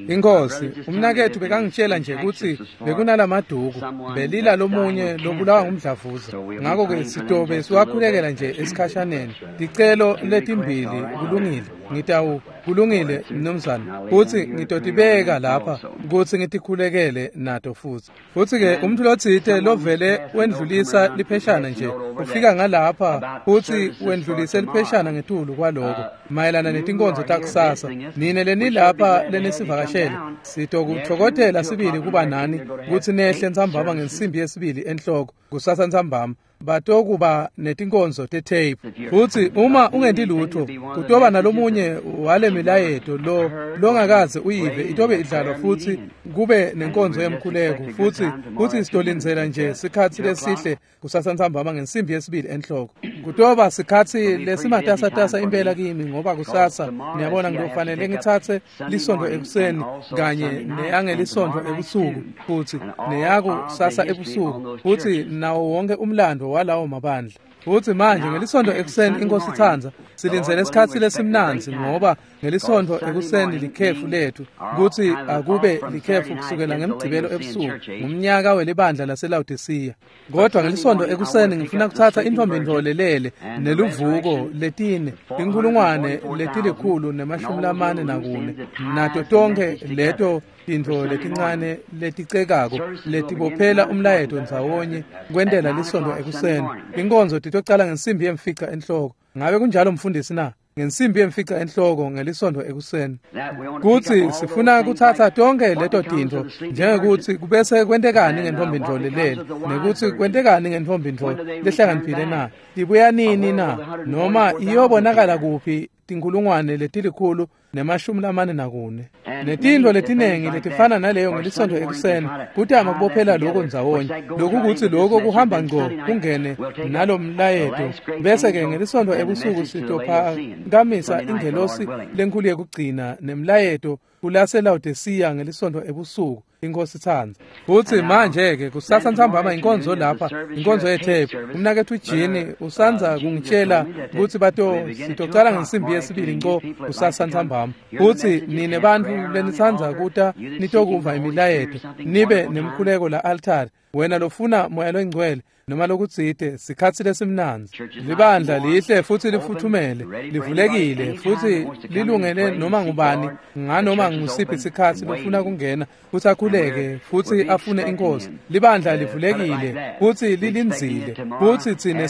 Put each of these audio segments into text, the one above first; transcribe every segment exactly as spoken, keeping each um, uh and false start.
Inkosi, umnaketfu bekangitshela nje kutsi bekunalamaduku belila lomunye lobulawa ngumdlavuza. Ngako-ke sitobe siwakhulekela nje esikhashaneni. Ticelo letimbili kulungile. Ngitawu kulungile mnumzane. Futsi ngitotibeka lapha kutsi ngitikhulekele nato futsi. Futsi-ke umuntu lotsite lovele wendlulisa lipheshana nje ufika ngalapha futsi wendlulise lipheshana ngetulu kwaloko mayelana netinkonzo takusasa. Nine lenilapha lenisivakashele sitokutfokotela sibili kuba nani kutsi nehle ntsambama ngensimbi yesibili enhloko kusasa ntsambama batokuba netinkonzo te-tape. Futsi uma ungenti lutho kutoba nalomunye wale milayeto lo longakaze uyive itobe idlalwa futsi kube nenkonzo yemkhuleko futsi futsi sitolindzela nje sikhatsi lesihle kusasa ntsambama ngensimbi yesibili enhloko. Kutoba sikhatsi lesimatasatasa impela kimi ngoba kusasa niyabona ngiyofanele ngitsatse lisonto ekuseni kanye neyangelisonto ebusuku futsi neyakusasa ebusuku futsi nawo wonke umlando walawo mabandla. Futsi manje ngelisonto ekuseni inkosi itsandza silindzele isikhatsi lesimnandzi ngoba ngelisonto ekuseni likhefu lethu kutsi akube likhefu kusukela ngemgcibelo ebusuku ngumnyaka welibandla laseLawodisiya. Kodwa ngelisonto ekuseni ngifuna kutsatsa intfombi lelele neluvuko letine inkhulungwane letilikhulu nemashumi lamane nakune nato tonkhe leto tintfo letincane leticekako letibophela umlayeto ndzawonye kwentela lisonto ekuseni. Inkonzo titocala ngensimbi yemfica enhloko. Ngabe kunjalo mfundisi na? Ngensimbi yemfica enhloko ngelisonto ekuseni. Kutsi sifuna kutsatsa tonkhe leto tintfo njengekuthi kubese kwentekani ngentfombi ntfo lelele nekutsi kwentekani ngentfombi ntfo lehlakaniphile na, ibuya nini na, noma iyobonakala kuphi tinkhulungwane letilikhulu nemashumi lamane nakune netintfo letinengi letifana naleyo ngelisonto ekuseni kutama kubophela lokho ndzawonye lokukutsi lokho kuhamba ngco kungene nalomlayeto. Bese-ke ngelisonto ebusuku sitophakamisa ingelosi lenkhulu yekugcina nemlayeto kulaseLawodisiya ngelisonto ebusuku inkosi itsandza. Futsi manje-ke kusasa ntsambama inkonzo lapha inkonzo yethephu. Umnaketfu Jini usandza kungitshela kutsi bato sitocala ngensimbi yesibili nco kusasa ntsambama. Futsi nine bantfu lenitsandza kuta nitokuva imilayeto nibe nemkhuleko la altari. Wena lofuna moya longcwele noma lokutsite sikhatsi lesimnandzi. Libandla lihle futsi lifuthumele livulekile futsi lilungele noma ngubani nganoma ngusiphi sikhatsi lofuna kungena futsi akhuleke futsi afune inkosi. Libandla livulekile futsi lilindzile futsi tsine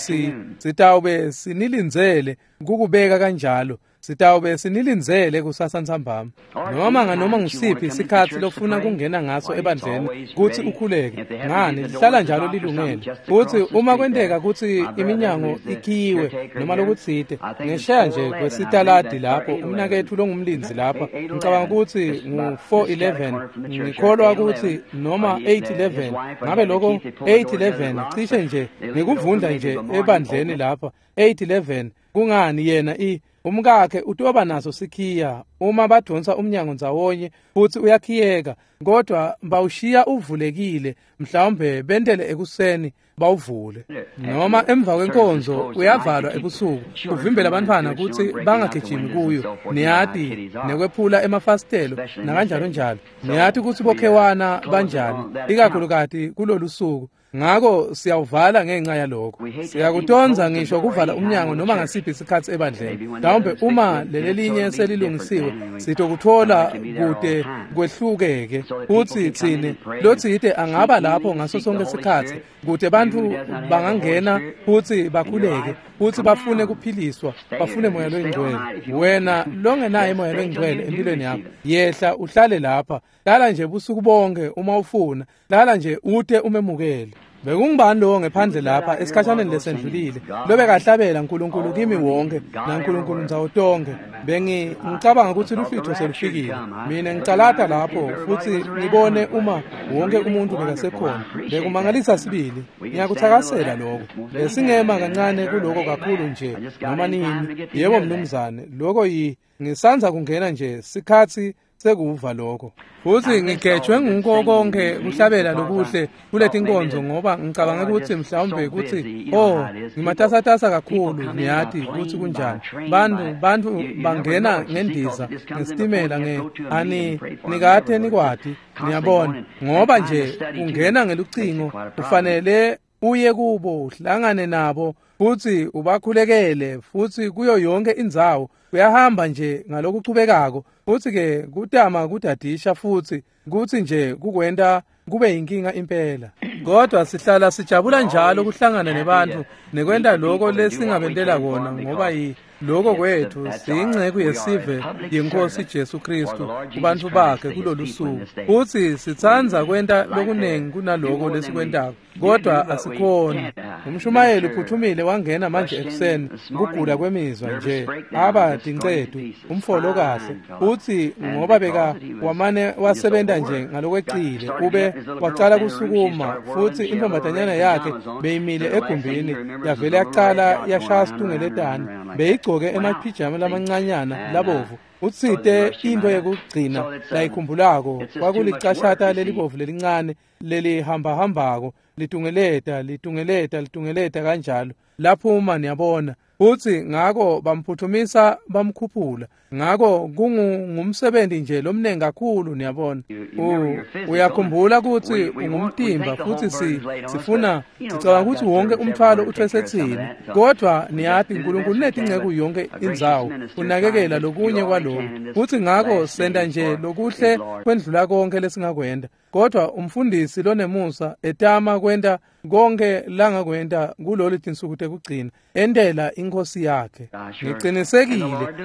sitawube sinilindzele kukubeka kanjalo. Sitawube sinilindzele kusasa ntsambama. Noma nganoma ngusiphi isikhatsi lofuna kungena ngaso ebandleni kutsi ukhuleke ngani lihlala njalo lilungele. Futsi uma kwenteka kutsi iminyango ikhiyiwe noma lokutsite ngesheya nje kwesitaladi lapho umnaketfu longumlindzi lapha ngicabanga kutsi ngu-four eleven ngikholwa kutsi noma eight eleven ngabe lokho eight eleven cishe nje ngikuvundla nje ebandleni lapha eight eleven kungani yena i umkakhe utoba naso sikhiya uma badonsa umnyango ndzawonye futsi uyakhiyeka kodwa bawushiya uvulekile mhlawumbe bentele ekuseni bawuvule noma emva kwenkonzo uyavalwa ebusuku kuvimbela abantwana kutsi bangagijimi kuyo niyati nekwephula emafasitelo nakanjalo njalo. Niyati kutsi bokhewana banjani ikakhulukati kulolu suku. Ngako siyawuvala ngenxa yalokho. Siyakutonza ngisho kuvala umnyango noma ngasiphi isikhatsi ebandleni. Mhlawumbe uma lelelinye selilungisiwe sitokuthola kude kwehlukeke futsi tsine lotsite angaba lapho ngaso sonke isikhatsi kude bantfu bangangena futsi bakhuleke futsi bafune kuphiliswa bafune moya loyingcwele. Wena longenaye moya loyingcwele empilweni yakho yehla uhlale lapha hlala nje busuku bonke uma ufuna hlala nje ute umemukele. Bekungubani lowo ngephandle lapha esikhashaneni lesendlulile lobekahlabela uNkulunkulu kimi wonke naNkulunkulu ndzawo tonke. Bengi ngicabanga kutsi luhlwitho selufikile. Mina ngicalata lapho futsi ngibone uma wonke umuntu bekasekhona. Bekumangalisa sibili. Ngiyakuthakasela lokho. Besingema kancane kuloko kakhulu nje noma nini. Yebo mnumzane, lokho yi Ngisandza kungena nje sikhatsi sekuva lokho. Futhi ngigejwe nguko konke kuhlabela lokuhle kuletinkonzo ngoba ngicabanga ukuthi mhlawumbe ukuthi oh ngimatasatasa kakhulu, niyati ukuthi kunjani. Bantu bantu bangena ngendiza ngesitimela nge ani nikate nikwati, niyabona, ngoba nje ungena ngelucingo ufanele uye kubo uhlangane nabo futhi ubakhulekele futhi kuyo yonke indzawo uyahamba nje ngalokuchubekako. Futhi ke kutama kudadisha futhi kuthi nje kukwenta kube yinkinga impela. Kodwa sihlala sijabula njalo kuhlangana nebantu nekwenta lokho lesingabentela kona, ngoba lokho kwethu siyingceku yesive yenkosi Jesu Kristu kubantu bakhe kulolu suku. Futhi sitsandza kwenta lokunengi kunaloko lesikwentako, kodwa asikhoni. Umshumayeli uphuthumile wangena manje ekuseni kugula kwemizwa nje aba tincedu umfolo kahle, futhi ngoba beka wamane wasebenta nje ngalokwecile ube wacala kusukuma, futhi intombazanyana yakhe beyimile egumbini yavele yaqala yashaya situngeletane, beyigcoke emaphijama lamancanyana labovu. Utsite into yekugcina layikhumbulako kwakulicashata lelibovu lelincane lelihambahambako litungeleta litungeleta litungeleta kanjalo laphuma, niyabona. Futhi ngako bamphuthumisa bamkhuphula. Ngako kungumsebenzi nje lomnengi kakhulu, niyabona. Uyakhumbula ukuthi ungumtimba futhi si sifuna sicabanga ukuthi wonke umthwalo uthwesethini, kodwa niyati uNkulunkulu unetinceku yonke indzawo unakekela lokunye kwaloko. Futhi ngako senta nje lokuhle kwendlula konke lesingakwenda, kodwa umfundisi lonemusa etama kwenta konke langakwenta kulolu tinsuku tekugcina entela inkosi yakhe. Ngiqinisekile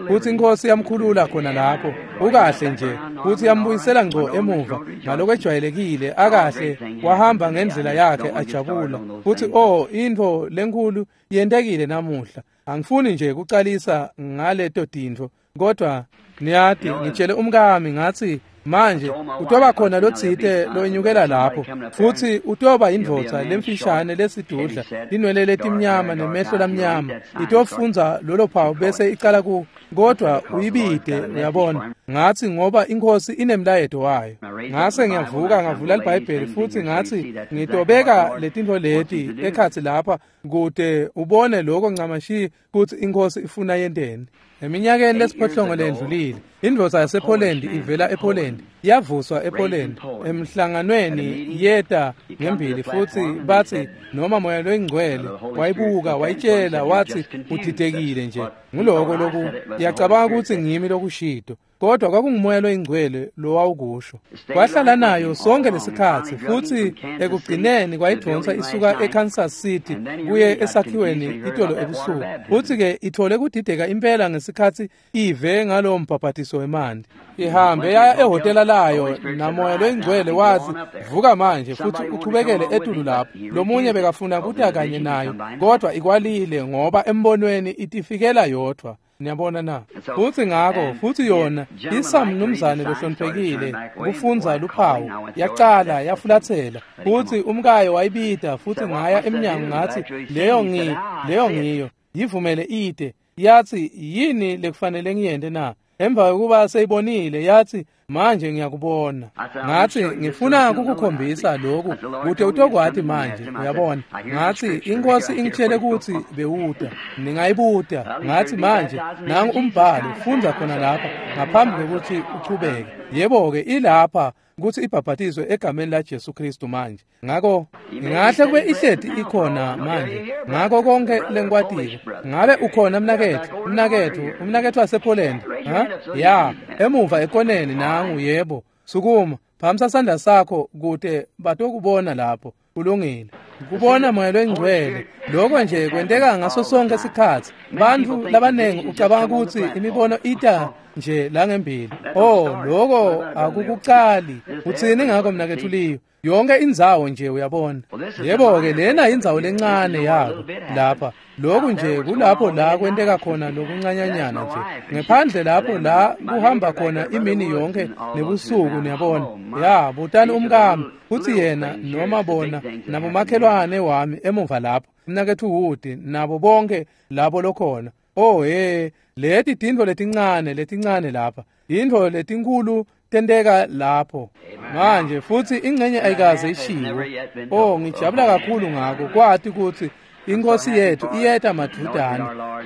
ukuthi inkosi yamkhulula khona lapho ukahle nje, futhi yambuyisela ngco emuva ngalokwejwayelekile akahle, wahamba ngendlela yakhe ajabula. Futhi oh into lenkulu yentekile namuhla. Angifuni nje kucalisa ngaleto tintfo, kodwa niyati ngitshele umkami ngathi manje utoba khona lotsite loyinyukela lapho, futhi utoba indvodza lemfishane lesidudla linwele letimnyama nemehlo lamnyama, itofunza lolo phawu bese icala ku, kodwa uyibide, uyabona. Ngathi ngoba inkosi inemlayeto wayo. Ngase ngiyavuka ngavula iBhayibheli futhi ngathi ngitobeka letintfo leti ekhatsi lapha kude ubone lokho ncamashi kuthi inkosi ifuna yenteni. Eminyakeni lesiphohlongo lendlulile, indvodza yasePoland ivela ePoland yavuswa ePoland emhlanganweni yeta ngembili, futhi bathi noma moya loyingcwele wayibuka wayitshela wathi udidekile nje nguloko loku, yacabanga ukuthi ngimi lokushido, kodwa kwakungumoya loyingcwele lowawukusho. Kwahlala nayo sonke lesikhatsi, futhi ekugcineni kwayidonsa isuka eKansas City kuye esakhiweni itolo ebusuku. Futhi ke ithole kudideka impela ngesikhatsi ive ngalowo mbhabhatiso wemanti. Ihambe yaya ehhotela layo namoya loyingcwele wathi vuka manje futhi uchubekele etulu lapho. Lomunye bekafuna kuta kanye nayo, kodwa ikwalile ngoba embonweni itifikela yodwa. Niyabona na? Futhi ngako futhi yona isamnumzane lohloniphekile kufunza luphawu yaqala yafulathela, futhi umkayo wayibida, futhi ngaya eminyango ngathi leyo ngi leyo ngiyo yivumele ide. Yathi yini lekufanele ngiyente na? Emva kokuba seyibonile yathi manje ngiyakubona. Ngathi ngifuna ukukukhombisa lokhu kude utokwati manje, uyabona. Ngathi inkosi ingitshele ukuthi bewuta ningayibuta. Ngathi manje nangu umbhalo, fundza khona lapha ngaphambi kokuthi uchubeke. Yebo ke ilapha ukuthi ibhabhatizwe egameni la Jesu Kristu manje. Ngako ngahle kube ihleti ikhona manje. Ngako konke lenkwatiko. Ngabe ukhona mnakethu, mnakethu, umnakethu wasePoland, ha? Ya, emuva ekoneni nangu, yebo. Sukuma, phamisa sandla sakho kude batokubona lapho. Kulungile. Kubona moya loyingcwele lokho nje kwenteka ngaso sonke isikhatsi. Bantu labanengi ucabanga ukuthi imibono ita nje la ngembili. Oh, lokho akukucali. Utsini ngakho mnakethu Liyo? Yonke indzawo nje uyabona. Yebo ke lena indzawo lencane yako lapha. Lokhu nje kulapho la kwenteka khona lokuncanyanyana nje. Ngephandle lapho la kuhamba khona imini yonke nebusuku, niyabona. Ya, butani umkami uthi yena noma bona nabomakhelwane wami emuva lapho. Mnakethu Wood nabo bonke labo lokhona. Oh hey, Leti tintfo letincane letincane lapha, tintfo letinkulu tenteka lapho. Manje futsi ingcenye ayikaze ishiwo. Oh, ngijabula kakhulu ngako kwati kutsi iNkosi yethu iyeta madvutane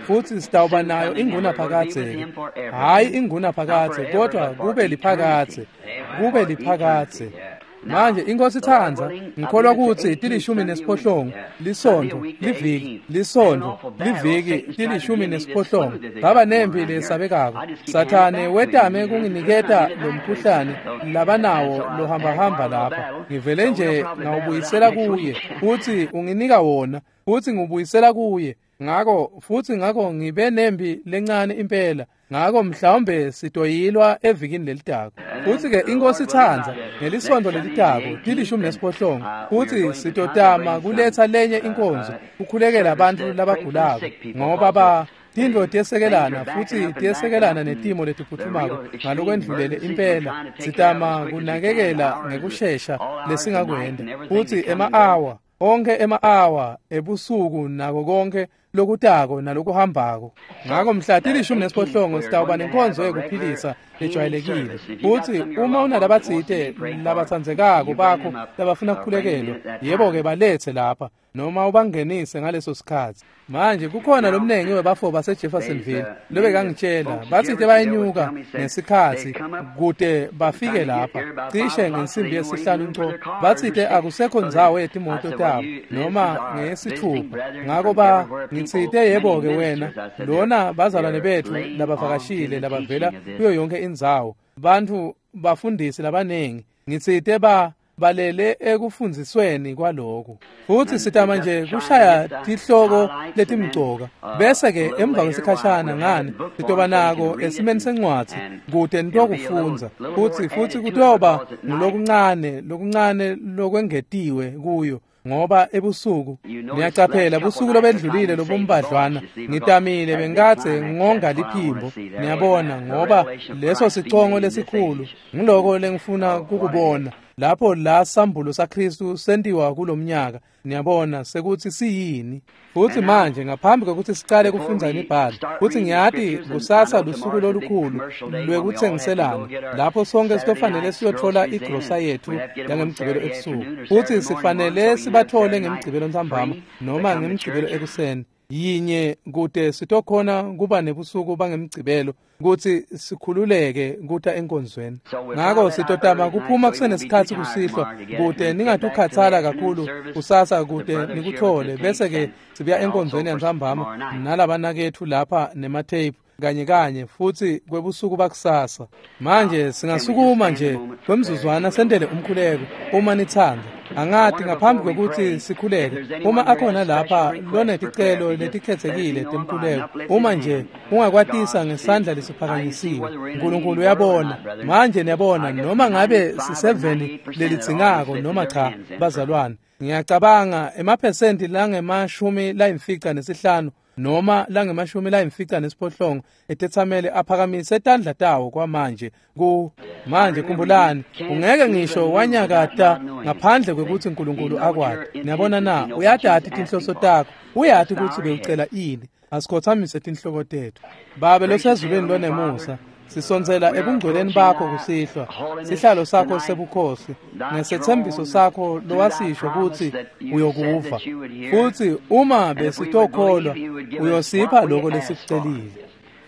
futsi sitawuba nayo ingunaphakadze. Hhayi ingunaphakadze, kodwa kube liphakadze, kube liphakadze. Manje iNkosi itsandza, ngikholwa kutsi tilishumi nesiphohlongo, lisontfo, liviki, lisontfo, liviki, tilishumi nesiphohlongo. Baba nempi lesabekako. Sathane wetame kunginiketa lo mkhuhlane labanawo lohambahamba lapha. Ngivele nje ngawubuyisela kuye, futsi unginika wona, futsi ngiwubuyisela kuye. Ngako futsi ngako ngibe nempi lencane impela. Ngako mhlawumbe sitoyilwa evikini lelitako. Futsi-ke iNkosi itsandza ngelisontfo lelitako tilishumi nesiphohlongo, futsi sitotama kuletsa lenye inkonzo kukhulekela bantfu labagulako, ngoba ba tintfo tiyesekelana futsi tiyesekelana netimo letiphutfumako ngalokwendlulele impela. Sitama kunakekela ngekushesha lesingakwenta, futsi ema-awa onke ema-awa ebusuku nako konke lokutako nalokuhambako. Ngako mhla tilishumi nesiphohlongo sitawuba nenkonzo yekuphilisa lejwayelekile. Futsi uma unalabatsite labatsandzekako bakho labafuna kukhulekelwa, yebo-ke baletse lapha noma ubangenise ngaleso sikhatsi. Manje kukhona lomningi webafo baseJeffersonville lobekangitshela batsite bayenyuka ngesikhatsi kute bafike lapha cishe ngensimbi yesihlanu nco. Batsite akusekho ndzawo yetimoto tabo noma ngeyesithupha. Ngako ba ngitsite yebo-ke wena lona bazalwane betfu labavakashile labavela kuyo yonke indzawo, bantfu bafundisi labaningi, ngitsite ba balele ekufundzisweni kwaloku. Futsi sitama nje kushaya tihloko letimcoka, bese-ke emva kwesikhashana ngani sitoba nako esimeni sencwadzi kute nitokufundza. Futsi futsi kutoba ngulokuncane lokuncane lokwengetiwe kuyo, ngoba ebusuku niyacaphela busuku lobendlulile lobumbadlwana ngitamile bengikadze ngonga liphimbo, niyabona, ngoba leso sicongo lesikhulu ngiloko lengifuna kukubona lapho la sambulo saKristu sentiwa kulomnyaka, niyabona sekuthi siyini. Futsi manje ngaphambi kwekutsi sicale kufundza imibhalo, futsi ngiyati kusasa lusuku lolukhulu lwekutsengiselana lapho sonke sitofanele siyotfola igrosa yethu yangemgcibelo ebusuku, futsi sifanele sibathole ngemgcibelo ntsambama noma ngemgcibelo ekuseni yinye kute sitokhona kuba nebusuku bangemgcibelo kutsi sikhululeke kuta enkonzweni. Ngako sitotama kuphuma kusenesikhatsi kusihlwa kute ningatukhatsala kakhulu kusasa kute nikuthole, bese-ke sibuya enkonzweni yantsambama nalabanaketfu lapha nematheyiphu kanye kanye futsi kwebusuku bakusasa. Manje singasukuma nje kwemzuzwana sentele umkhuleko uma nitsandza. Angati ngaphambi kwekutsi sikhuleke, uma akhona lapha loneticelo letikhetsekile temkhuleko, uma nje ungakwatisa ngesandla lesiphakanyisiwe, Nkulunkulu uyabona. Manje niyabona noma ngabe siseveni lelidzingako noma cha, bazalwane, ngiyacabanga emaphesenti langemashumi layimfica nesihlanu noma langemashumi layimfica nesiphohlongo etetsamele aphakamise tandla tawo kwamanje ku manje. Khumbulani, ungeke ngisho wanyakata ngaphandle kwekutsi Nkulunkulu akwati. Niyabona na? Uyatati tinhloso takho, uyati kutsi bewucela ini. Asikhothamise tinhloko tetfu. Babe losezulwini lonemusa, sisondzela ebungcweleni bakho kusihlwa, sihlalo sakho sebukhosi ngesethembiso sakho lowasisho kutsi uyokuva, futsi uma besitokholwa uyosipha lokho lesikucelile.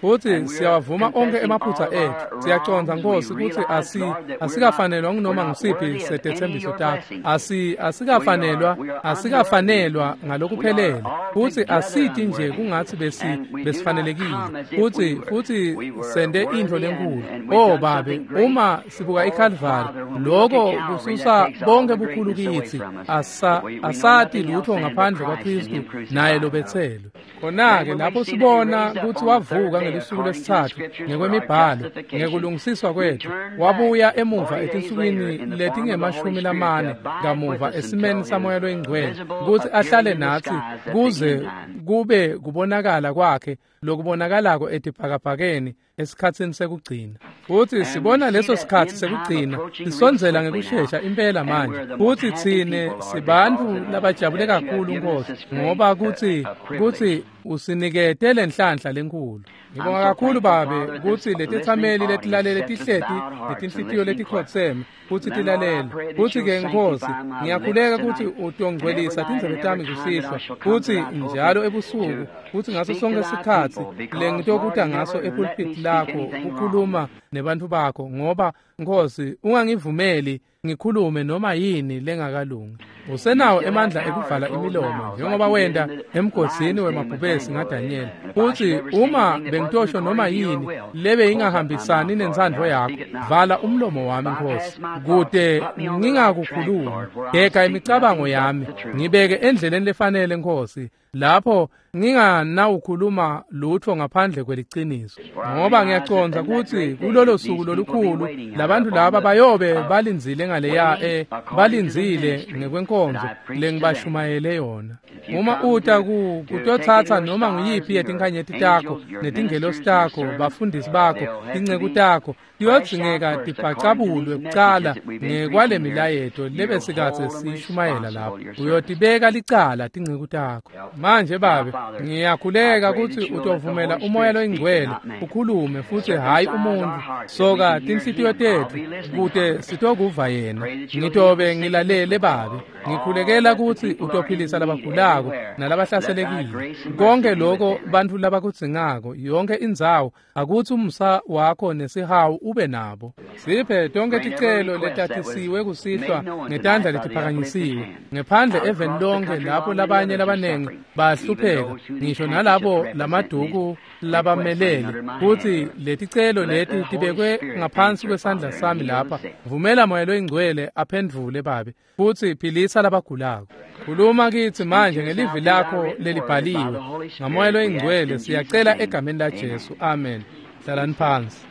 Futsi siyawavuma onkhe emaphutsa etfu, siyacondza Nkosi kutsi asi asikafanelwa ngunoma ngusiphi setethembiso takho, asi asikafanelwa asikafanelwa ngalokuphelele, futsi asiti nje kungatsi besi besifanelekile, futsi futsi sente intfo lenkulu. Oh Babe, uma sibuka iKalvari, lokho kususa bonke bukhulu kitsi, asa asati lutho ngaphandle kwaKristu naye lobetselwe. Khona-ke lapho sibona kutsi wavuka ngelusuku lwesitsatfu ngekwemibhalo ngekulungisiswa kwetfu, wabuya emuva etinsukwini letingemashumi lamane kamuva esimeni saMoya loyiNgcwele kutsi ahlale natsi kuze kube kubonakala kwakhe lokubonakalako etibhakabhakeni esikhatsini sekugcina. Futsi sibona leso sikhatsi sekugcina sisondzela ngekushesha impela manje. Futsi tsine sibantfu labajabule kakhulu Nkosi, ngoba kutsi kutsi usinikete lenhlanhla lenkhulu. Ngibonga kakhulu Babe kutsi letetsameli letilalele tihleti letinhlitiyo letikhotseme futsi tilalele. Futsi-ke Nkosi, ngiyakhuleka kutsi utongcwelisa tindzebe tami kusihlwa, futsi njalo ebusuku, futsi ngaso sonke sikhatsi lengitokuta ngaso epulpit lakho kukhuluma nebantfu bakho, ngoba Nkosi ungangivumeli ngikhulume noma yini lengakalungi. Usenawo emandla ekuvala imilomo njengoba wenta emgodzini wemabhubesi ngaDanyela. Futsi uma bengitosho noma yini lebe ingahambisani nentsandvo yakho, vala umlomo wami Nkosi, kute ngingakukhulumi. Gega imicabango yami, ngibeke endleleni lefanele Nkosi, lapho nginganawukhuluma lutho ngaphandle kweliciniso, ngoba ngiyacondza kutsi kulolo suku lolukhulu labantu laba bayobe balindzile ngaleya e balindzile ngekwenkonzo lengibashumayele yona. Uma uta ku kutotsatsa noma nguyiphi yetinkhanyeti takho netingelosi takho, bafundisi bakho, tinceku takho, tiyodzingeka tibhacabulwe kucala ngekwale milayeto lebesikadze siyishumayela lapho. Uyotibeka licala tinceku takho. Manje Babe, ngiyakhuleka kutsi utovumela uMoya loyiNgcwele ukhulume futsi hhayi umuntfu. Soka tinhlitiyo tetfu kute sitokuva yena. Ngitobe ngilalele Babe. Ngikhulekela kutsi utophilisa labagulako nalabahlaselekile. Konke lokho bantfu labakudzingako, yonke indzawo, akutsi umusa wakho nesihawu ube nabo. Siphe tonke ticelo letatisiwe kusihlwa ngetandla letiphakanyisiwe ngephandle eveni lonke lapho labanye labanengi bahlupheka, ngisho nalabo lamaduku labamelele, kutsi leticelo leti tibekwe ngaphansi kwesandla sami lapha. Vumela Moya loyiNgcwele aphendvule Babe, futsi philisa labagulako. Khuluma kitsi manje ngelivi lakho lelibhaliwe ngaMoya loyiNgcwele, siyacela egameni la Jesu, amen. Hlalani phansi.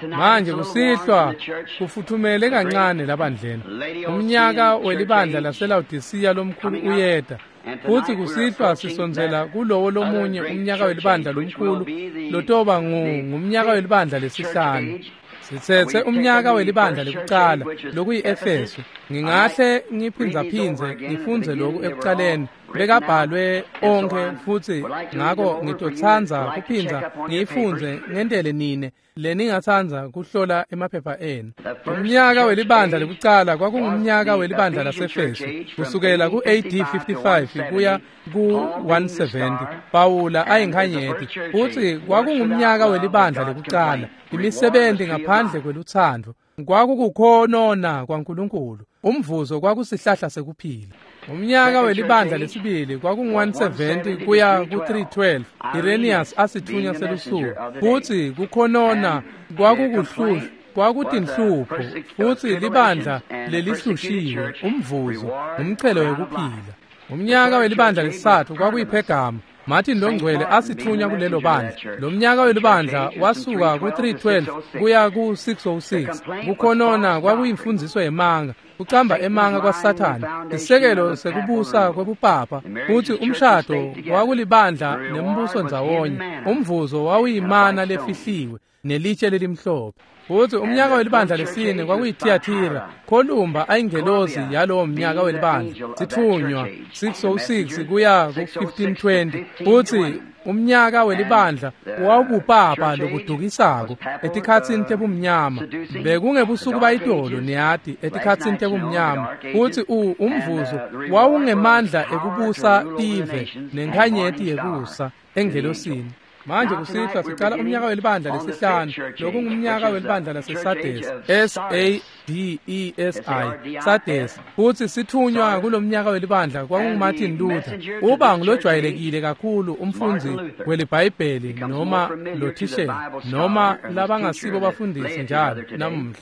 Manje kusihlwa kufuthumele kancane labandleni. Umnyaka welibandla laseLawodisiya lomkhulu uyeta, futsi kusihlwa sisondzela kulowo lomunye umnyaka welibandla lomkhulu lotoba ngumnyaka welibandla lesihlanu. Sitsetse umnyaka welibandla lekucala lokuyi-Efesu. Ngingahle ngiphindzaphindze ngifundze lokhu ekucaleni, bekabhalwe onkhe, futsi ngako ngitotsandza kuphindza ngiyifundze ngentele nine leningatsandza kuhlola emaphepha enu. Umnyaka welibandla lekucala kwakungumnyaka welibandla laseFesu, kusukela ku-A D fifty-five kuya ku one seventy. Pawula ayinkhanyeti, futsi kwakungumnyaka welibandla lekucala, imisebenti ngaphandle kwelutsandvo. Kwakukukhonona kwaNkulunkulu, umvuzo kwakusihlahla sekuphila. Umnyaka welibandla lesibili kwakungu one seventy kuya ku three twelve, Irenaeus asithunywa selusuku, futsi kukhonona kwakukuhlushwa kwakutinhlupho, futsi libandla lelihlushiwe, umvuzo umchelo wekuphila. Umnyaka welibandla lesitsatfu kwakuyiPhergama, Martin loNgcwele asithunywa kulelo bandla. Lo mnyaka welibandla wasuka ku three twelve kuya ku six oh six. Kukhonona kwakuyimfundziso yemanga, kucamba emanga kwaSathane, isisekelo sekubusa kwebupapa, futsi umshado kwakulibandla nembuso ndzawonye. Umvuzo wawuyimana lefihliwe nelitshe lelimhlophe. Futsi umnyaka welibandla lesine kwakuyithiyathira, Columba ayingelosi yalowo mnyaka welibandla, sithunywa six oh six kuya ku fifteen twenty. Futsi umnyaka welibandla wawubupapa lobudukisako etikhatsini tebumnyama. Bekungebusuku bayitolo niyati, etikhatsini tebumnyama. Futsi umvuzo wawungemandla ekubusa tive nenkhanyeti yekusa engelosini. Manje kusihlwa sicala umnyaka welibandla lesihlanu, lokungumnyaka welibandla laseSardesi, S A D E S I, Sardes. Futsi sithunywa kulomnyaka welibandla kwakunguMartin Luther. Uba ngulojwayelekile kakhulu umfundzi weliBhayibheli noma lothishela noma labangasibo bafundisi njalo namuhla.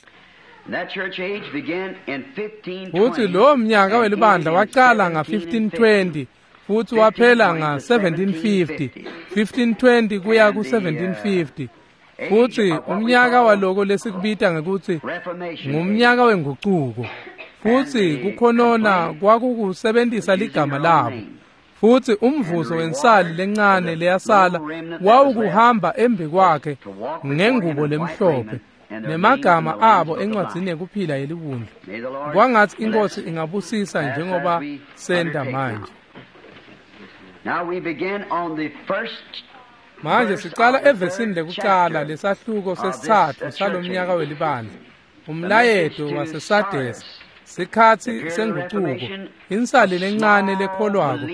Futsi lowo mnyaka welibandla wacala nga fifteen twenty futsi waphela nga seventeen fifty, fifteen twenty kuya ku seventeen fifty. Futsi umnyaka waloko lesikubita ngekutsi ngumnyaka wengucuko. Futsi kukhonona kwakukusebentisa ligama labo. Futhi umvuzo wensali lencane leyasala wawukuhamba embi kwakhe ngengubo lemhlophe nemagama abo encwadzini yekuphila yeliwundlu. Kwangathi inkosi ingabusisa njengoba senta manje. Manje sicala evesini lekucala lesahluko sesitsatfu salomnyaka welibandla. Umlayeto waseSardesi, sikhatsi sengucuko, insali lencane lekholwako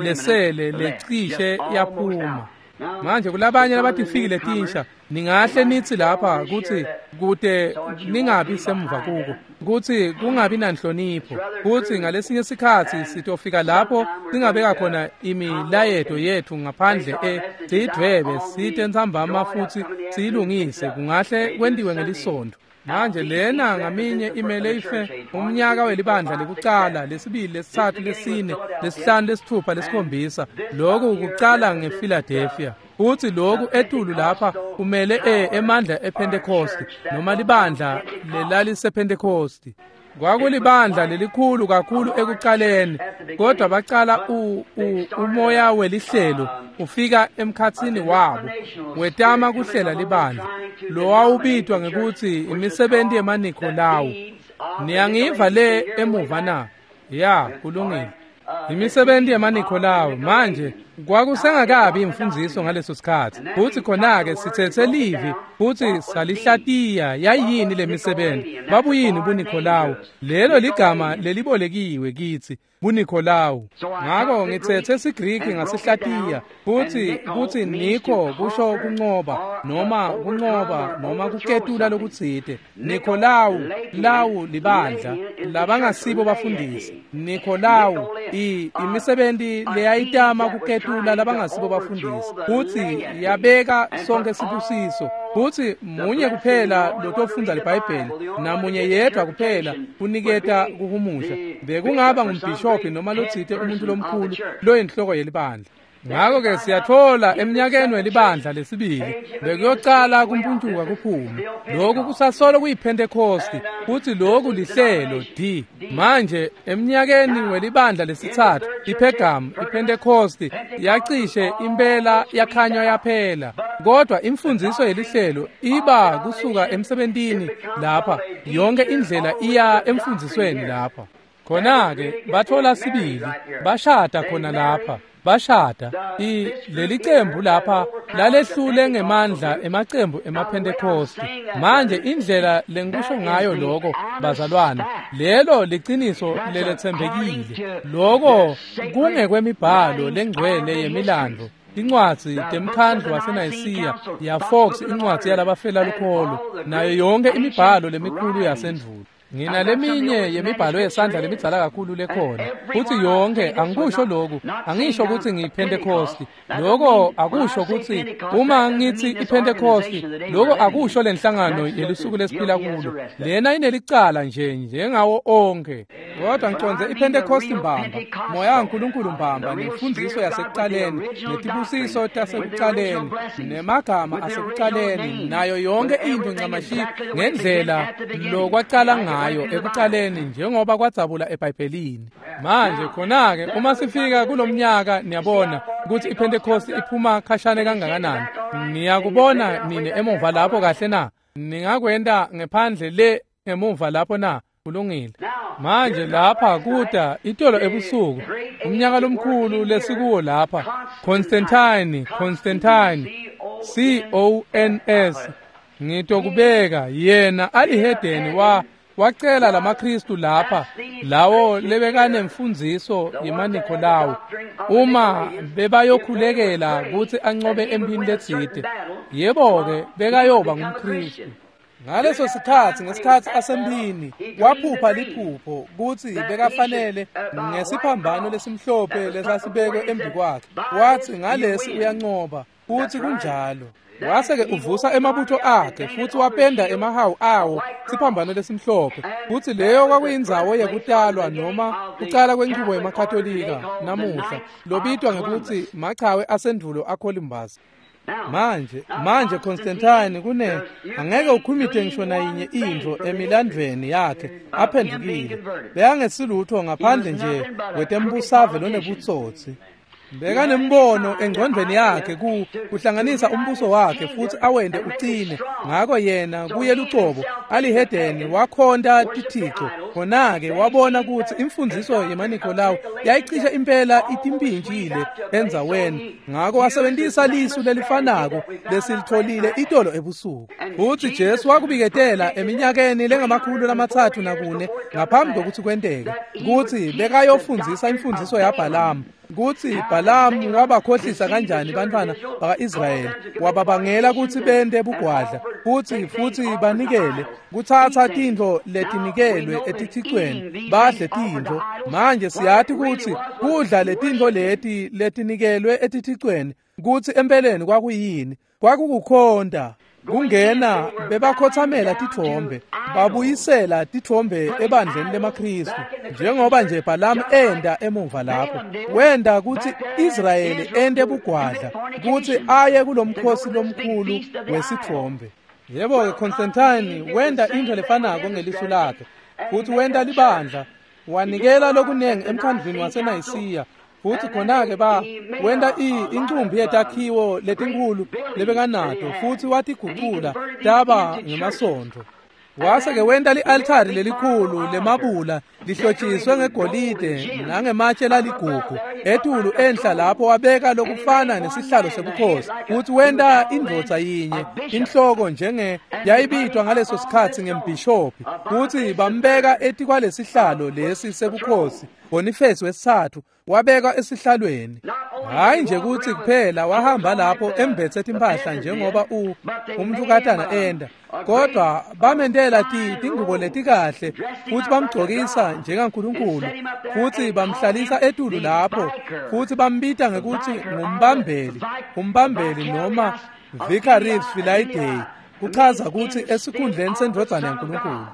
lesele lecishe yaphuma. Manje kulabanye labatifikile tinsha ningahle nithi lapha kutsi kute ningabi semva kuko, kutsi kungabi nanhlonipho, kutsi ngalesinye sikhatsi sitofika lapho singabeka khona imilayeto yethu ngaphandle e siyidvwebe site ntsambama futsi siyilungise, kungahle kwentiwe ngelisonto. Manje lena ngaminye imele ife umnyaka welibandla lekucala, lesibili, lesitsatfu, lesine, lesihlanu, lesitfupha, lesikhombisa. Lokhu kucala ngePhiladelphia. Futhi lokhu etulu lapha kumele e emandla ePentecost noma libandla lelalisePentecost. Kwakulibandla lelikhulu kakhulu ekucaleni, kodwa bacala u, u, umoya welihlelo ufika emkhatsini wabo wetama kuhlela libandla lowawubitwa ngekutsi imisebenzi yemaNikolawu. Niyangiva le emuva na? Ya, kulungile. Imisebenzi yemaNikolawu. Manje kwakusengakabi imfundiso ngaleso sikhatsi, futhi khona-ke sithethe livi futhi salihlatiya. Yayini lemisebenzi? Babuyini buNikolawu? Lelo ligama lelibolekiwe kithi, buNikolawu. Ngako ngithethe siGriki ngasihlatiya, futhi kutsi Niko kusho kuncoba noma kuncoba noma kuketula lokutsite. Nikolawu lawu libandla labangasibo bafundisi. Nikolawu i imisebenzi leyayitama kuketula labangasibo bafundisi, futhi yabeka sonke sibusiso. Futhi munye kuphela lotofundza liBhayibheli namunye yedwa kuphela kuniketa kuhumusha, bekungaba ngumbhishobhi noma lotsite umuntu lomkhulu loyinhloko yelibandla. Ngakho-ke siyathola eminyakeni welibandla lesibili bekuyocala kumpuntuka kuphume. Lokhu kusasolo kuyiPhentekosti, futhi lokhu lihlelo D. Manje eminyakeni welibandla lesitsatfu iPhergamu, iPhentekosti yacishe impela yakhanywa yaphela. Kodwa imfundiso yelihlelo iba kusuka emsebentini lapha yonke indlela iya emfundisweni lapha. Khona-ke bathola sibili bashada khona lapha. Bashada i leli cembu lapha lalehlule ngemandla emacembu emaPhentekosti. Manje indlela lengikusho ngayo lokho bazalwane, lelo liciniso leletsembekile. Lokho kungekwemibhalo lengcwele yemilandvo, incwadzi temkhandlu waseNayisiya ya Fox, incwadzi yalabafela lukholo, nayo yonke imibhalo lemikhulu yasendvulo. Ngina leminye yemibhalo yesandla lemidzala kakhulu lekhona, futhi yonke angikusho lokhu, angisho ukuthi ngiyiPhentekosti. Lokho akusho ukuthi uma ngithi iPhentekosti, lokho akusho lenhlangano yelusuku lesiphila kulo. Lena inelicala nje njengawo onke. Kodwa ngiconze iPhentekosti mbamba, moya kaNkulunkulu mbamba, nemfundiso yasekucaleni, netibusiso tasekucaleni, nemagama asekucaleni, nayo yonke into ncamashi ngendlela lokwacala ngayo ekucaleni njengoba kwadzabula eBhayibhelini. Manje khona-ke uma sifika kulomnyaka niyabona ukuthi iPhentekosti iphuma khashane kangakanani. Niyakubona nine emuva lapho kahle na? Ningakwenta ngephandle le emuva lapho na? Kulungile. Manje lapha kuda itolo ebusuku, umnyaka lomkhulu lesikuwo lapha, Constantine, Constantine, C O N S, ngitokubeka yena alihedeni wa wacela lamaKristu lapha lawo lebekanemfundziso yemaNikolawu uma bebayokhulekela kutsi ancobe emphini letsite. Yebo-ke bekayoba ngumKristu. Ngaleso sikhatsi, ngesikhatsi asemphini, waphupha liphupho kutsi bekafanele ngesiphambano lesimhlophe lesasibekwe embi kwakhe. Watsi ngalesi uyancoba, futsi kunjalo. Wase-ke uvusa emabutho akhe futsi wapenda emahawu awo siphambano lesimhlophe, futsi leyo kwakuyindzawo yekutalwa noma kucala kwenchubo yemaKatolika namuhla lobitwa ngekutsi machawe asendvulo aColumbus. Manje manje Constantine kune angeke ukhumite ngisho nayinye intfo emilandvweni yakhe aphendukile. Bekangesilutho ngaphandle nje wetembusave lonebutsotsi. Bekanembono engcondvweni yakhe ku kuhlanganisa umbuso wakhe futhi awente ucine. Ngako yena kuye lucobo alihedeni wakhonta tithixo. Khona-ke wabona kutsi imfundziso yemaNikolawu yayicishe impela itimpintshile endzaweni. Ngako wasebentisa lisu lelifanako lesilitholile itolo ebusuku. Futsi Jesu wakubiketela eminyakeni lengamakhulu lamatsatfu nakune ngaphambi kokuthi kwenteke kutsi bekayofundzisa imfundziso yaBhalamu, kutsi Bhalamu wabakhohlisa kanjani bantfwana baka-Israyeli, wababangela kutsi bente bugwadla futsi futsi banikele kutsatsa tintfo letinikelwe etithixweni badle tintfo. Manje siyati kutsi kudla letintfo leti letinikelwe etithixweni kutsi empeleni kwakuyini? Kwakukukhonta. Kungena bebakhothamela titfombe, babuyisela titfombe ebandleni lemaKhristu, njengoba nje Bhalamu enda emuva lapho. Wenda kutsi Israyeli ente bugwadla kutsi aye kulomkhosi lomkhulu wesitfombe. Yebo-ke, Constantine wenda intfo lefanako ngelisu lakhe, futhi wenta libandla, wanikela lokunengi emkhandlwini waseNayisiya. Futhi khona-ke ba wenta incumbi yetakhiwo letinkhulu lebekanato futhi watigucula taba ngemasontfo. Wase-ke wenta li-altari lelikhulu lemabula lihlotshiswe ngegolide nangematshe laligugu. Etulu enhla lapho wabeka lokufana nesihlalo sebukhosi. Futhi wenta indvodza yinye inhloko njenge yayibitwa ngaleso sikhatsi ngembhishobhi. Futhi bambeka etikwalesihlalo lesi sebukhosi. Boniface wesithathu wabekwa esihlalweni. Hayi nje kutsi kuphela wahamba lapho embethe timphahla njengoba u umntukatana enda, kodwa bamentela tingubo letikahle futhi bamgcokisa njengaNkulunkulu futhi bamhlalisa etulu lapho futhi bambita ngekuthi ngumbambeli, umbambeli noma Vicarius Filii Dei, kuchaza kutsi esikhundleni sendvodzana yaNkulunkulu.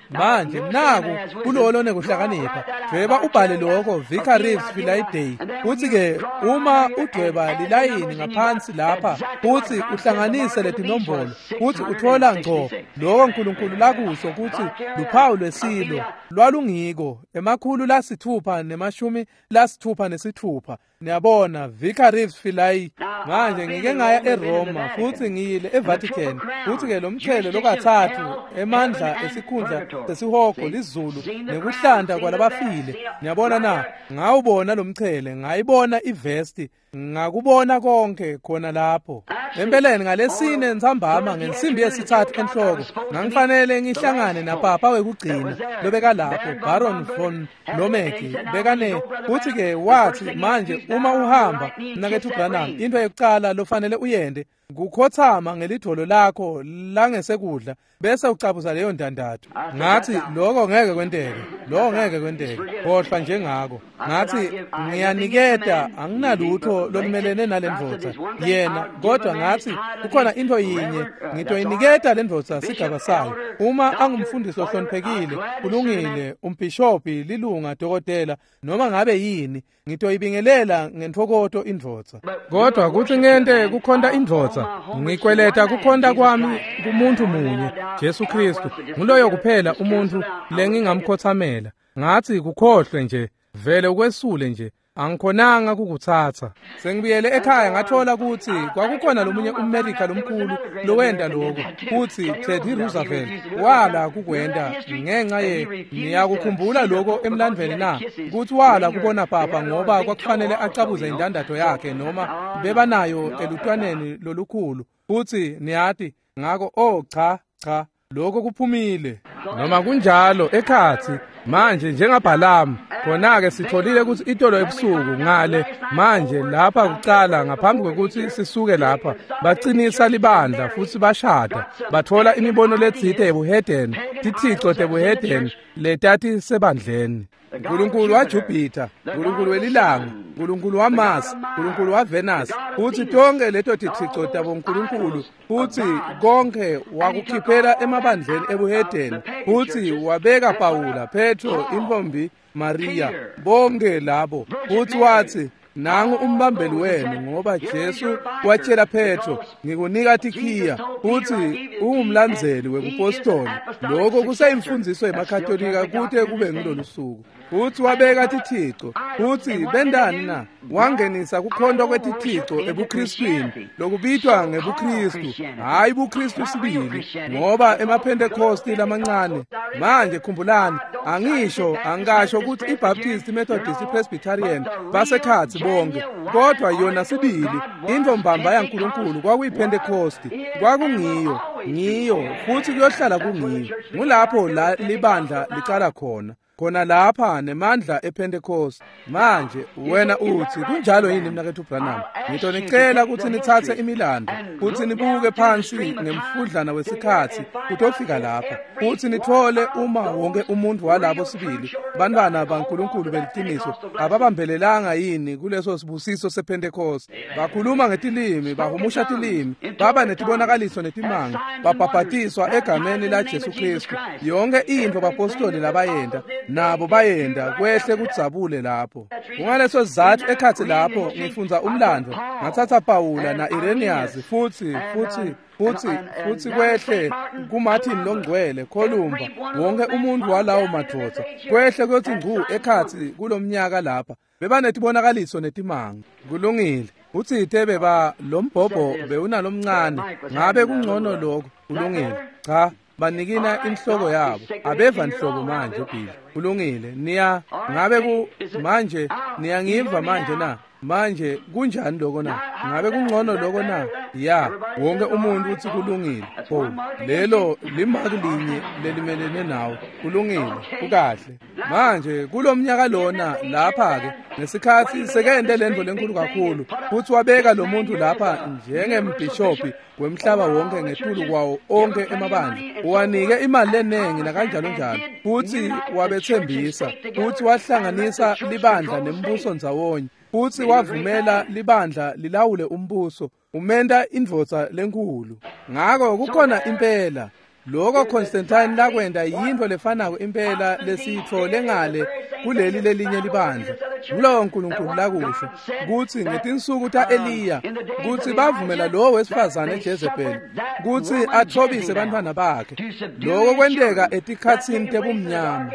Manje naku kulowo lonekuhlakanipha, dvweba ubhale lokho Vicarius Filii Dei. Kutsi-ke uma udvweba lilayini ngaphansi lapha futsi uhlanganise letinombolo futsi uthola ngco lokho Nkulunkulu lakusho kutsi luphawu lwesilo lwalungiko emakhulu lasithupha nemashumi lasithupha nesithupha. Niyabona, Vicarius Filii. Manje ngike ngaya eRoma futhi ngiyile eVatican. Futhi-ke lo mchele lokathathu emandla esikhundla sesihogo lizulu nekuhlanta kwalabafile. Niyabona na? Ngawubona lo mchele, ngayibona ivesti, ngakubona konke khona lapho. Empeleni ngalesine ntsambama ngensimbi yesithathu enhloko ngangifanele ngihlangane napapa wekugcina lobeka lapho, Baron von Lomeki bekane. Futhi-ke wathi, manje uma uhamba mnaketfu Branham, into yokucala lofanele uyende kukhothama ngelidvolo lakho langesekudla bese ucabuza leyo ndandatho. Ngathi lokho ngeke kwenteke, lokho ngeke kwenteke, khohlwa njengako. Ngathi ngiyaniketa, anginalutho lolumelene nalendvodza yena, kodwa ngathi kukhona into yinye ngitoyiniketa lendvodza sigaba sayo. Uma angumfundisi ohloniphekile, kulungile, umbhishobhi, lilunga, dokotela, noma ngabe yini, ngitoyibingelela ngentfokoto indvodza. Kodwa kutsi ngente kukhonta indvodza, ngikweleta kukhonta kwami kumuntu munye, Jesu Kristu. Nguloyo kuphela umuntu lengingamkhothamela. Ngathi kukhohlwe nje, vele ukwesule nje, angikhonanga kukutsatsa. Sengibuyele ekhaya ngathola kutsi kwakukhona lomunye umMelika lomkhulu lowenta lokho, kutsi Teddy Roosevelt wala kukwenta ngenxa ye niyakukhumbula lokho emlandvweni na, kutsi wala kubona papa ngoba kwakufanele acabuze indandatho yakhe noma bebanayo elutwaneni lolukhulu. Futsi niyati ngako, oh cha cha, lokho kuphumile. Noma kunjalo ekhatsi manje njengaBhalamu khona-ke sitholile kutsi itolo ebusuku ngale manje lapha kucala ngaphambi kwekutsi sisuke lapha bacinisa libandla futsi bashada bathola imibono letsite yebuhedeni, tithico tebuhedeni letati sebandleni. Nkulunkulu waJupiter, Nkulunkulu welilanga, Nkulunkulu waMars, Nkulunkulu waVenus, futsi tonke leto tithico tabonkulunkulu, futsi konke wakukhiphela emabandleni ebuhedeni, futsi wabeka Pawula, Petro, intfombi Maria, bonke labo, futsi watsi nangu umbambeli wenu, ngoba Jesu watshela Petro, ngikunika tikhiya, futsi ungumlandzeli webupostoli. Lokho kuseyimfundiso yemaKatolika kute kube ngilolu suku. Futsi wabeka tithico, futsi bendani na? Wangenisa kukhonta kwetithico ebuKristwini, lokubitwa ngebuKristu, hhayi buKristu sibili, ngoba emaPhentekosti lamancane. Manje khumbulani, angisho angasho ukuthi iBaptist, iMethodist, iPresbyterian basekhatsi bonke, kodwa yona sibili intfo mbamba yaNkulunkulu kwakuyiPhentekosti, kwakungiyo, ngiyo, futsi kuyohlala kungiyo. Ngulapho la libandla licala khona. Khona lapha nemandla ePentecost. Manje wena utsi kunjalo yini mnaketfu Branham? Ngitonicela kutsi nitsatse imilando, kutsi nibuke phansi ngemfudlana wesikhatsi kutofika lapha, kutsi nitfole uma wonke umuntu walabo sibili bantwana baNkulunkulu beliciniso ababambelelanga yini kuleso sibusiso sePentecost. Bakhuluma ngetilimi, bahumusha tilimi, baba netibonakaliso netimanga, babhabhatiswa egameni la Jesu Kristu. Yonke intfo bapostoli labayenta nabo bayenda kwehle kudzabule lapho. Kungaleso sizatfu ekhatsi lapho ngifundza umlando ngatsatsa Pawula na Irenaeus futsi futsi futsi futsi kwehle kuMartin longcwele Columba, wonke umuntu walawo madvodza kwehle kuyothi ngcu ekhatsi kulomnyaka lapha bebanetibonakaliso netimanga. Kulungile. Utsite beba lombhobho bewunalomncane, ngabe kungcono lokho? Kulungile. Cha, banikina inhloko yabo, abeva nhlobo manje Bill. Kulungile. Niya ngabe ku manje niyangiva manje na? Manje kunjani lokho na? Ngabe kungcono lokho na? Ya, wonke umuntu uthi kulungile. Oh, lelo limaki linye lelimelene nawe. Kulungile, kukahle. Manje kulomnyaka lona lapha ke ngesikhatsi sekende lento lenkulu kakhulu, futhi wabeka lo muntu lapha njengembhishophi wemhlaba wonke ngetulu kwawo onke emabandla, uwanike imali lenengi nakanjalo njalo, futhi wabethembisa, futhi wahlanganisa libandla nembuso ndzawonye, futhi wavumela libandla lilawule umbuso, umenta indvodza lenkulu. Ngako kukhona impela lokho Constantine lakwenta yintfo lefanako impela lesiyitfole ngale kuleli lelinye libandla. Ngulowo Nkulunkulu lakusho kutsi ngetinsuku ta-Eliya kutsi bavumela lowo wesifazane Jezebel kutsi athobise bantfwana bakhe. Lokho kwenteka etikhatsini tebumnyama.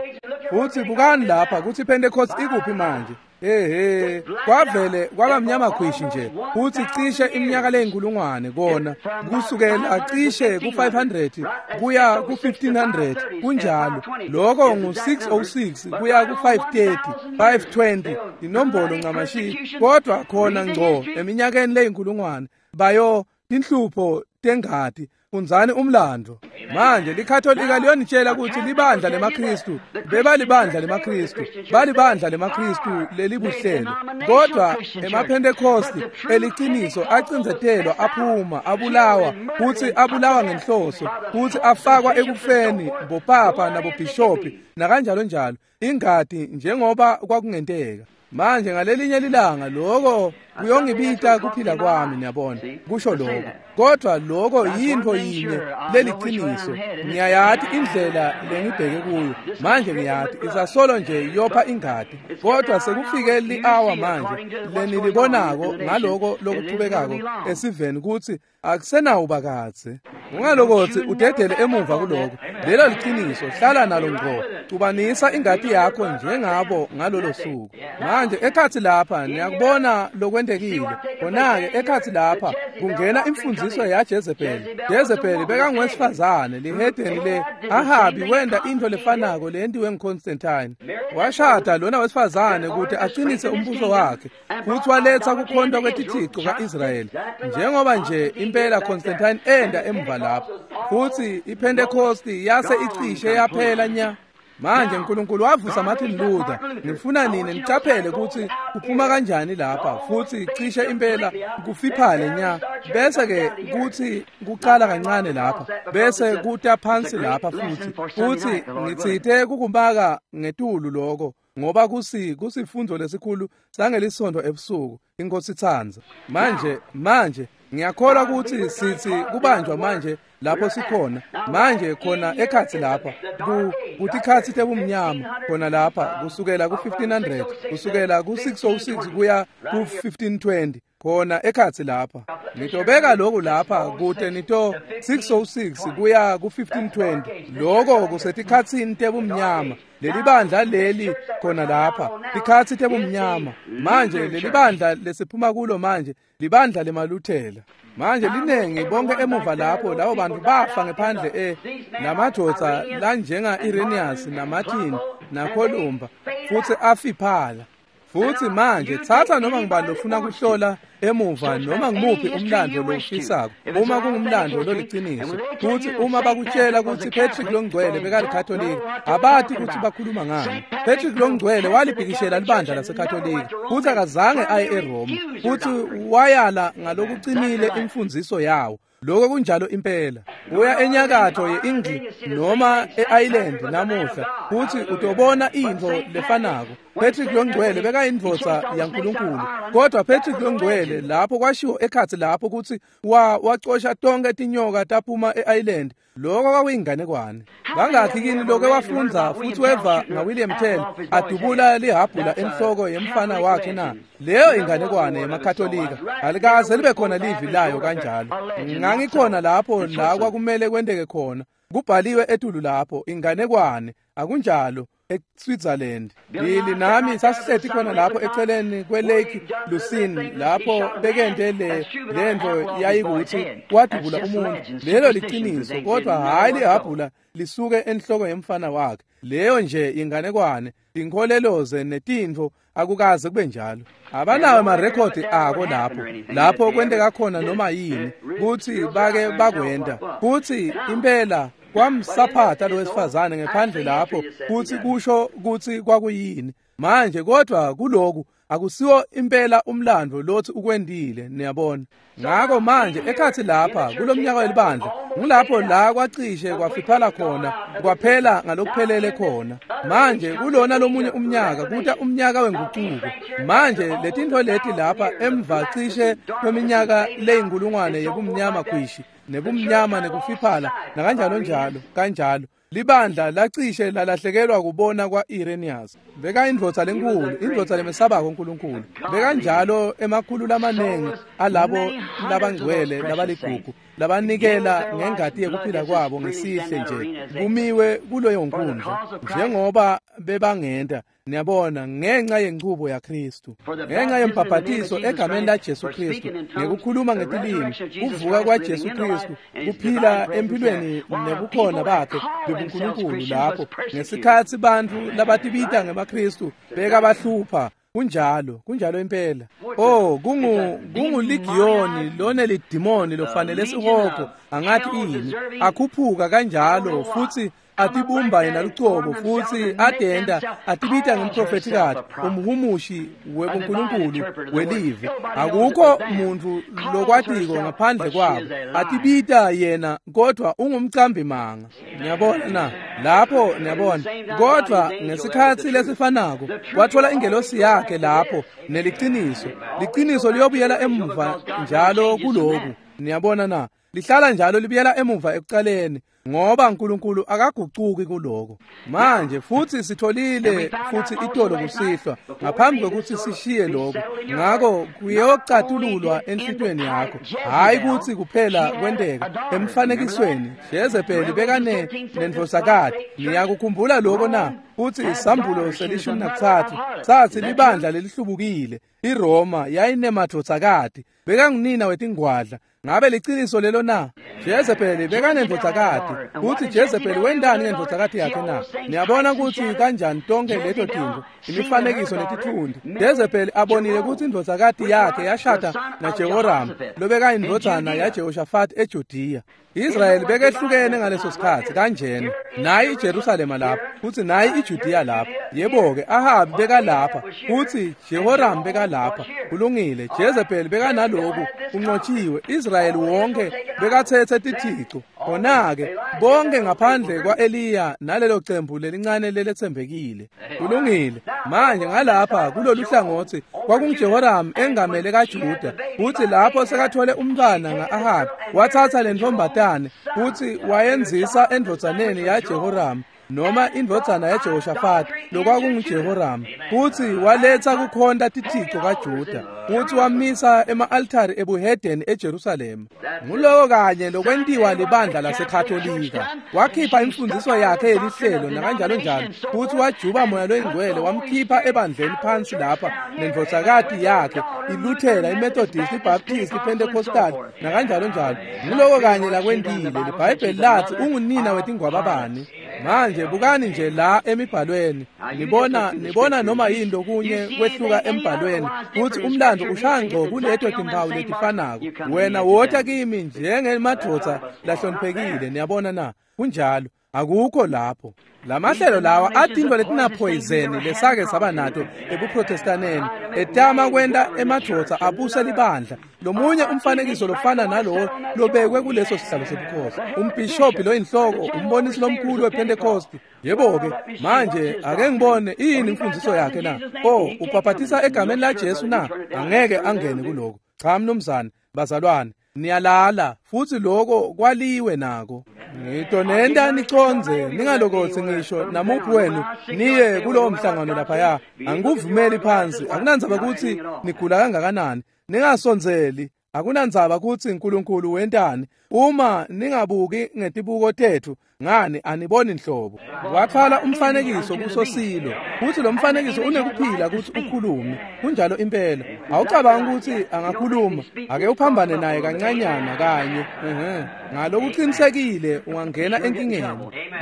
Futsi bukani lapha kutsi iPentecost ikuphi manje. Ehhe, kwavele kwaba mnyama khwishi nje, futsi cishe iminyaka leyinkulungwane kona kusukela cishe ku-five hundred kuya ku-fifteen hundred kunjalo. Lokho ngu-six oh six kuya ku-five thirty, five twenty, inombolo ncamashi, kodwa khona ngco eminyakeni leyinkulungwane bayo tinhlupho tengati. Fundzani umlando. Manje liKatolika liyonitshela ukuthi libandla lemaKristu, bebalibandla lemaKristu, balibandla lemaKristu lelibuhlelo. Kodwa emaPhentekosti eliciniso acindzetelwa, aphuma, abulawa, futsi abulawa ngenhloso, futsi afakwa ekufeni bopapa nabobhishophi nakanjalo njalo, ingati njengoba kwakungenteka. Manje ngalelinye lilanga lokho kuyongibita kuphila kwami, niyabona, kusho lokho. Kodwa lokho yintfo yinye leliciniso. Ngiyayati indlela lengibheke kuyo. Manje ngiyati isasolo nje yopha ingati. Kodwa sekufike li-hour manje lenilibonako ngaloko lokuchubekako esiveni kutsi akusenawuba kadze. Ungalokotsi udedele emuva kuloko. Lelo liciniso, hlala nalo ngqo. Cubanisa ingati yakho njengabo ngalolo suku. Manje ekhatsi lapha niyakubona lokwentekile. Khona-ke ekhatsi lapha kungena imfundziso ya Jezebel. Jezebel bekangowesifazane lihedeni le Ahabi wenda intfo lefanako leyentiwe nguConstantine. Washada lona wesifazane ukuthi aqinise umbuso wakhe, futhi waletsa kukhonta kwetithixo ka-Israyeli. Njengoba nje impela Constantine enda emva lapho, futhi iPentecost yase icishe yaphela nya. Manje uNkulunkulu wavusa Martin Luther. Ngifuna nini nicaphele ukuthi kuphuma kanjani lapha, futhi cishe impela kufiphale nya, bese ke kuthi kuqala kancane lapha, bese kuta phansi lapha futhi. Futhi ngitsite kukumaka ngetulu lokho ngoba kusi kusifundo lesikhulu sangelisonto ebusuku, iNkosi itsandza. Manje manje ngiyakholwa ukuthi sithi kubanjwa manje Lapho sikhona manje khona ekhatsi lapha ku kutikhatsi tebumnyama khona lapha kusukela ku fifteen hundred kusukela ku six oh six kuya ku fifteen twenty khona ekhatsi lapha. Nitobeka lokhu lapha kute nito six oh six kuya ku fifteen twenty lokho kusetikhatsini tebumnyama. Leli bandla leli khona lapha tikhatsi tebumnyama. Manje leli bandla lesiphuma kulo manje libandla lemaluthela. Manje linengi bonke emuva lapho labo bantu bafa ngephandle e lamadvodza lanjenga Irenaeus naMartin naColumba futhi afiphala. Futhi manje thatha noma ngibani lofuna kuhlola emuva noma ngimuphi umlando lofisako uma kungumlando loliciniso futhi uma bakutshela ukuthi Patrick longcwele bekalikatholika abathi ukuthi bakhuluma ngani. Patrick longcwele walibhikishela libandla lasekatholika futhi akazange aye eRoma futhi wayala ngalokuqinile imfundiso yawo. Lokho kunjalo impela. Uya enyakatho ye-England noma e-Ireland namuhla futhi utobona into lefanako. Patrick longcwele bekayindvodza yaNkulunkulu kodwa Patrick longcwele lapho kwashiwo ekhatsi lapho ukuthi wa wacosha tonke tinyoka taphuma e-Ireland. Lokho kwakuyinganekwane. Bangakhi kini lokho wafundza futhi weva ngaWilliam Tell adubula lihabhula enhloko yemfana wakhe na? Leyo inganekwane yemaKatolika alikaze libe khona livi layo kanjalo. Ngangikhona lapho la kwakumele kwenteke khona kubhaliwe etulu lapho inganekwane akunjalo eSwitzerland. Lili nami sasisethi khona lapho eceleni kweLake Lucerne lapho bekende le lento yayikuthi wadubula umuntu. Lelo liqiniso kodwa hayi lihabhula lisuke enhloko yemfana wakhe. Leyo nje inganekwane inkoleloze netintfo akukaze kube njalo. Abanawo amarekhodi ako lapho lapho kwenteka khona noma yini kuthi bake bakwenda kuthi impela kwamsaphatha lo wesifazane ngephandle lapho kuthi kusho kuthi kwakuyini. Manje kodwa kuloku akusiwo impela umlando lothi ukwendile niyabona. Ngakho manje ekhathi lapha kulomnyaka welibandla ngilapho la kwacishe kwafiphala khona kwaphela ngalokuphelele khona. Manje kulona lomunye umnyaka kuta umnyaka wenguquko. Manje letintfo leti lapha emva cishe kweminyaka leyinkulungwane yebumnyama khwishi nebumnyama nekufiphala nakanjalo njalo kanjalo libandla lacishe lalahlekelwa kubona kwa-Irenaeus. Beka indvodza lenkulu, indvodza lemesabako uNkulunkulu. Bekanjalo emakhulu lamanengi alabo labangcwele labaligugu labanikela ngengati yekuphila kwabo ngesihle nje kumiwe kuleyo nkundla njengoba bebangenta niyabona ngenxa yenchubo yaKristu ngenxa yembhabhatiso egameni laJesu Kristu ngekukhuluma ngetilimi kuvuka kwaJesu Kristu kuphila empilweni nebukhona bakhe bebuNkulunkulu lapho ngesikhathi bantfu labatibita ngemaKristu bekabahlupha. Kunjalo, kunjalo impela. Oh, kungu kunguligiyoni lona lidimoni lofanele sihogo angathi ini akhuphuka kanjalo futhi atibumba yena lucobo futhi adenda atibita ngumprofetikati umhumushi webuNkulunkulu welive. Akukho muntu lokwatiko ngaphandle kwabo atibita yena kodwa ungumcambi manga. Niyabona na lapho niyabona kodwa ngesikhathi lesifanako wathola ingelosi yakhe lapho neliciniso. Liciniso liyobuyela emuva njalo kuloku. Niyabona na lihlala njalo libuyela emuva ekucaleni ngoba uNkulunkulu akagucuki kuloko. Manje futhi sitholile futhi itolo kusihlwa ngaphambi kokuthi sishiye lokho. Ngakho kuyocatululwa enhlitweni yakho hayi ukuthi kuphela kwenteka emfanekisweni. Jezebeli bekane nendvosakati. Niyakukhumbula lokho na? Futhi isambulo selishumi nakuthathu sathi libandla lelihlubukile iRoma yayinemadvodzakati bekangunina wetingwadla. Ngabe liciniso lelo na? Jezebeli bekanendvodzakati futhi Jezebeli wendani ngendvodzakati yakhe na? Niyabona ukuthi kanjani tonke leto tintfo imifanekiso netitfundi. Jezebeli abonile ukuthi indvodzakati yakhe yashada naJehoram lobekayindvodzana yaJehoshafati eJudiya. Israyeli bekehlukene ngaleso sikhathi kanjena. Nayi iJerusalema lapha futhi nayi iJudiya lapha. Yebo-ke Ahabi bekalapha futhi Jehoram bekalapha. Kulungile, Jezebeli bekanaloku unqotshiwe. Israyeli wonke bekathethe tithixo Khona-ke bonke ngaphandle kwa-Eliya nalelo cembu lelincane leletsembekile. Kulungile. Manje ngalapha kulolu hlangothi kwakunguJehoram engamele kaJuda, futhi lapho sekathole umntwana nga-Ahabi wathatha le ntombatane futhi wayenzisa endvodzaneni yaJehoram noma indvodzana yaJehoshafati lokwakunguJehoram, futhi waletha kukhonta tithixo kaJuda futhi wamisa ema-altari ebuhedeni eJerusalema. Nguloko kanye lokwentiwa libandla laseKhatolika. Wakhipha imfundiso yakhe yelihlelo nakanjalo njalo, futhi wajuba moya loyingcwele wamkhipha ebandleni phansi lapha nendvodzakati yakhe iLuthela, iMethodist, iBaptist, iPentecostal nakanjalo njalo. Nguloko kanye lakwentile. LiBhayibheli lathi ungunina wetingwababani. Manje bukani nje la emibhalweni, nibona nibona noma yini lokunye kwehluka embhalweni, futhi umlando ushaya ngco kuleto timpawu letifanako. Wena wota kimi njengemadvodza lahloniphekile. Niyabona na? Kunjalo. Akukho lapho. Lamahlelo lawa atinto letinaphoyizeni lesake saba nato ebuprotestaneni, etama kwenta emadvodza abuse libandla. Lomunye umfanekiso lofana nalowo lobekwe kuleso sihlalo sebukhosi, umbhishobhi loyinhloko, umbonisi lomkhulu wePentecost. Yebo-ke manje ake ngibone iyini imfundiso yakhe na? Oh, ubhabhatisa egameni laJesu na? Angeke angene kuloko. Cha mnumzane, bazalwane, niyalala futhi loko kwaliwe nako. Ngitonenta niconze, ningalokothi ngisho namuphi wenu niye kulowo mhlangano laphaya. Angikuvumeli phansi, akunandzaba ukuthi nigula kangakanani, ningasondzeli, akunandzaba ukuthi uNkulunkulu wentani. Uma ningabuki ngetibuko tethu, ngani aniboni nhlobo. Wathwala umfanekiso kusosilo, futhi lo mfanekiso unekuphila ukuthi ukhulume. Kunjalo impela. Awucabanga ukuthi angakhuluma, ake uphambane naye kancanyana kanye. Ehhe, ngalokuqinisekile ungangena enkingeni.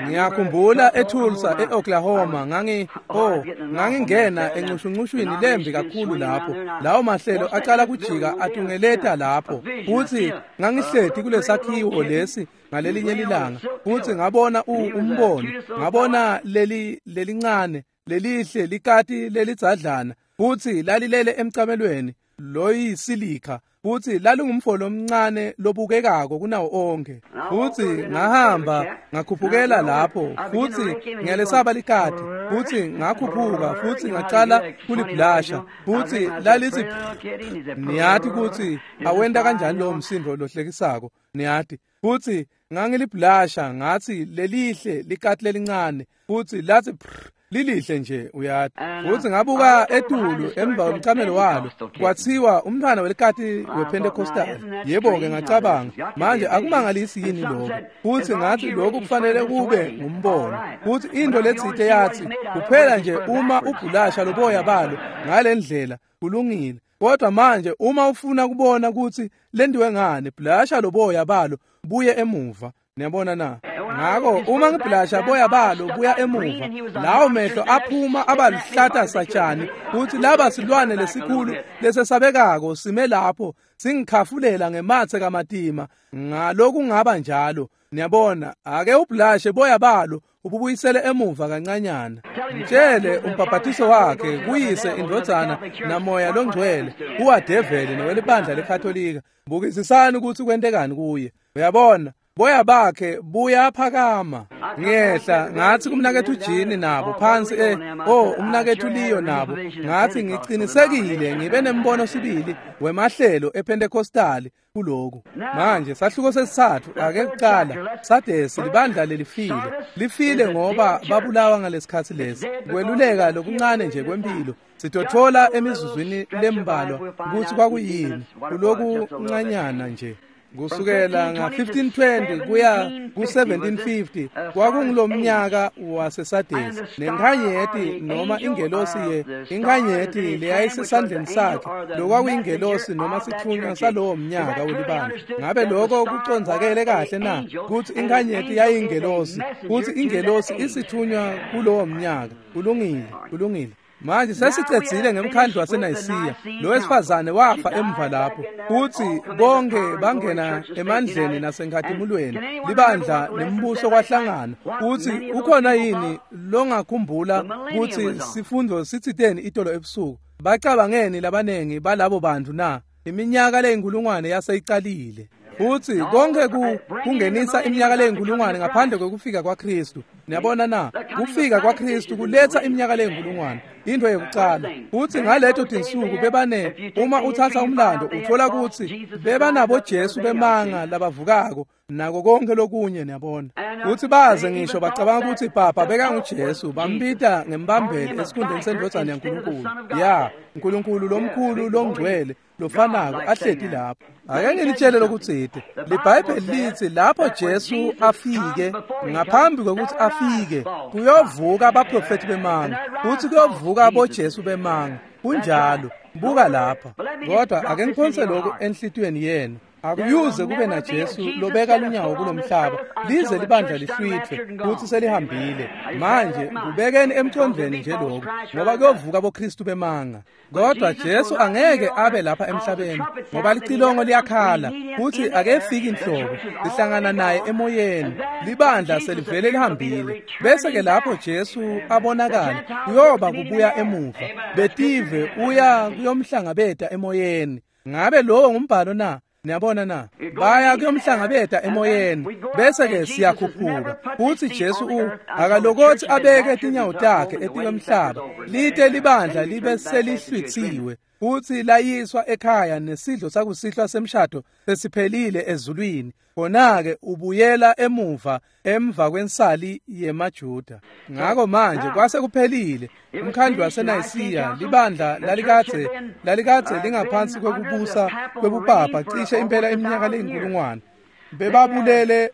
Ngiyakhumbula eTulsa eOklahoma, ngangi oh ngangingena encushuncushwini lembi kakhulu lapho. Lawo mahlelo aqala kujika atungeleta lapho, futhi ngangihleti kulesakhiwo lesi ngalelinye lilanga, futhi ngabona umbono, ngabona leli lelincane lelihle likati lelidzadlana, futhi lalilele emcamelweni loyisilika, futhi lalungumfo lomncane lobukekako kunawo onke. Futhi ngahamba ngakhuphukela lapho, futhi ngiyalesaba likati, futhi ngakhuphuka futhi ngacala kuliblasha, futhi lalithi niyati ukuthi awenta kanjani lowo msindo lohlekisako, niyati. Futhi ngangiliblasha ngathi lelihle likati lelincane, futhi lathi lilihle nje uyati. Futhi ngabuka etulu emva kwemcamelo walo, kwathiwa umntwana welikati wePentecostal. Yebo-ke ngacabanga, manje akumangalisi yini lokho? Futhi ngathi lokhu kufanele kube ngumbono. Futhi into letsite yathi kuphela nje uma ubhulasha loboya balo ngale ndlela kulungile, kodwa manje uma ufuna kubona ukuthi lendiwe ngani, blasha loboya balo buye emuva. Niyabona na? Ngakho uma ngiblasha boya balo buya emuva, lawo mehlo aphuma abaluhlata satshani, futhi laba silwane lesikhulu lesesabekako sime lapho singikhafulela ngemathe kamatima. Ngaloku ngaba njalo. Niyabona, ake ublashe boya balo ububuyisele emuva kancanyana. Mtshele umbhabhatiso wakhe kuyise indvodzana namoya longcwele uwadeveli nowelibandla leKatolika. Bukisisani ukuthi kwentekani kuye. Uyabona, boya bakhe buyaphakama. Ngehla ngathi kumnakethu Jini nabo phansi eh oh umnakethu Leo nabo, ngathi ngiqinisekile ngibe nembono sibili wemahlelo ePentecostal kuloku. Manje sahluko sesithathu ake kuqala Sadesi libandla lelifile. Lifile ngoba babulawa ngalesikhathi lesi. Kweluleka lokuncane nje kwempilo sitothola emizuzwini lembalwa ukuthi kwakuyini kuloku ncanyana nje. Kusukela nga fifteen twenty kuya ku seventeen fifty kwakungulomnyaka waseSadesi. Nenkanyeti noma ingelosi ye inkanyeti leyayisesandleni sakhe lokwakuyingelosi noma sithunywa salowo mnyaka welibandla. Ngabe lokho kucondzakele kahle na? Kuthi inkanyeti yayingelosi, kuthi ingelosi isithunywa kulowo mnyaka. Kulungile, kulungile. Manje sesicedzile ngemkhandlu waseNayisiya. Lo wesifazane wafa emva lapho, futhi bonke bangena emandleni nasenkhatimulweni. Libandla nembuso kwahlangana. Futhi ukhona yini longakhumbula ukuthi sifundo sitsiteni itolo ebusuku? Bacabangeni labanengi balabo bantu na? Iminyaka leyinkulungwane yaseyicalile. Futsi konke ku kungenisa iminyaka leyinkulungwane ngaphandle kwekufika kwaKristu. Niyabona na? Kufika kwaKristu kuletsa iminyaka leyinkulungwane, into yekucala. Futsi ngaleto tinsuku bebane, uma uthatha umlando uthola kutsi bebanabo Jesu bemanga labavukako nako konke lokunye, niyabona. Futsi baze ngisho bacabanga kutsi papa bekanguJesu, bambita ngembambeli esikhundleni sendvodzana yaNkulunkulu. Ya, Nkulunkulu lomkhulu longcwele lofanako ahleti lapho. Ake ngilitshele lokutsite. LiBhayibheli litsi lapho Jesu afike, ngaphambi kwekutsi afike, kuyovuka abaprofethi bemanga, futsi kuyovuka aboJesu bemanga. Kunjalo. Buka lapha. Kodwa ake ngiphonse lokhu enhlitiyweni yenu. Akuyuze kube na Jesu lobeka lunyawo kulomhlaba lize libandla lihlwitfwe futsi selihambile. Manje kubekeni emcondvweni nje lokhu, ngoba kuyovuka boKristu bemanga. Kodwa Jesu angeke abe lapha emhlabeni ngoba licilongo liyakhala futsi akefiki inhlobo. Sihlangana naye emoyeni, libandla selivele lihambile. Bese ke lapho Jesu abonakala kuyoba kubuya emuva, betive uya kuyomhlangabeta emoyeni. Ngabe lowo ngumbhalo na? Niyabona na? Baya kuyomhlangabeta emoyeni, bese ke siyakhuphuka. Futsi Jesu u akalokothi abeke tinyawo takhe etikwemhlaba, lite libandla libe selihlwitsiwe futsi layiswa ekhaya nesidlo sakusihlwa semshado sesiphelile ezulwini. Khona-ke ubuyela emuva emva kwensali yemaJuda. Ngako manje kwase kuphelile. Umkhandlu waseNayisiya, libandla lalikadze lalikadze lingaphansi kwekubusa kwebupapa cishe impela iminyaka leyinkulungwane. Bebabulele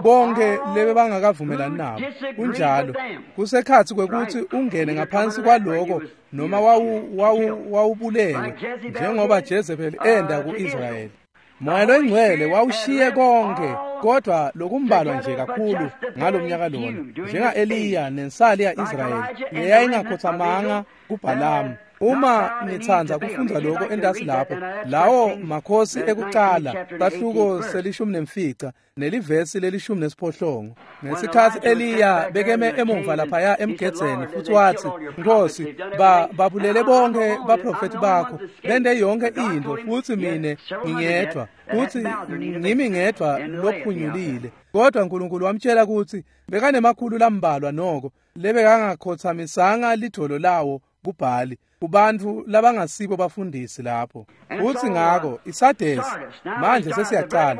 bonke lebebangakavumelani nabo. Kunjalo. Kusekhatsi kwekutsi ungene ngaphansi kwaloko noma wawu wawu wawubulewe njengoba Jezebel enda ku-Israyeli. Moya loyingcwele wawushiye konke, kodwa lokumbalwa nje kakhulu ngalomnyaka lona, njenga-Eliya nensali ya-Israyeli leyayingakhothamanga kuBhalamu. Uma nitsandza kufundza lokho entasi lapho, lawo makhosi ekucala, sahluko selishumi nemfica nelivesi lelishumi nesiphohlongo. Ngesikhatsi Eliya bekeme emuva laphaya emgedzeni futsi watsi, Nkosi, ba babulele bonke baprofethi bakho, bente yonke intfo, futsi mine ngingedvwa, futsi ngimi ngedvwa lophunyulile. Kodwa Nkulunkulu wamtshela kutsi bekanemakhulu lambalwa noko lebekangakhothamisanga lidvolo lawo kuBhali, kubantfu labangasibo bafundisi lapho. Futsi ngako iSadesi manje sesiyacala.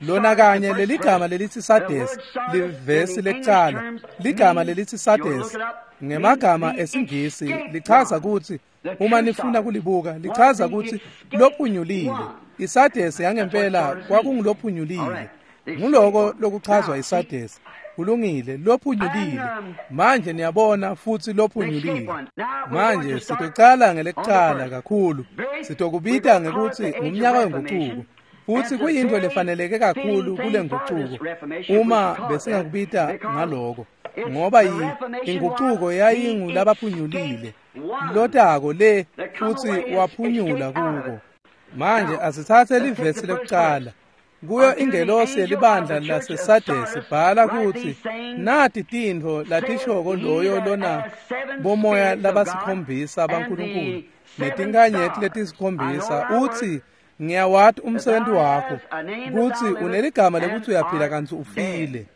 Lona kanye leligama lelithi Sadesi, livesi lekucala, ligama lelithi Sadesi ngemagama esiNgisi lichaza kutsi, uma nifuna kulibuka, lichaza kutsi lophunyulile. ISadesi yangempela kwakungulophunyulile. Nguloko lokuchazwa iSadesi. Kulungile, lophunyulile. Manje niyabona futsi lophunyulile. Manje sitocala ngelekucala kakhulu. Sitokubita ngekutsi ngumnyaka wengucuko. Futsi kuyintfo lefaneleke kakhulu kule ngucuko uma besingakubita ngaloko, ngoba ingucuko yayingulabaphunyulile lotako le futsi waphunyula kuko. Manje asitsatse livesi lekucala. Kuyo ingelosi yelibandla laseSadesi bhala kutsi, nati tintfo latishoko loyo lona bomoya labasikhombisa baNkulunkulu netinkhanyeti letisikhombisa, utsi, ngiyawati umsebenzi wakho, kutsi uneligama lekutsi uyaphila kantsi ufile.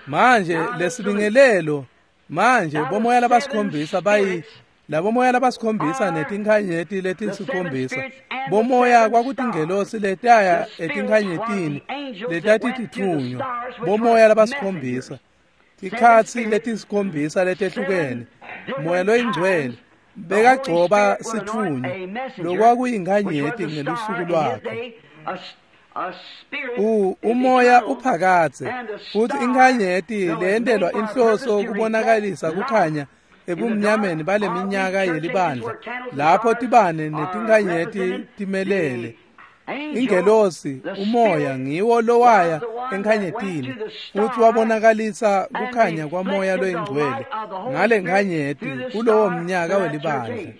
Manje lesibingelelo, manje bomoya labasikhombisa bayi labomoya labasikhombisa netinkhanyeti letisikhombisa. Bomoya kwakutingelosi letaya etinkhanyetini letatititfunywa. Bomoya labasikhombisa, tikhatsi letisikhombisa letehlukene. Moya loyingcwele bekagcoba sitfunywa lokwakuyinkhanyeti ngelusuku lwakhe. U umoya uphakatse, futsi inkhanyeti leyentelwa inhloso kubonakalisa kukhanya ebumnyameni baleminyaka yelibandla, lapho tibane netinkhanyeti timelele. Ingelosi umoya ngiwo lowaya enkhanyetini futsi wabonakalisa kukhanya kwamoya loyingcwele ngale nkhanyeti kulowo mnyaka welibandla.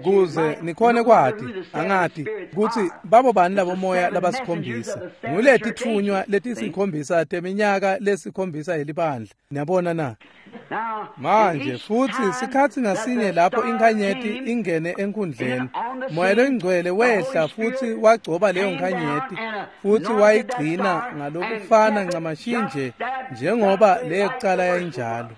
Kuze nikhone kwati angati kutsi babo bani labo moya labasikhombisa nguletitfunywa letisikhombisa teminyaka lesikhombisa yelibandla. Niyabona na? Manje futsi sikhatsi ngasinye lapho inkhanyeti ingene enkundleni, Moya loyiNgcwele wehla futsi wagcoba leyo nkhanyeti futsi wayigcina ngalokufana ncamashi nje njengoba leyekucala yayinjalo.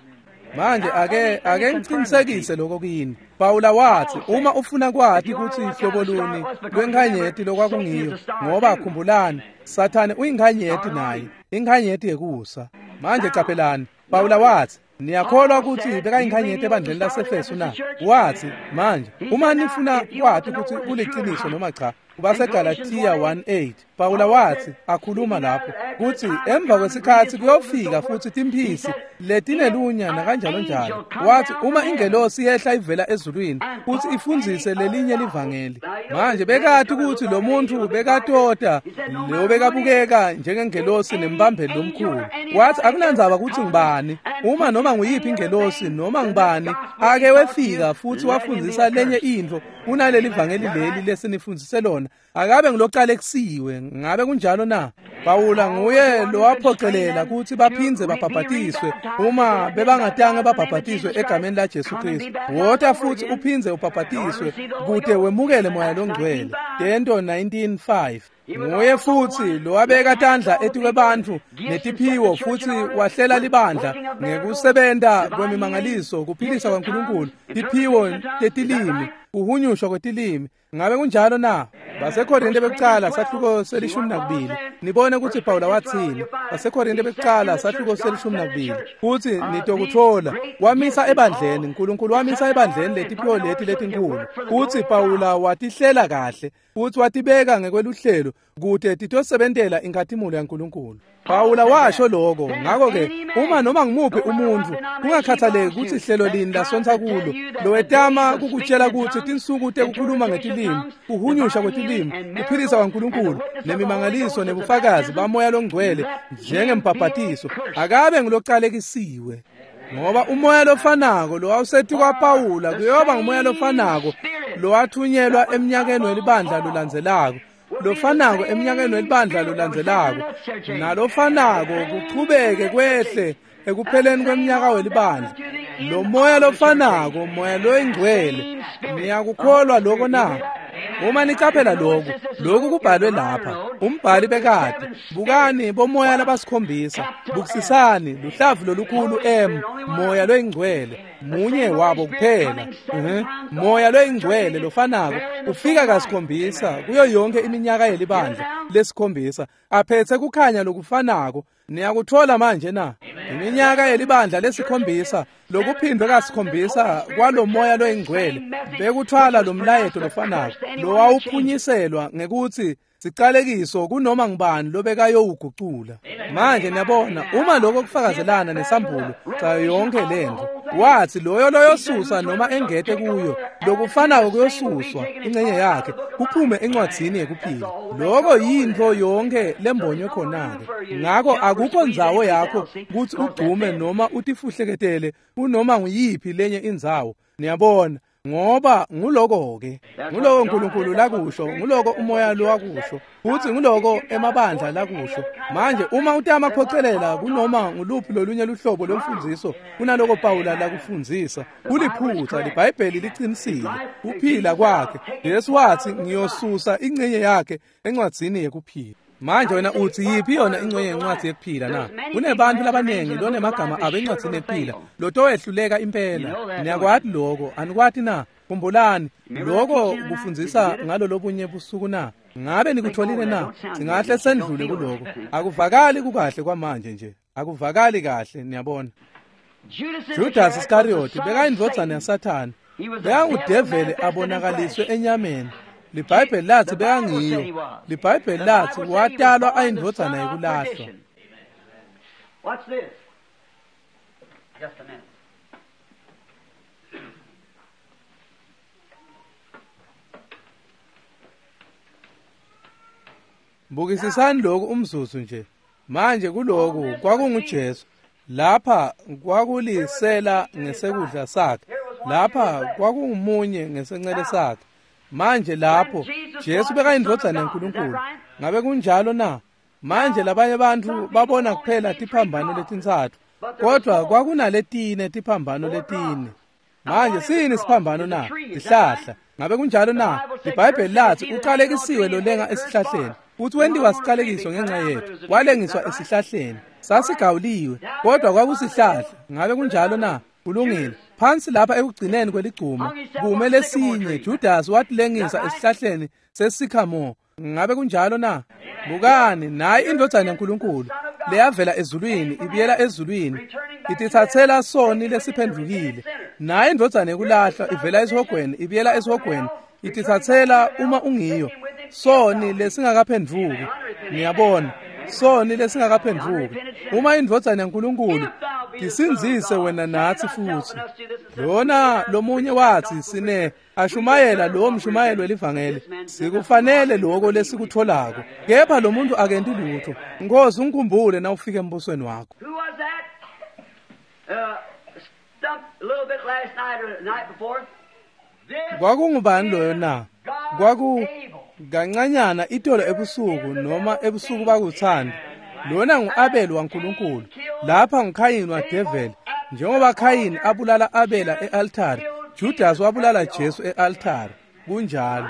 Manje ake ake ngiqinisekise lokho kini. Pawula wathi uma ufuna kwati kutsi hlobo luni lwenkhanyeti lokwakungiyo, ngoba khumbulani Sathane uyinkhanyeti naye, inkhanyeti yekusa. Manje caphelani, Pawula wathi niyakholwa ukuthi bekayinkhanyeti ebandleni laseFesu na? Wathi manje uma nifuna kwati ukuthi kuliciniso noma cha, kubaseGalatia one eight Pawula wathi akhuluma lapho kuthi emva kwesikhathi kuyofika futhi timphisi letinelunya nakanjalo njalo. Wathi uma ingelosi yehla ivela ezulwini futhi ifundzise lelinye livangeli. Manje bekati ukuthi lo muntu bekatota lo bekabukeka njengengelosi nembambeli lomkhulu. Wathi akunandzaba ukuthi ngibani, uma noma nguyiphi ingelosi noma ngibani ake wefika futhi wafundzisa lenye intfo kunaleli vangeli leli lesinifundzise lona, akabe ngilocalekisiwe. Ngabe kunjalo na? Pawula nguye lowaphocelela ukuthi baphindze babhabhatiswe uma bebangatange babhabhatiswe egameni la Jesu Kristu. Wota futhi uphindze ubhabhatiswe kute wemukele Moya loNgcwele. Tento nineteen five. Nguye futhi lowabeka tandla etikwebantfu netiphiwo futhi wahlela libandla ngekusebenta kwemimangaliso, kuphilisa kwaNkulunkulu, tiphiwo tetilimi, kuhunyushwa kwetilimi. Ngabe kunjalo na? BaseKorinte bekucala sahluko selishumi nakubili. Nibone ukuthi Pawula wathini. BaseKorinte bekucala sahluko selishumi nakubili. Futhi nitokuthola wamisa ebandleni, uNkulunkulu wamisa ebandleni letiphiwo leti letinkulu. Futhi Pawula watihlela kahle futhi watibeka ngekweluhlelo kute titosebentela inkhatimulo yaNkulunkulu. Pawula washo lokho. Ngakho ke uma noma ngimuphi umuntu kungakhathaleki ukuthi ihlelo lini lasontsa kulo lowetama kukutshela ukuthi tinsuku tekukhuluma ngetilimi, kuhunyusha kwetilimi, kuphilisa kwaNkulunkulu nemimangaliso nebufakazi baMoya loNgcwele njengembhabhatiso, akabe ngilocalekisiwe. Ngoba umoya lofanako lowawusethi kwaPawula kuyoba ngumoya lofanako lowathunyelwa eminyakeni welibandla lolandzelako, lofanako eminyakeni welibandla lolandzelako, nalofanako kuchubeke kwehle ekupheleni kweminyaka welibandla. Lo moya lofanako, Moya loyiNgcwele. Niyakukholwa lokho na? Uma nicaphela lokhu, lokhu kubhalwe lapha. Umbhali bekade, bukani bomoya labasikhombisa, bukisisani luhlavu lolukhulu M, Moya loyiNgcwele, munye wabo kuphela. Uh-huh. Moya loyiNgcwele lofanako ufika kasikhombisa kuyo yonke iminyaka yelibandla lesikhombisa, aphethe kukhanya lokufanako. Niyakuthola manje na? Iminyaka yelibandla lesikhombisa lokuphindwe kasikhombisa kwalo moya loyiNgcwele bekuthwala lo mlayeto lofanako lowawuphunyiselwa ngekuthi sicalekiso kunoma ngubani lobekayowugucula. Manje niyabona uma lokho kufakazelana nesambulo cha yonke lento. Wathi loyo loyosusa noma engete kuyo lokufanako kuyosuswa ingcenye yakhe kuphume encwadzini yekuphila. Lokho yintfo yonke lembonywe khona-ke. Ngakho akukho ndzawo yakho kutsi ugcume noma utifuhleketele kunoma nguyiphi lenye indzawo. Niyabona, ngoba nguloko-ke, nguloko uNkulunkulu lakusho, nguloko umoya lowakusho, futhi nguloko emabandla lakusho. Manje uma utama kuphocelela kunoma nguluphi lolunye luhlobo lwemfundziso kunaloko Pawula lakufundzisa, kuliphutha. LiBhayibheli liqinisile. Kuphila kwakhe, Jesu wathi ngiyosusa ingcenye yakhe encwadzini yekuphila. Manje wena uthi yiphi yona ingcenye yencwadi yekuphila na? Kunebantu labaningi lonemagama abo encwadzini yekuphila lotowehluleka impela. Niyakwati lokho, anikwati na? Khumbulani lokho kufundzisa ngalo lobunye busuku na? Ngabe nikutholile na? Singahle sendlule kuloko. Akuvakali kukahle kwamanje nje, akuvakali kahle. Niyabona, Judas Iscariot bekayindvodzana yaSathane, bekangudeveli abonakaliswe enyameni. LiBhayibheli lathi bekangiyo. LiBhayibheli lathi watalwa ayindvodzana yekulahlwa. Watch this. Just a minute. Bukisisani lokhu umzuzu nje. Manje kuloku kwakunguJesu. Lapha kwakulisela ngesekudla sakhe. Lapha kwakungumunye ngesencele sakhe. Manje lapho Jesu bekayindvodzana yaNkulunkulu. Ngabe kunjalo na? Manje labanye bantfu babona kuphela tiphambano letintsatfu, kodwa kwakunaletine tiphambano letine. Manje siyini siphambano na? Sihlahla. Ngabe kunjalo na? IBhayibheli lathi uqalekisiwe lolenga esihlahleni, futhi wentiwa siqalekiso ngenxa yethu, walengiswa esihlahleni. Sasigawuliwe, kodwa kwakusihlahla. Ngabe kunjalo na? Kulungile. Phansi lapha ekugcineni kweligcuma kume lesinye, Judas watilengisa esihlahleni sesikhamore. Ngabe kunjalo na? Bukani, nayi indvodzana yaNkulunkulu leyavela ezulwini ibuyela ezulwini, ititsatsela soni lesiphendvukile. Nayi indvodzana yekulahlwa ivela esihogweni ibuyela esihogweni, ititsatsela uma ungiyo soni lesingakaphendvuki. Niyabona, soni lesingakaphendvuki. Uma indvodzana yaNkulunkulu tisindzise wena natsi futsi. Lona lomunye wathi sine ashumayela lo mshumayelo welivangeli, sikufanele lokho lesikutholako, kepha lo muntu akenti lutho. Nkosi ungikhumbule na ufike embusweni wakho. Who was that? Uh, stumped a little bit last night or the night before. This Kwakungubani loyo na? Kwaku Abel. kancanyana itolo ebusuku noma ebusuku bakuthanda. Lona ngu-Abel waNkulunkulu. Lapha nguKhayini waDeveli. Njengoba Khayini abulala Abela e-altari, Judas wabulala Jesu e-altari. Kunjalo.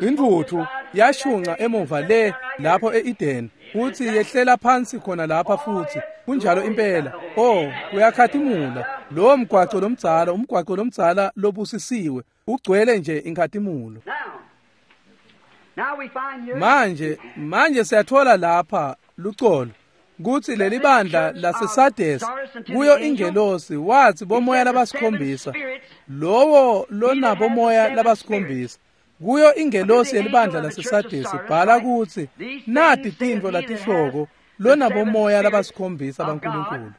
Intuthu yashunqa emuva le lapho e-Eden, futhi yehlela phansi khona lapha futhi. Kunjalo impela. Oh, uyakhatimula. Lowo mgwaco lomdzala, umgwaco lomdzala lobusisiwe, ugcwele nje inkhatimulo. Now, now we find here Manje, manje siyathola lapha lucolo kutsi leli bandla laseSardes kuyo ingelosi wathi bomoya labasikhombisa, lowo lonabo moya labasikhombisa kuyo ingelosi yelibandla laseSardes bhala kutsi nati tintfo latishoko lonabo moya labasikhombisa baNkulunkulu.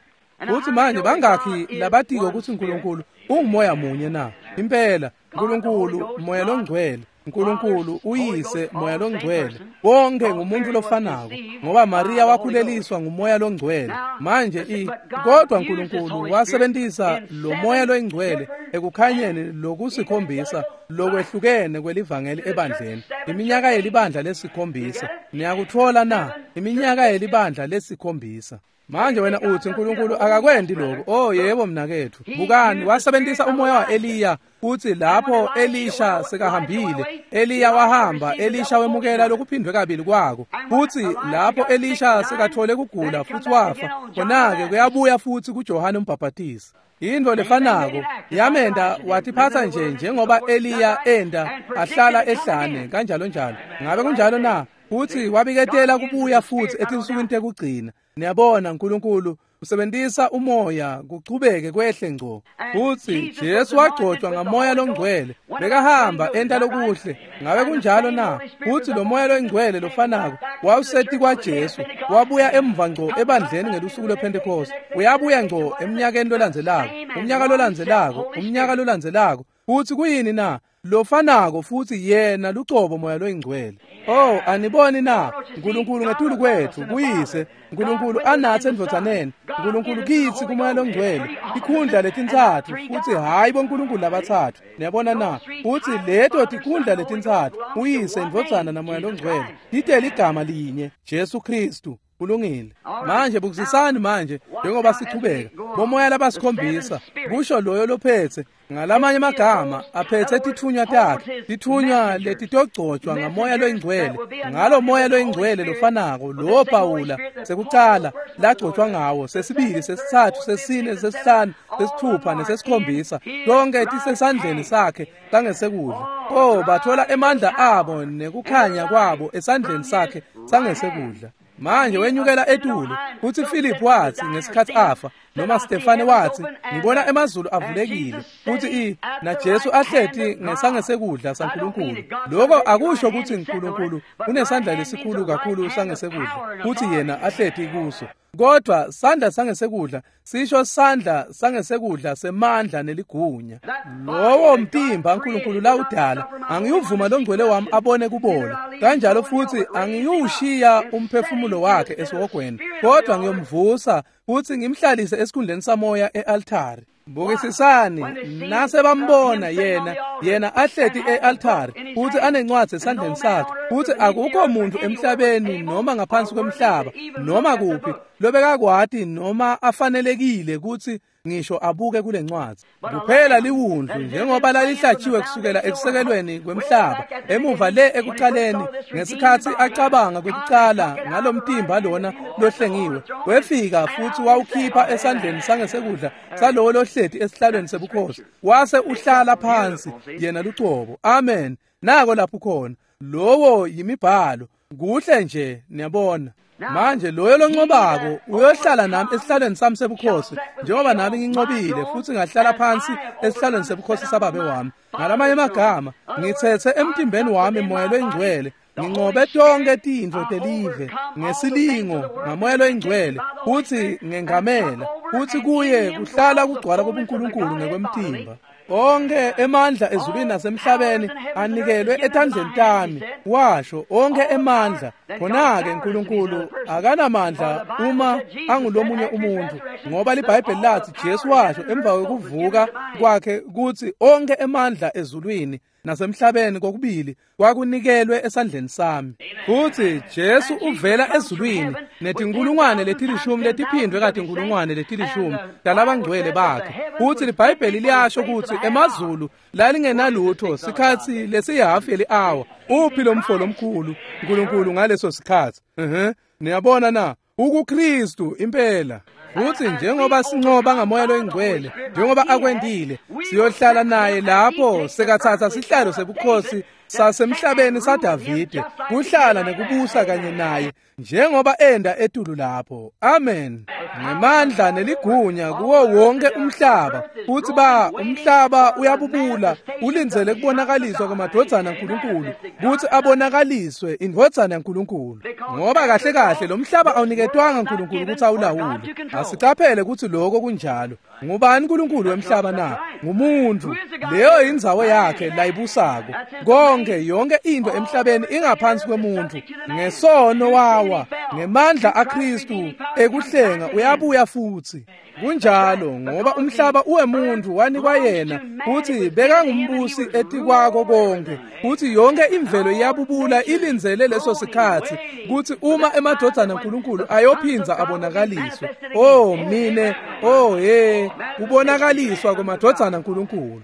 Kutsi manje bangakhi labatiko kutsi uNkulunkulu ungumoya munye na? Impela, uNkulunkulu moya longcwele, uNkulunkulu uyise moya longcwele, bonke ngumuntu lofanako, ngoba Maria wakhuleliswa ngumoya longcwele. Manje i kodwa uNkulunkulu wasebentisa lo moya loyingcwele ekukhanyeni lokusikhombisa lokwehlukene kwelivangeli ebandleni. Iminyaka yelibandla lesikhombisa. Niyakutfola na? Iminyaka yelibandla lesikhombisa. Manje wena uthi uNkulunkulu akakwendi lokho. Oh yebo mnakethu. Bukani, wasebentisa umoya wa-Eliya futhi lapho Elisha sekahambile, Eliya wahamba, Elisha wemukela lokuphindwe kabili kwako. Futhi lapho Elisha sekathole kugula futhi wafa, khona-ke kuyabuya futhi kuJohane umbhaphatisi. Into lefanako yamenda watiphatsa nje njengoba Eliya enda ahlala ehlane kanjalo njalo. Ngabe kunjalo na? Futhi wabiketela kubuya futhi etinsukwini tekugcina. Niyabona uNkulunkulu usebentisa umoya kuchubeke kwehle ngco. Futhi Jesu wagcotshwa ngamoya longcwele, bekahamba enta lokuhle. Ngabe kunjalo na? Futhi lo moya longcwele lofanako wawuseti kwaJesu, wabuya emva ngco ebandleni ngelusuku lwePentecost. Uyabuya ngco eminyakeni lolandzelako, umnyaka lolandzelako, umnyaka lolandzelako. Futhi kuyini na? Lofanako futhi yena lucobo moya loyingcwele. Oh, aniboni na? uNkulunkulu ngetulu kwethu kuyise, uNkulunkulu anathi endvodzaneni, uNkulunkulu kitsi kumoya longcwele. Tikhundla letintsatfu futhi hayi boNkulunkulu labatsatfu. Niyabona na? Futhi leto tikhundla letintsatfu, uyise, indvodzana namoya longcwele, titele igama linye, Jesu Kristu. Kulungile. Manje bukisisani manje njengoba sichubeka. Bomoya labasikhombisa kusho loyo lophethe, ngalamanye amagama aphethe tithunywa takhe, tithunywa letitogcotshwa ngamoya loyingcwele, ngalo moya loyingcwele lofanako lo Pawula sekucala lagcotshwa ngawo, sesibili, sesitsatfu, sesine, sesihlanu, sesithupha nesesikhombisa, tonke tisesandleni sakhe sangesekudla. Oh, bathola emandla abo nekukhanya kwabo esandleni sakhe sangesekudla. Manje wenyukela etulu futhi Philip wathi ngesikhathi afa, noma Stefane wathi ngibona emazulu avulekile futhi i naJesu ahleti ngesangesekudla saNkulunkulu. Lokho akusho ukuthi uNkulunkulu unesandla lesikhulu kakhulu sangesekudla futhi yena ahleti kuso, kodwa sandla sangesekudla sisho sandla sangesekudla semandla neligunya. Lowo mtimba uNkulunkulu lawudala, angiyuvuma longcwele wami abone kubola, kanjalo futhi angiyushiya umphefumulo wakhe esihogweni, kodwa ngiyomvusa futhi ngimhlalise esikhundleni samoya e-altari. Bukisisani nase bambona yena yena ahleti e-altari futhi anencwadi esandleni sakhe futhi akukho muntu emhlabeni noma ngaphansi kwemhlaba noma kuphi lobekakwati noma afanelekile ukuthi ngisho abuke kule ncwadi. Kuphela liwundlu njengoba lalihlatshiwe kusukela ekusekelweni kwemhlaba emuva le ekuqaleni ngesikhathi acabanga kwekuqala ngalomtimba lona lohlengiwe wefika futhi wawukhipha esandleni sangesekudla salowo lohleti esihlalweni sebukhosi wase uhlala phansi yena lucobo. Amen. Nako lapho khona lowo yimibhalo kuhle nje niyabona. Manje loyo lonqobako uyohlala nami esihlalweni sami sebukhosi njengoba nami nginqobile futhi ngahlala phansi esihlalweni sebukhosi sababe wami. Ngalamanye amagama ngithethe emtimbeni wami moya loyingcwele nginqobe tonke tintfo telive ngesilingo ngamoya loyingcwele futhi ngengamela futhi kuye kuhlala kugcwala kobuNkulunkulu ngekwemtimba. Onke emandla ezulwini nasemhlabeni anikelwe etandleni tami, washo onke emandla. Khona-ke uNkulunkulu akanamandla uma angulomunye umuntu, ngoba liBhayibheli lathi Jesu washo emva kokuvuka kwakhe kuthi onke emandla ezulwini nasemhlabeni kokubili kwakunikelwe esandleni sami. Futhi Jesu uvela ezulwini netinkulungwane letilishumi letiphindwe katinkulungwane letilishumi talabangcwele bakhe. Futhi liBhayibheli liyasho ukuthi emazulu lalingenalutho sikhathi lesihafu yeli-hour. Uphi lo mfo lomkhulu uNkulunkulu ngaleso sikhathi? Mhm. Niyabona na? UkuKristu impela. Futhi njengoba sinqoba ngamoya loyingcwele njengoba akwendile siyohlala naye lapho sekathatha sihlalo sebukhosi sasemhlabeni saDavide kuhlala nekubusa kanye naye njengoba enda etulu lapho. Amen. Ngemandla neligunya kuwo wonke umhlaba. Futhi ba umhlaba uyabubula ulindzele kubonakaliswa kwamadvodzana kaNkulunkulu kuthi abonakaliswe indvodzana yaNkulunkulu, ngoba kahle kahle lo mhlaba awuniketwanga uNkulunkulu ukuthi awulawule. Asicaphele ukuthi lokho kunjalo. Ngubani uNkulunkulu wemhlaba na? Ngumuntu. Leyo indzawo yakhe layibusako. Konke yonke into emhlabeni ingaphansi kwemuntu. Ngesono wawa, ngemandla aKristu ekuhlenga uyabuya futhi. Kunjalo ngoba umhlaba uwemuntu wanikwa yena futhi bekangumbusi etikwako konke. Futhi yonke imvelo iyabubula ilindzele leso sikhathi kuthi uma emadvodzana kaNkulunkulu ayophinza abonakaliswe. Oh mine, oh he, kubonakaliswa kwamadvodzana kaNkulunkulu.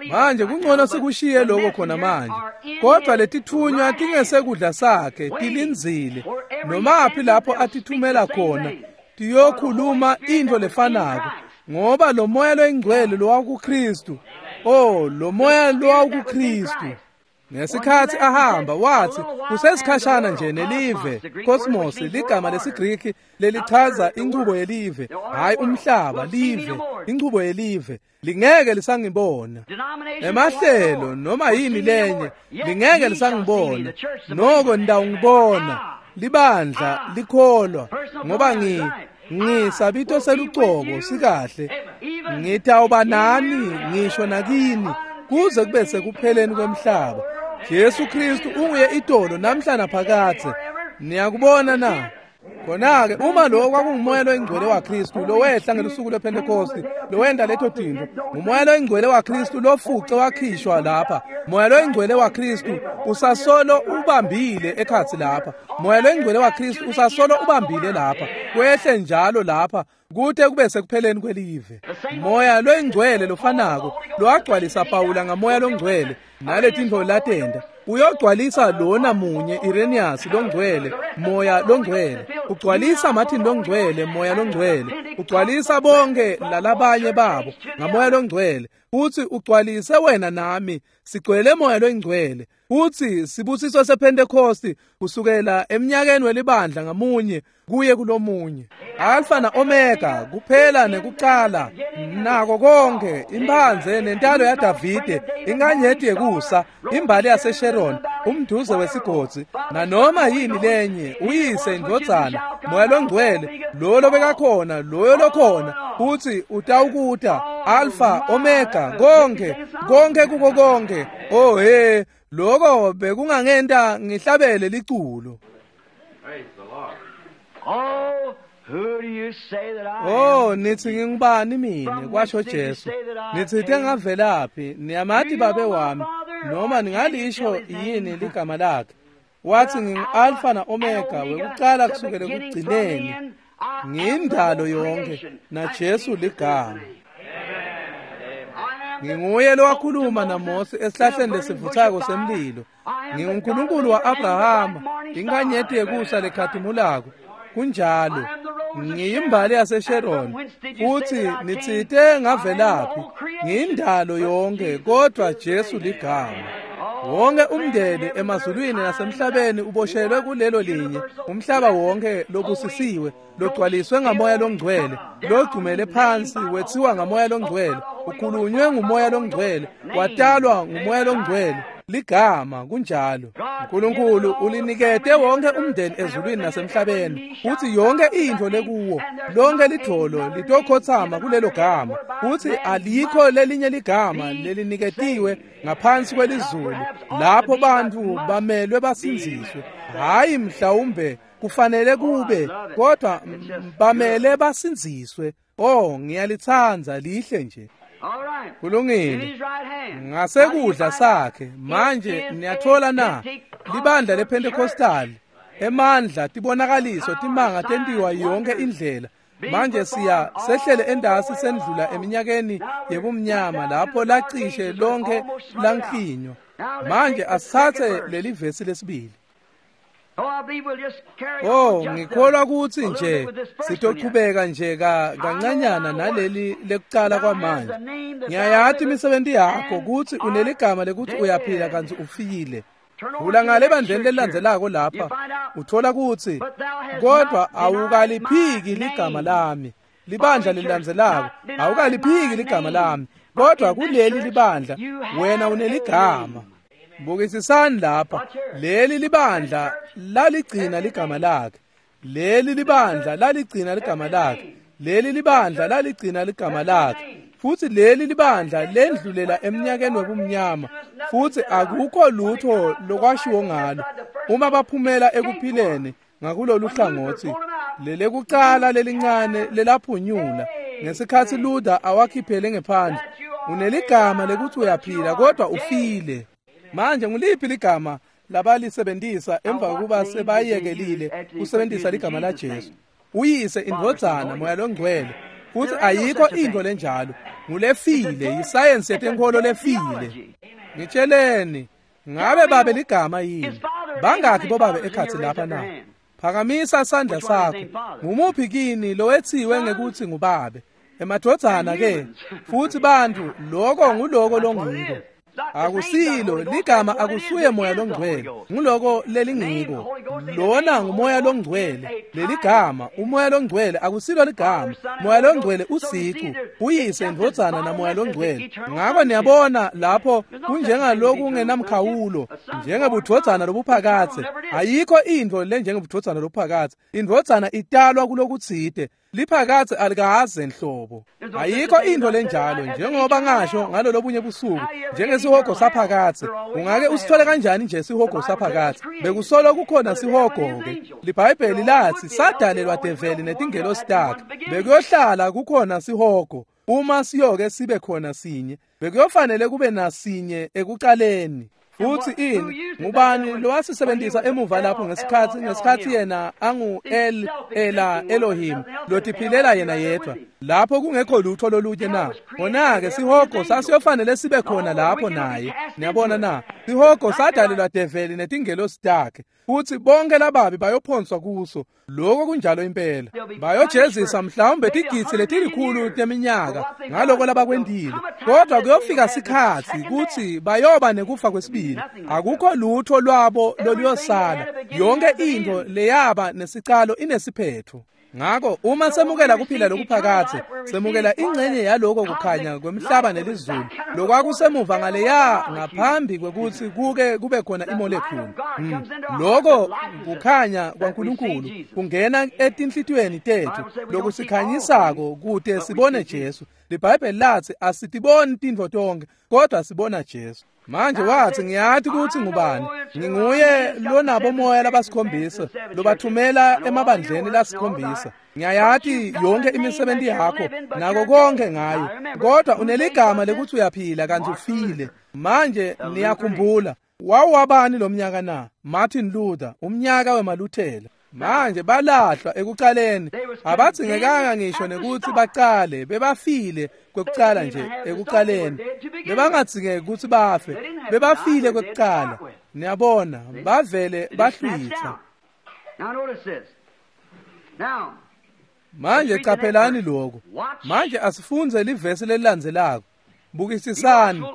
Manje kungcono sikushiye lokho khona manje. Kodwa letithunywa tingesekudla sakhe tilindzile nomaphi lapho atithumela khona tiyokhuluma into lefanako, ngoba lo moya loyingcwele lowakuKristu, oh lo moya lowakuKristu. Ngesikhathi ahamba wathi kusesikhashana nje nelive cosmos, ligama lesiGriki lelichaza inchubo yelive, hayi umhlaba, live, inchubo yelive, lingeke lisangibona. Emahlelo noma yini lenye lingeke lisangibona, noko ndawungibona. Libandla likholwa ngoba ngi ngisabito selucobo sikahle, ngitawuba nani ngisho nakini kuze kube sekupheleni kwemhlaba. Jesu Kristu unguye itolo namhla naphakadze. Niyakubona na? Khona-ke uma lo kwakungumoya loyingcwele waKristu lowehla ngelusuku lwePhentekosti lowenda leto tintfo, ngumoya loyingcwele waKristu lofuce wakhishwa lapha. Moya loyingcwele waKristu usasolo ubambile ekhatsi lapha. Moya loyingcwele waKristu usasolo ubambile lapha, kwehle njalo lapha kute kube sekupheleni kwelive. Moya loyingcwele lofanako lowagcwalisa Pawula ngamoya longcwele naletintfo latenda uyogcwalisa lona munye Irenaeus longcwele moya longcwele, ugcwalisa Martin longcwele moya longcwele, ugcwalisa bonke lalabanye babo ngamoya longcwele, futhi ugcwalise wena nami sigcwele moya longcwele. Futhi sibusiso sePhentekosti kusukela eminyakeni welibandla ngamunye kuye kulomunye. Alpha na Omega, kuphela nekuqala, nako konke, imphanze nentalo yaDavide, inkanyeti yekusa, imbali yaseSharon, umduze wesigodzi, nanoma yini lenye, uyise indvodzana, moya longcwele, lo lobekakhona, loyo lokhona, futhi utawukuta, Alpha, Omega, konke, konke kuko konke. Oh he, lokho bekungangenta ngihlabele liculo. Praise the Lord. Oh, Oh, nithi ngingubani mina, kwasho Jesu. Nitsite ngavelaphi, niyamati babe wami, noma ningalisho yini ligama lakhe? Wathi ngingu-Alfa na-Omega, wekucala kusukela ekugcineni. Ngiyindalo yonke, naJesu ligama. Nginguye lowakhuluma naMose esihlahleni lesivuthako semlilo. NginguNkulunkulu wa-Abrahama, inkanyeti yekusa lekhatimulako. Kunjalo, ngiyimbali yaseSharon, futhi nitsite ngavelaphi, ngiyindalo yonke, kodwa Jesu ligama. Wonke umndeni emazulwini nasemhlabeni uboshelwe kulelo linye, umhlaba wonke lobusisiwe, logcwaliswe ngamoya longcwele, logcumele phansi wethiwa ngamoya longcwele, ukhulunywe ngumoya longcwele, watalwa ngumoya longcwele. Ligama kunjalo. uNkulunkulu ulinikete wonke umndeni ezulwini nasemhlabeni, futhi yonke into lekuwo, lonke lidvolo litokhothama kulelo gama, futhi alikho lelinye ligama leliniketiwe ngaphansi kwelizulu lapho bantu bamelwe basindziswe. Hayi mhlawumbe kufanele kube, kodwa bamele basindziswe. Oh, ngiyalithanda lihle nje. Kulungile. Ngasekudla sakhe manje niyathola na libandla lePentecostal emandla tibonakaliso timanga tentiwa yonke indlela. Manje siya sehlele endasi sendlula eminyakeni yebumnyama lapho lacishe lonke lanklinywa. Manje asithathe leli vesi lesibili. Oh, ngikholwa ukuthi nje sitochubeka nje kancanyana naleli lekucala kwamanje. Ngiyayathi imisebenzi yakho ukuthi uneligama lekuthi uyaphila kanti ufile. Vula ngale bandleni lelandzelako lapha uthola ukuthi kodwa awukaliphiki ligama lami. Libandla lilandzelako awukaliphiki ligama lami, kodwa kuleli libandla wena uneligama. Bukisisani lapha, leli libandla laligcina ligama lakhe, leli libandla laligcina ligama lakhe, leli libandla laligcina ligama lakhe, futhi leli libandla lendlulela eminyakeni wobumnyama, futhi akukho lutho lokwashiwo ngalo. Uma baphumela ekuphileni ngakulolu hlangothi, lelekucala lelincane lelaphunyula ngesikhathi Luther awakhiphele ngephandle, uneligama lekuthi uyaphila kodwa ufile. Manje nguliphi ligama labalisebenzisa emva kokuba sebayekelile kusebenzisa ligama la Jesu? Uyise, indvodzana, moya longcwele. Futhi ayikho into lenjalo. Ngulefile, yisayensi yetenkolo lefile. Ngitsheleni, ngabe babe ligama yini? Bangakhi bobabe ekhathi lapha na? Phakamisa sandla sakho. Ngumuphi kini lowethiwe ngekuthi ngubabe? Emadvodzana ke, futhi bantu, lokho nguloko longiko. Akusilo ligama, akusuye moya longcwele, nguloko lelingiko. Lona ngumoya longcwele, leligama umoya longcwele akusilo ligama. Moya longcwele usicu, uyise, indvodzana namoya longcwele. Ngakho niyabona lapho kunjengaloku kungenamkhawulo, njengebudvodzana lobuphakathe. Ayikho into lenjengebudvodzana lobuphakathe. Indvodzana italwa kulokutsite, liphakathe alikaze nhlobo. Ayikho into lenjalo, njengoba ngasho ngalolobunye busuku, njengesihogo saphakathe. Ungake usithole kanjani nje sihogo saphakathe? Bekusolo kukhona sihogo-ke. LiBhayibheli lathi sadalelwa develi netingelosi takhe. Bekuyohlala kukhona sihogo. Uma siyoke sibe khona sinye, bekuyofanele kube nasinye ekucaleni. Futhi ini ngubani lowasisebenzisa emuva lapho ngesikhathi ngesikhathi yena angu El Ela Elohim lotiphilela yena yedwa lapho kungekho lutho lolunye na? Kona-ke sihogo sasiyofanele sibe khona lapho naye. Niyabona na? Sihogo sadalelwa develi netingelosi takhe, futhi bonke lababi bayophonswa kuso. Lokho kunjalo impela. Bayojezisa mhlawumbe tigitsi letilikhulu teminyaka ngaloko labakwendile, kodwa kuyofika sikhathi kuthi bayoba nekufa kwesibili. Akukho lutho lwabo loluyosala. Yonke into leyaba nesicalo inesiphetho. Ngakho uma semukela kuphila lokuphakathe, semukela ingxenye yaloko kukhanya kwemhlaba nelizulu lokwakusemuva ngaleya ngaphambi kwekuthi kuke kube khona imolekhulu. Mm. Lokho kukhanya kwaNkulunkulu kungena etinhlitiyweni tethu lokusikhanyisako kute sibone Jesu. LiBhayibheli lathi asitiboni tintfo tonkhe, kodwa sibona Jesu. Manje wathi ngiyati kutsi ngubani. Nginguye lonabo moya labasikhombisa, lobathumela emabandleni lasikhombisa. Ngiyayati yonke imisebenzi yakho nako konke ngayo, kodwa uneligama lekutsi uyaphila kantsi ufile. Manje niyakhumbula wawabani lo mnyaka na? Martin Luther, umnyaka wemaLuthela. Manje balahlwa ekucaleni, abadzingekanga ngisho nekutsi bacale, bebafile kwekucala nje ekucaleni. Bebangadzingeki kutsi bafe, bebafile kwekucala. Niyabona, bavele bahlwitha. Manje caphelani lokho. Manje asifundze livesi lelilandzelako. Bukisisani,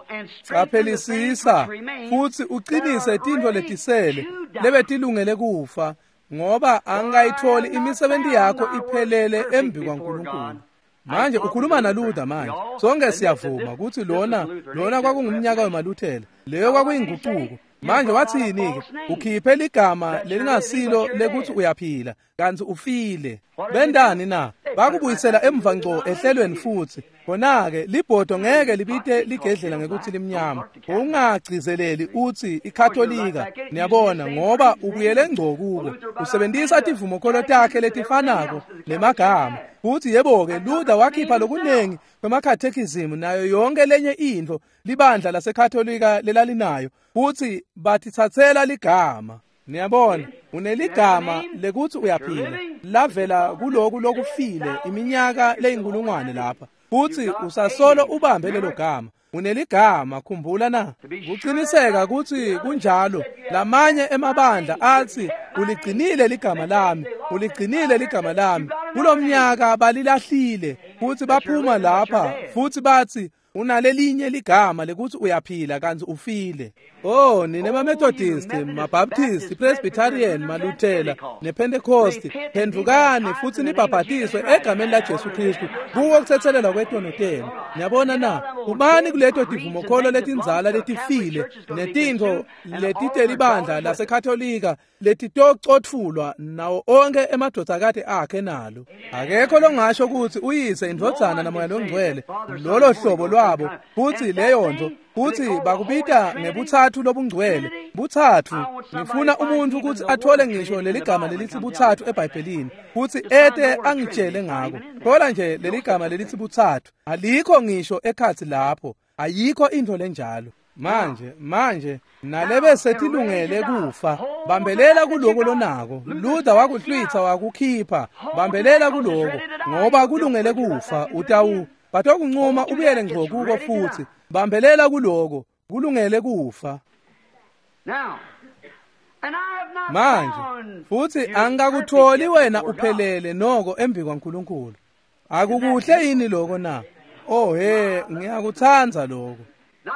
caphelisisa futsi uqinise tintfo letisele lebetilungele kufa, ngoba angayitholi imisebenzi yakho iphelele embi kwaNkulunkulu. Manje ukhuluma naLuther manje. Sonke siyavuma kutsi lona lona kwakungumnyaka wemaLuthela, leyo kwakuyinguquko. Manje wathini ke? Ukhiphe ligama lelingasilo lekutsi uyaphila kantsi ufile. Bendani na? Bakubuyisela emva ngco ehlelweni futsi. Khona-ke libhodo ngeke libite ligedlela ngekutsi limnyama. Ungagcizeleli utsi iKatolika, niyabona, ngoba ubuyele ngco kuko. Usebenzisa tivumokholo takhe letifanako nemagama. Futsi yebo-ke Luther wakhipha lokunengi kwemakhathekhizimu nayo yonke lenye intfo libandla laseKatolika lelalinayo, futsi batitsatsela ligama. Niyabona, uneligama lekutsi uyaphila lavela kuloku lokufile iminyaka leyinkulungwane lapha, futsi usasolo ubambe lelo gama. Uneligama, khumbula na? Kuqiniseka kutsi kunjalo. Lamanye emabandla atsi uligcinile ligama lami, uligcinile ligama lami. Kulomnyaka balilahlile futsi baphuma lapha futsi batsi unalelinye ligama lekutsi uyaphila kantsi ufile. Oh, nine maMethodist, maBaptist, Presbyterian, maLuthela nePentecost, phendvukani futsi nibhabhatiswe egameni la Jesu Kristu kuwo kutsetselelwa kwetono tenu. Niyabona na? Ubani kuleto tivumokholo letindzala letifile netintfo letitelibandla laseKatolika letitocotfulwa nawo onke emadvodzakati akhe nalo? Akekho longasho kutsi uyise, indvodzana namoya longcwele lolo hlobo lwabo, futsi leyo nto futsi bakubita ngebutsatfu lobungcwele. Butsatfu. Ngifuna umuntfu kutsi athole ngisho leligama lelitsi butsatfu eBhayibhelini futsi ete angitshele ngako. Thola nje leligama lelitsi butsatfu, alikho ngisho ekhatsi lapho, ayikho intfo lenjalo. Manje manje nalebe setilungele kufa, bambelela kuloko lonako. Luther wakuhlwitha wakukhipha, bambelela kuloko ngoba kulungele kufa. Utawu batokuncuma ubuyele ngco kuko futsi. Bambelela kuloko, kulungele kufa. Manje futsi angikakutholi wena uphelele noko embi kwaNkulunkulu. Akukuhle yini lokho na? Oh he, ngiyakutsandza lokho.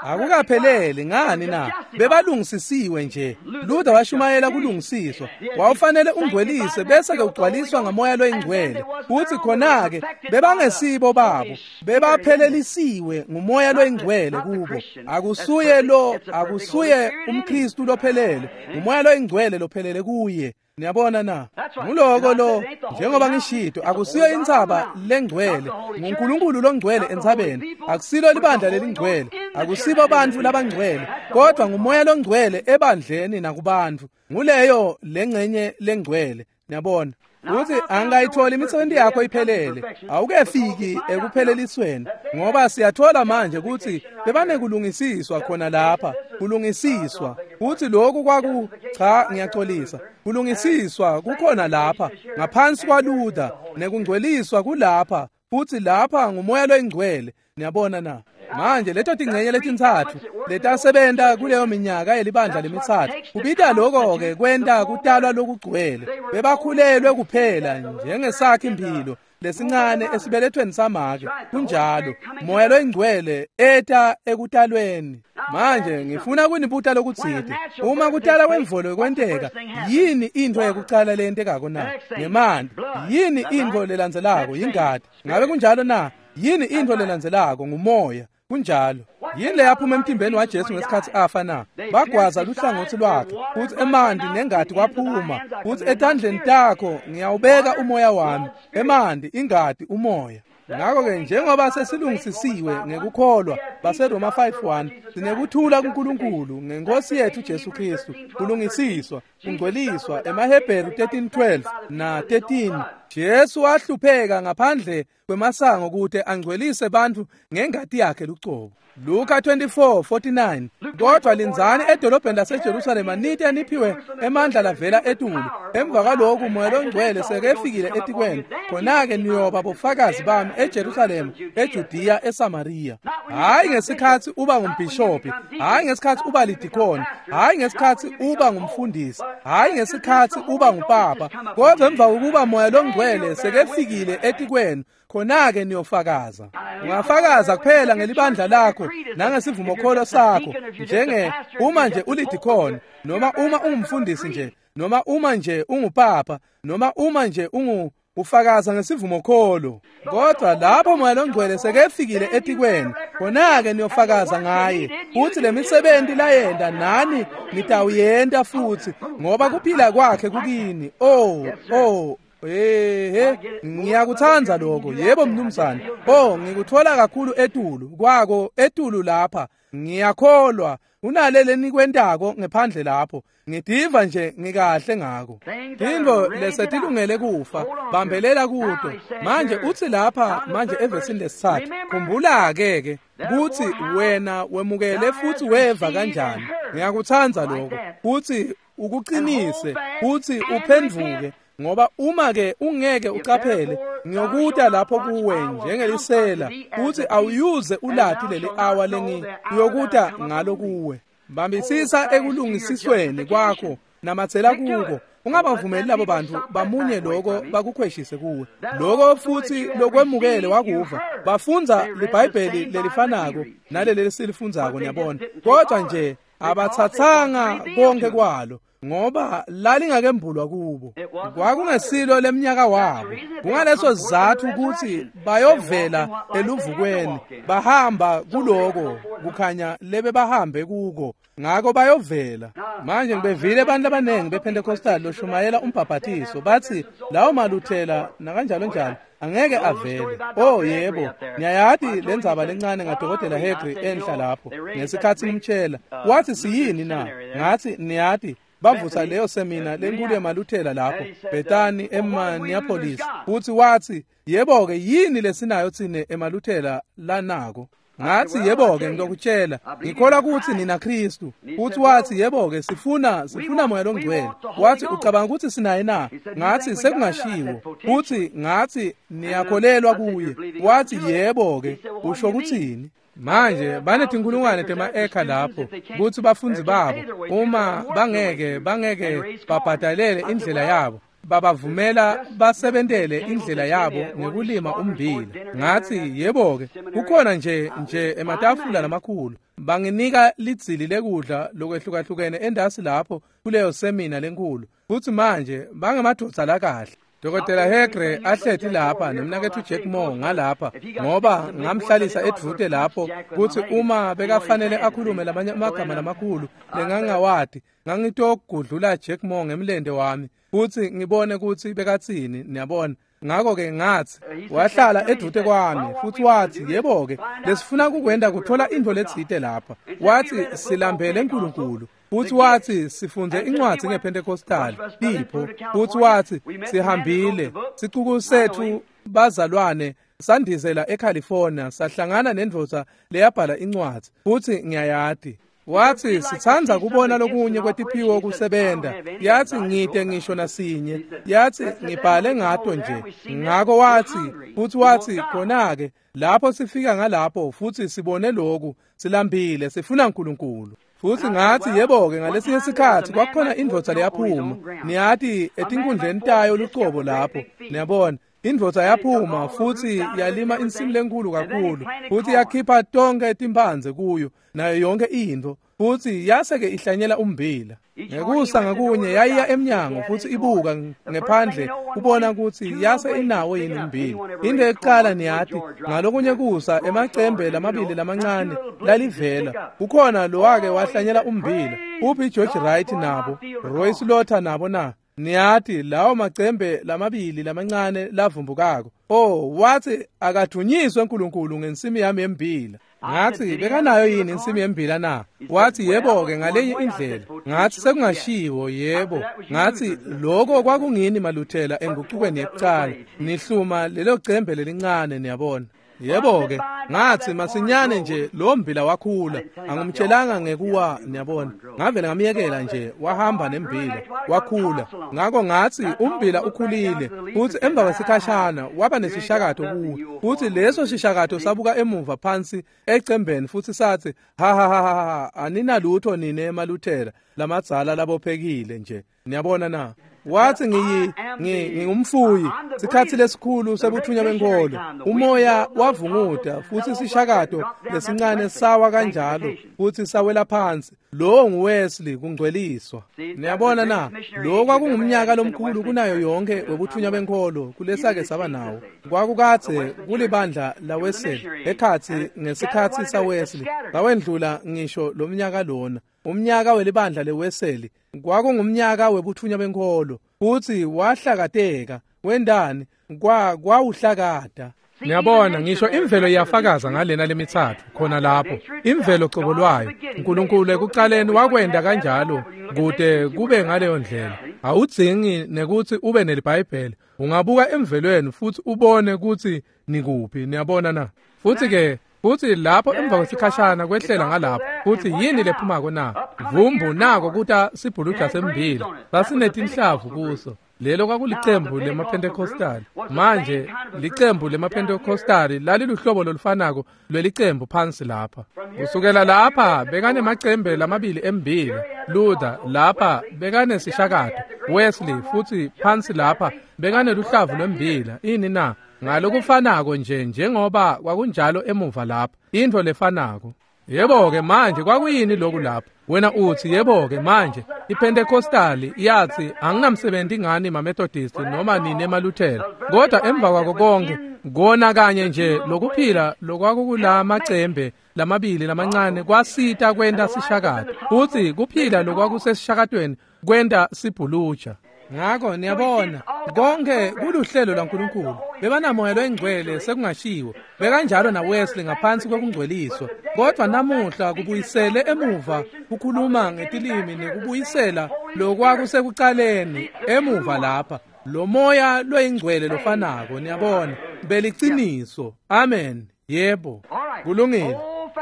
Akukapheleli ngani na? Bebalungisisiwe nje. Luther washumayela kulungisiswa. Wawufanele ungcwelise bese ke ugcwaliswa ngamoya loyingcwele. Futhi khona ke bebangesibo babo, bebaphelelisiwe ngumoya loyingcwele kubo. Akusuye lo, akusuye umKristu lophelele, ngumoya loyingcwele lophelele kuye. Niyabona na? Nguloko lo, njengoba ngishito, akusiyo intsaba lengcwele, nguNkulunkulu longcwele entsabeni. Akusilo libandla lelingcwele, akusibo bantfu labangcwele, kodwa ngumoya longcwele ebandleni nakubantfu. Nguleyo lengcenye lengcwele. Niyabona? Uthi angayitholi imisebenzi yakho iphelele, awukefiki ekuphelelisweni, ngoba siyathola manje ukuthi bebanekulungisiswa khona lapha, kulungisiswa. Uthi lokhu kwaku cha ngiyaxolisa, kulungisiswa kukhona lapha ngaphansi kwaLuther, nekungcweliswa kulapha, futhi lapha ngumoya loyingcwele. Niyabona na? Manje leto tingcenye letintsatfu letasebenta kuleyo minyaka yelibandla lemitsatfu, kubita lokho ke kwenta kutalwa lokugcwele. Bebakhulelwe kuphela njengesakhi imphilo lesincane esibelethweni samake. Kunjalo, moya loyingcwele eta ekutalweni. Manje ngifuna kunibuta lokutsite. Uma kutala kwemvelo kwenteka, yini intfo yekucala leyentekako na? Ngemanti. Yini intfo lelandzelako? Yingati. Ngabe kunjalo na? Yini intfo lelandzelako? Ngumoya. Kunjalo. Yini leyaphuma emtimbeni waJesu ngesikhatsi afa na? Bagwaza luhlangotsi lwakhe, futsi emanti nengati kwaphuma. Futsi etandleni takho ngiyawubeka umoya wami. Emanti, ingati, umoya. Ngakho-ke njengoba sesilungisisiwe ngekukholwa baseRoma five one sinekuthula kuNkulunkulu ngenkosi yethu Jesu Kristu, kulungisiswa, kungcweliswa emaHebheru thirteen twelve na thirteen. Jesu wahlupheka ngaphandle kwemasango kute angcwelise bantfu ngengati yakhe lucobo. Luka twenty-four forty-nine. Kodwa lindzani edolobheni laseJerusalema nite niphiwe emandla lavela etulu. Emva kwaloku Moya loNgcwele sekefikile etikwenu, khona-ke niyoba bofakazi bami eJerusalema, eJudiya, eSamariya. Hhayi ngesikhatsi uba ngumbhishobhi, hhayi ngesikhatsi uba lidikoni, hhayi ngesikhatsi uba ngumfundisi, hhayi ngesikhatsi uba ngupapa, kodwa emva kokuba Moya loNgcwele sekefikile etikwenu, khona-ke niyofakaza. Ungafakaza kuphela ngelibandla lakho nangesivumokholo sakho, njenge uma nje ulidikhoni, noma uma ungumfundisi nje, noma uma nje ungupapa, noma uma nje ungu ufakaza ngesivumokholo. Kodwa lapho Moya loNgcwele sekefikile etikwenu, khona-ke niyofakaza ngaye, futhi lemisebenti layenta nani nitawuyenta futhi, ngoba kuphila kwakhe kukini. Oh, oh, Ehe, ngiyakuthanda lokho. Yebo mnumzane. Oh, ngikuthola kakhulu etulu kwako, etulu lapha. Ngiyakholwa unalele nikwentako ngephandle lapho. Ngidiva nje ngikahle ngako. Tintfo lesetilungele kufa, bambelela kuto. Manje utsi lapha manje evesini lesitsatfu, khumbula ke ke kutsi wena wemukele futhi weva kanjani. Ngiyakuthanda lokho. Kutsi ukuqinise, kutsi uphendvuke. Ngoba uma ke ungeke ucaphele, ngiyokuta lapho kuwe njengelisela, futhi awuyuze ulati leli awa lengi uyokuta ngalo kuwe. Bambisisa ekulungisisweni kwakho, namatsela kuko. Ungabavumeli labo bantu bamunye loko bakukhweshise kuwe. Loko futhi lokwemukele wakuva. Bafundza liBhayibheli lelifanako naleli lesilifundzako, niyabona. Kodwa nje abathathanga konke kwalo, ngoba lalingakembulwa kubo. Kwakungesilo lemnyaka wabo. Kungaleso sizatfu kutsi bayovela eluvukweni, bahamba kuloko kukhanya lebe bahambe kuko, ngako bayovela. Manje ngibevile abantu abaningi bePentecostal loshumayela umbhabhatiso bathi lawo maluthela nakanjalo njalo angeke avele. Oh yebo, niyayati lendzaba lencane ngadokotela Hegri enhla lapho ngesikhatsi ngimtshela. Wathi siyini na? Ngathi niyati bavusa leyo semina lenkulu emaluthela lapho Bethany eMinneapolis, futhi wathi yebo-ke yini lesinayo tsine emaluthela lanako? Ngathi yebo-ke ngizokutshela, ngikholwa ukuthi nina Kristu. Futhi wathi yebo-ke sifuna sifuna Moya loNgcwele. Wathi ucabanga ukuthi sinaye na? Ngathi sekungashiwo. Futhi ngathi niyakholelwa kuye. Wathi yebo-ke usho ukuthini? Manje banetinkulungwane tema-eka lapho kutsi bafundzi babo uma bangeke bangeke babhadalele indlela yabo, babavumela basebentele indlela yabo ngekulima ummbila. Ngathi yebo-ke kukhona nje nje ematafula lamakhulu, banginika lidzili lekudla lokwehlukahlukene endasi lapho kuleyo semina lenkulu. Futhi manje bangemadvodza lakahle. Dokotela Hegre ahleti lapha nomnaketfu Jack Moore ngalapha, ngoba ngamhlalisa edvute lapho kutsi uma bekafanele akhulume lamanye amagama lamakhulu lengangawati, ngangitogudlula Jack Moore ngemlente wami futsi ngibone kutsi bekatsini, niyabona. Ngakho-ke ngathi wahlala edvute kwami futhi wathi yebo-ke lesifuna kukwenta kuthola intfo letsite lapha. Wathi silambele uNkulunkulu. Futhi wathi sifunde incwadi ngePentecostal tipho. Futhi wathi sihambile sicuku sethu bazalwane sandizela eCalifornia, sahlangana nendvodza leyabhala incwadi, futhi ngiyayati. Wathi sithanda kubona lokunye kwetiphiwo kusebenta. Yathi ngite ngisho nasinye. Yathi ngibhale ngato nje. Ngako wathi futhi wathi khona-ke lapho sifika ngalapho futhi sibone lokhu, silambile sifuna uNkulunkulu. Futhi ngathi yebo-ke ngalesinye isikhathi kwakukhona indvodza leyaphuma, niyati etinkundleni tayo lucobo lapho, niyabona. Indvodza yaphuma futhi yalima insimu lenkulu kakhulu, futhi yakhipha tonke timphandze kuyo nayo yonke intfo. Futhi yase-ke ihlanyela umbila. Ngekusa ngakunye yayiya emnyango futhi ibuka ngephandle kubona ukuthi yase inawo yini umbila. Into yokuqala niyati, ngalokunye kusa emacembe lamabili lamancane lalivela. Kukhona lowake wahlanyela umbila. Uphi George Wright nabo, Roy Slaughter nabo na? Niyati lawo macembe lamabili lamancane lavumbukako. Oh, wathi akathunyiswe uNkulunkulu ngensimi yami yembila. Ngathi bekanayo yini insimi yembila na? Wathi yebo-ke ngalenye indlela. Ngathi sekungashiwo yebo. Ngathi lokho kwakungini maluthela enguqukweni yekuqala. Nihluma lelo cembe lelincane niyabona. Yebo-ke, ngathi masinyane nje lo mbila wakhula. Angimtshelanga ngekuwa niyabona. Ngavele ngamyekela nje wahamba nembila wakhula. Ngakho ngathi umbila ukhulile futhi emva kwesikhashana waba nesishakato kuwo. Futhi leso sishakato sabuka emuva phansi ecembeni futhi sathi ha ha ha ha aninalutho nine emaluthela lamadzala labophekile nje. Niyabona na? Wathi ngiyi ngingumfuyi sikhathi lesikhulu sebuthunya benkolo. Umoya wavunguda futhi sishakato lesincane sawa kanjalo futhi sawela phansi. Lo nguWesley kungcweliswa. Niyabona na? Lo kwakungumnyaka lomkhulu kunayo yonke webuthunya benkolo kulesake saba nawo. Kwakukathe kulibandla la Wesley ekhathi ngesikhathi saWesley bawendlula ngisho lo mnyaka lona. Umnyaka welibandla leWesley kwakungumnyaka webuthunya benkolo futhi wahlakateka wendani kwa kwawuhlakata. Niyabona ngisho imvelo iyafakaza ngalena lemithathu khona lapho. Imvelo cobo lwayo uNkulunkulu ekuqaleni wakwenda kanjalo kude kube ngaleyo ndlela. Awudzingi nekuthi ube neliBhayibheli. Ungabuka emvelweni futhi ubone ukuthi nikuphi. Niyabona na? Futhi ke futhi lapho emva kwesikhashana kwehlela ngalapho futhi yini lephumako na? Vumbu nako kuta sibhuluja sembila sasinetinhlavu kuso. Lelo kwakulicembu lemaPentecostal. Manje licembu lemaPentecostal laliluhlobo lolufanako lwelicembu phansi lapha. Kusukela lapha bekanemacembe lamabili embila. Luther lapha bekanesishakato. Wesley futhi phansi lapha bekaneluhlavu lwembila. Ini na? Ngalokufanako nje njengoba kwakunjalo emuva lapha. Into lefanako. Yebo-ke manje kwakuyini lokhu lapha? Wena uthi yebo-ke manje iPentecostal yathi anginamsebenzi ngani maMethodist noma nini emaLuthela. Kodwa emva kwako konke kona kanye nje lokuphila lokwakukulama macembe lamabili lamancane kwasita kwenta sishakato. Futhi kuphila lokwakusesishakatweni kwenta sibhuluja. Ngakho niyabona konke kuluhlelo lwaNkulunkulu. Bebanamoya loyingcwele sekungashiwo. Bekanjalo naWesley ngaphansi kwekungcweliswa. Kodwa namuhla kubuyisele emuva kukhuluma ngetilimi nekubuyisela lokwakusekuqaleni emuva lapha. Lo moya loyingcwele lofanako niyabona beliciniso. Amen. Yebo. Kulungile.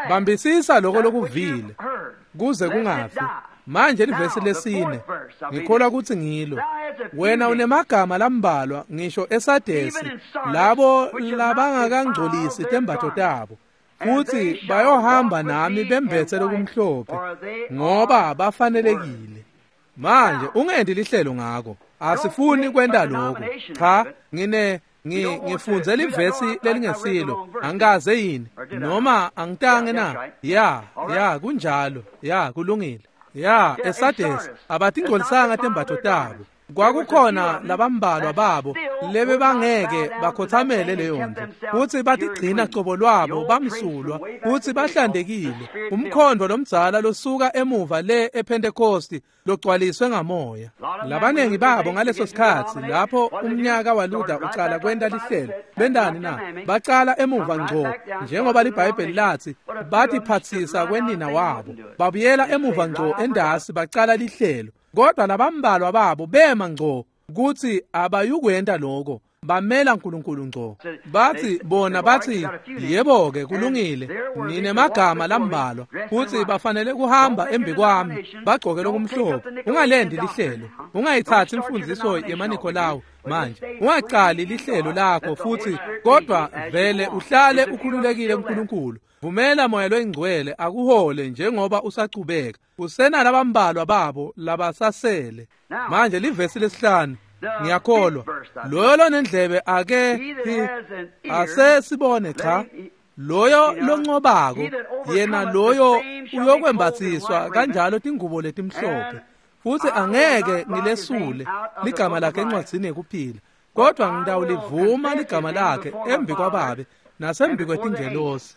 Bambisisa lokho lokuvile kuze kungafi. Manje livesi lesine ngikholwa ukuthi ngilo. Wena unemagama lambalwa ngisho eSadesi labo labangakangcolisi tembatho tabo futhi bayohamba nami bembethe lokumhlophe ngoba bafanelekile. Manje ungendi lihlelo ngako. Asifuni kwenta lokho. Cha, ngine ngifunze livesi lelingesilo. Angikaze yini noma angitange na? Ya, ya kunjalo. Ya kulungile. Ya eSadesi abatingcolisanga tembatho tabo. Kwakukhona labambalwa babo lebe bangeke bakhothamele leyo nto futhi batigcina cobo lwabo bamsulwa futhi bahlandekile. Umkhondo lomdzala losuka emuva le ePentecost logcwaliswe ngamoya. Labanengi babo ngaleso sikhathi lapho umnyaka waLuther ucala kwenta lihlelo bendani na? Bacala emuva ngco njengoba liBhayibheli lathi batiphathisa kwenina wabo. Babuyela emuva ngco endasi bacala lihlelo. Kodwa labambalwa babo bema ngco kuthi abayukwenta lokho. Bamela uNkulunkulu ngco. Bathi bona bathi yebo-ke kulungile ninemagama lambalwa futhi bafanele kuhamba embi kwami bagcoke lokumhlophe. Ungalendi lihlelo. Ungayithathi imfundiso yemaNikolawu manje. Ungaqali lihlelo lakho futhi kodwa vele uhlale ukhululekile kuNkulunkulu. Vumela moya loyingcwele akuhole njengoba usachubeka. Usenalabambalwa babo labasasele. Manje livesi lesihlanu ngiyakholwa. Loyo lonendlebe ake ase sibone cha. Loyo loncobako yena loyo uyokwembatsiswa kanjalo tingubo letimhlophe, futsi angeke ngilesule ligama lakhe encwadzini yekuphila, kodwa ngitawulivuma ligama lakhe embi kwaBabe nasembi kwetingelosi.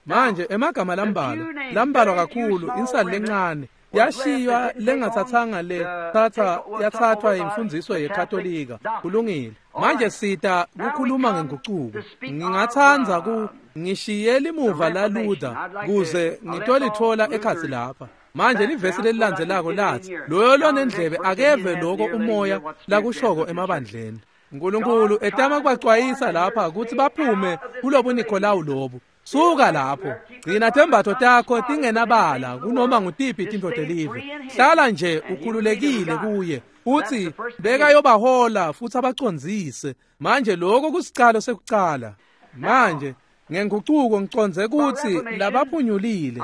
Manje emagama lambalwa lambalwa kakhulu, insali lencane yashiywa lengathathanga le thatha yathathwa imfundiso yeKatolika. Kulungile. Manje sita kukhuluma ngengucuko. Ngingatsandza ku ngishiye limuva la Luther kuze ngitolithola ekhatsi lapha. Manje livesi lelilandzelako lathi, loyo lonendlebe akeve loko umoya lakushoko emabandleni. Nkulunkulu etama kubacwayisa lapha kutsi baphume kulobu Nikolawu lobu. Suka lapho, gcina tembatfo takho tingenabala kunoma ngutiphi tintfo telive. Hlala nje ukhululekile kuye, futsi bekayobahola futsi abacondzise. Manje lokho kusicalo sekucala. Manje ngengucuko ngicondze kutsi labaphunyulile,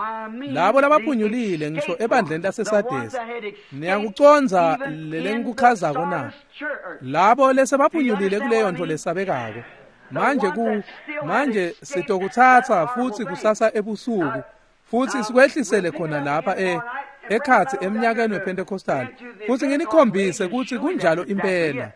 labo labaphunyulile ngisho ebandleni laseSadesi, niyakucondza lelengikuchazako na? Labo lesebaphunyulile kuleyo ntfo lesabekako. Manje ku manje sitokutsatsa futsi kusasa ebusuku futsi sikwehlisele khona lapha e ekhatsi eminyakeni wePentecostal, futsi nginikhombise kutsi kunjalo impela.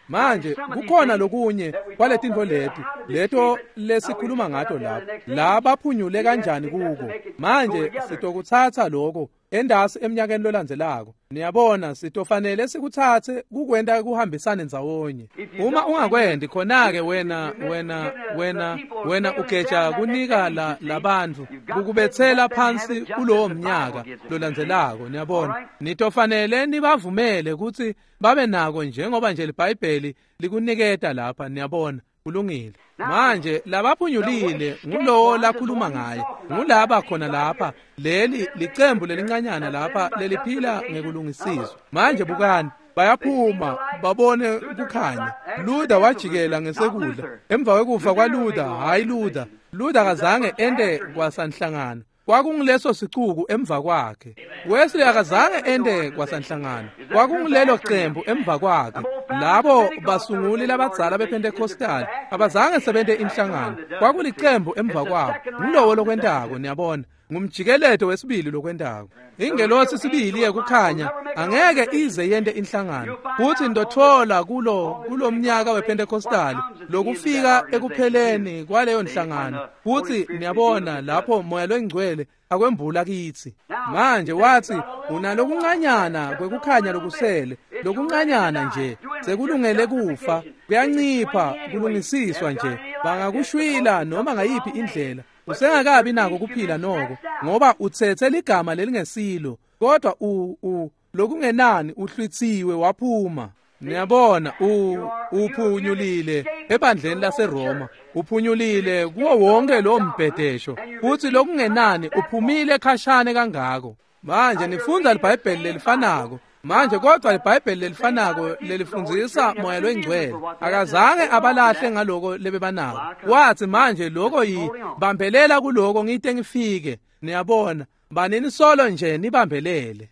Manje kukhona lokunye kwaletintfo leti leto lesikhuluma ngato lapha, la baphunyule kanjani kuko. Manje sitokutsatsa lokho endasi eminyakeni lolandzelako. Niyabona, sitofanele sikutsatse kukwenta kuhambisane ndzawonye. Uma ungakwendi khona-ke wena wena wena wena ugeja kunika la labantfu kukubetsela phansi kulowo mnyaka lolandzelako. Niyabona, nitofanele nibavumele kutsi babe nako njengoba nje liBhayibheli likuniketa lapha. Niyabona, kulungile. Manje labaphunyulile ngulowo lakhuluma ngaye, ngulaba khona lapha, leli licembu lelincanyana lapha leliphila ngekulungisiswa. Manje bukani, bayaphuma babone kukhanya. Luther wajikela ngesekudla emva kwekufa kwaLuther. Hayi Luther, Luther akazange ente kwasanhlangano, kwakunguleso sicuku emva kwakhe. Wesley akazange ente kwasanhlangano, kwakungulelo cembu emva kwakhe. Labo basunguli labadzala bePentecostal abazange sebente inhlangano, kwakulicembu emva kwabo. Ngulowo lokwentako, niyabona, ngumjikeleto wesibili lokwentako. Ingelosi sibili yekukhanya angeke ize yente inhlangano. Futsi ndotfola kulo kulomnyaka wePentecostal lokufika ekupheleni kwaleyo nhlangano. Futsi niyabona lapho moya longcwele akwembula kitsi. Manje wathi unalokuncanyana kwekukhanya lokusele, lokuncanyana nje sekulungele kufa, kuyancipha kulungisiswa nje, bangakushwila noma ngayiphi indlela. Usengakabi nako kuphila noko, ngoba utsetse ligama lelingesilo, kodwa u u lokungenani uhlwitsiwe waphuma. Niyabona, u uphunyulile ebandleni laseRoma, uphunyulile kuwo wonke lo mbhedesho, futhi lokungenani uphumile khashane kangako. Manje nifundza liBhayibheli lelifanako manje, kodwa liBhayibheli lelifanako lelifundzisa moya longcwele akazange abalahle ngaloko lebebanako. Wathi manje lokho yibambelela kuloko ngite ngifike. Niyabona, banini solo nje nibambelele.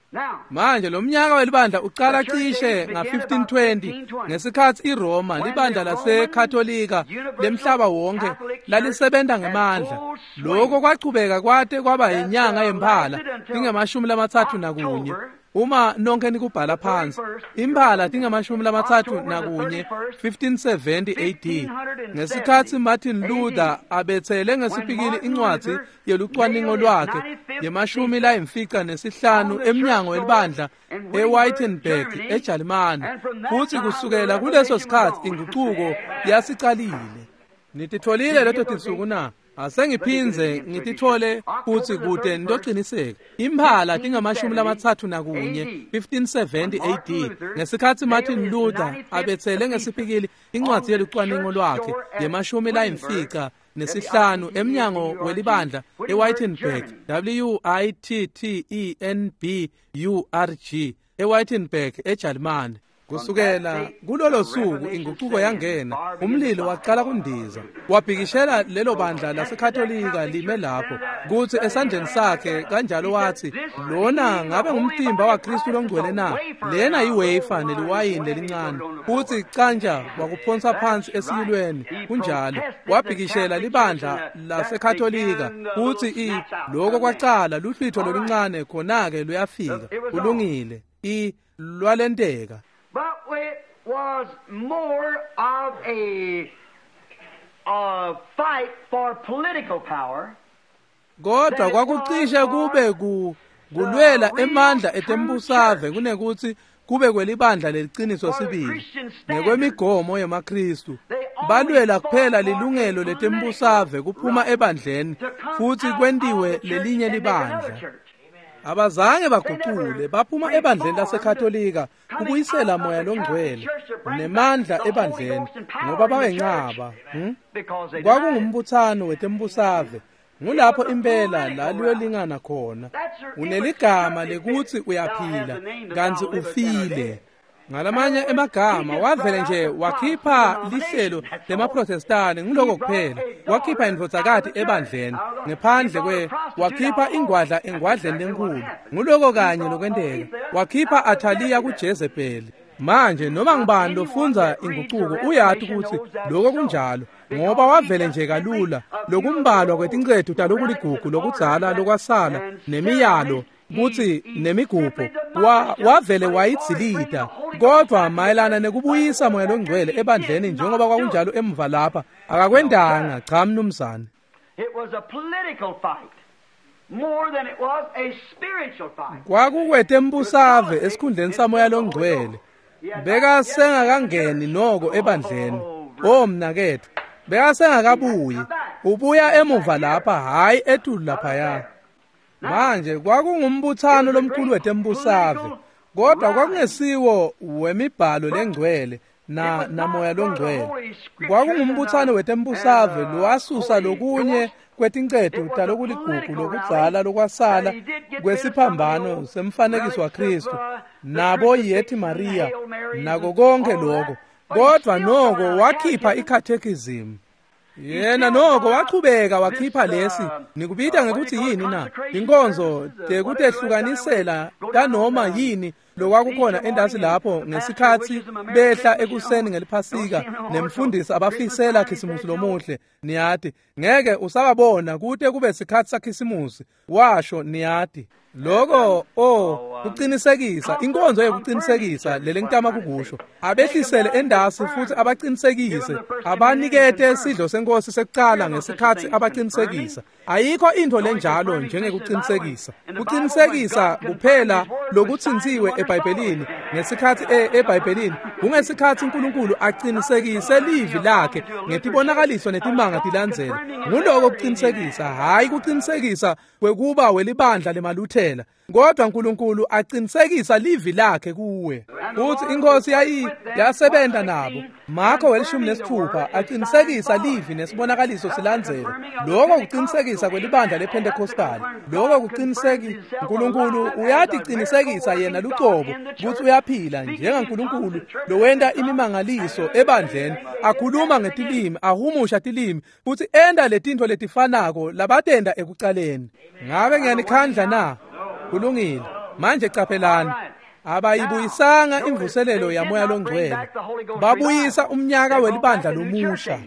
Manje lo mnyaka welibandla uqala cishe nga fifteen twenty ngesikhatsi iRoma libandla laseKatolika lemhlaba wonke lalisebenta ngemandla. Lokho kwachubeka kwate kwaba yinyanga yemphala tingemashumi lamatsatfu nakunye. Uma nonke nikubhala phansi, imphala tingemashumi lamatsatfu nakunye fifteen seventy A D, ngesikhatsi Martin Luther abetsele ngesipikili incwadzi yelucwaningo lwakhe yemashumi layimfica nesihlanu emnyango welibandla eWittenberg eJalimane. Futsi kusukela kuleso sikhatsi ingucuko yasicalile. Nititfolile leto tinsuku na? Asengiphindze ngitithole futsi kute nitociniseka. Imphala tingamashumi lamatsatfu nakunye fifteen seventy A D, ngesikhatsi Martin Luther abetsele ngesipikili incwadzi yelucwaningo lwakhe yemashumi layimfica nesihlanu emnyango welibandla eWittenberg, W I T T E N B U R G, eWittenberg eJalimane. Kusukela kulolo suku inguquko yangena, umlilo waqala kundiza. Wabhikishela lelo bandla laseKatolika lime lapho, kutsi esandleni sakhe kanjalo wathi, lona ngabe ngumtimba waKristu longcwele na? Lena yiwefa neliwayini lelincane. Futsi canja wakuphonsa phansi esiyilweni, kunjalo. Wabhikishela libandla laseKatolika, futsi i lokho kwacala luhlwitho loluncane khona-ke luyafika. Kulungile. I lwalenteka. But it was more of a, a fight for political power. Kodwa kwakucishe kube ku kulwela emandla etembusave kunekuthi kube kwelibandla leliciniso sibili ngekwemigomo yemaKristu. Balwela kuphela lilungelo letembusave kuphuma ebandleni futhi kwentiwe lelinye libandla. Abazange baguqule baphuma ebandleni laseKatolika kubuyisela moya longcwele nemandla ebandleni ngoba bawenqaba. Hmm? Kwakungumbuthano wetembusave. Ngulapho impela la liyolingana khona. Uneligama lekuthi uyaphila kantsi ufile. Ngalamanye emagama wavele nje wakhipha lihlelo lemaProtestani nguloko kuphela. Wakhipha indvodzakati ebandleni ngephandle kwe wakhipha ingwadla engwadleni lenkulu. Nguloko kanye lokwenteka. Wakhipha Athaliya kuJezebeli. Manje noma ngibani lofundza inguquko uyati ukuthi lokho kunjalo ngoba wavele nje kalula lokumbalwa kwetincetu talokuligugu lokudzala lokwasala nemiyalo kutsi nemigubho wa wavele wayidzilita. Kodwa mayelana nekubuyisa moya longcwele ebandleni njengoba kwakunjalo emuva lapha akakwendanga. Cha mnumzane. It was a political fight more than it was a spiritual fight. Kwakukwetembusave esikhundleni samoya longcwele. Bekasengakangeni noko ebandleni. Oh mnaketfu, bekasengakabuyi. Ubuya emuva lapha, hayi etulu laphaya. Manje kwakungumbuthano lomkhulu wetembusave, kodwa kwakungesiwo wemibhalo lengcwele na namoya longcwele. Kwakungumbuthano wetembusave lowasusa lokunye kwetincetu talokuligugu lokudzala lokwasala kwesiphambano semfanekiso waKristu nabo Yethi Maria nako konke lokho. Kodwa noko wakhipha i-catechism. Yena noko wachubeka wakhipha lesi nikubita ngekuthi yini na? Inkonzo tekutehlukanisela kanoma yini lokwakukhona endasi lapho ngesikhathi behla ekuseni ngeliphasika nemfundisi abafisela Khisimusi lomuhle. Niyati ngeke usababona kute kube sikhathi saKhisimusi, washo. Niyati lokho oh kuqinisekisa inkonzo yokuqinisekisa lelengitama kukusho. Abehlisele endasi futhi abaqinisekise, abanikete sidlo senkosi sekucala ngesikhathi abaqinisekisa. Ayikho into lenjalo njengekuqinisekisa. Kuqinisekisa kuphela lokuthintsiwe eBhayibhelini ngesikhathi eBhayibhelini kungesikhathi uNkulunkulu aqinisekise livi lakhe ngetibonakaliso netimanga tilandzela. Nguloko kuqinisekisa, hayi kuqinisekisa kwekuba welibandla lemaluthela, kodwa uNkulunkulu aqinisekisa livi lakhe kuwe. Futhi inkosi yayi yasebenza nabo. Marko welishumi nesithupha aqinisekisa livi nesibonakaliso silandzela. Lokho kuqinisekisa kwelibandla lePentecostal. Lokho kuqiniseki uNkulunkulu uyatiqinisekisa yena lucobo ukuthi uyaphila njengaNkulunkulu lowenta imimangaliso ebandleni, akhuluma ngetilimi, ahumusha tilimi, futhi enda letintfo letifanako labatenda ekucaleni. Ngabe ngiyanikhandla na? Kulungile. Manje qaphelani, abayibuyisanga imvuselelo yamoya longcwele. Babuyisa umnyaka welibandla lomusha.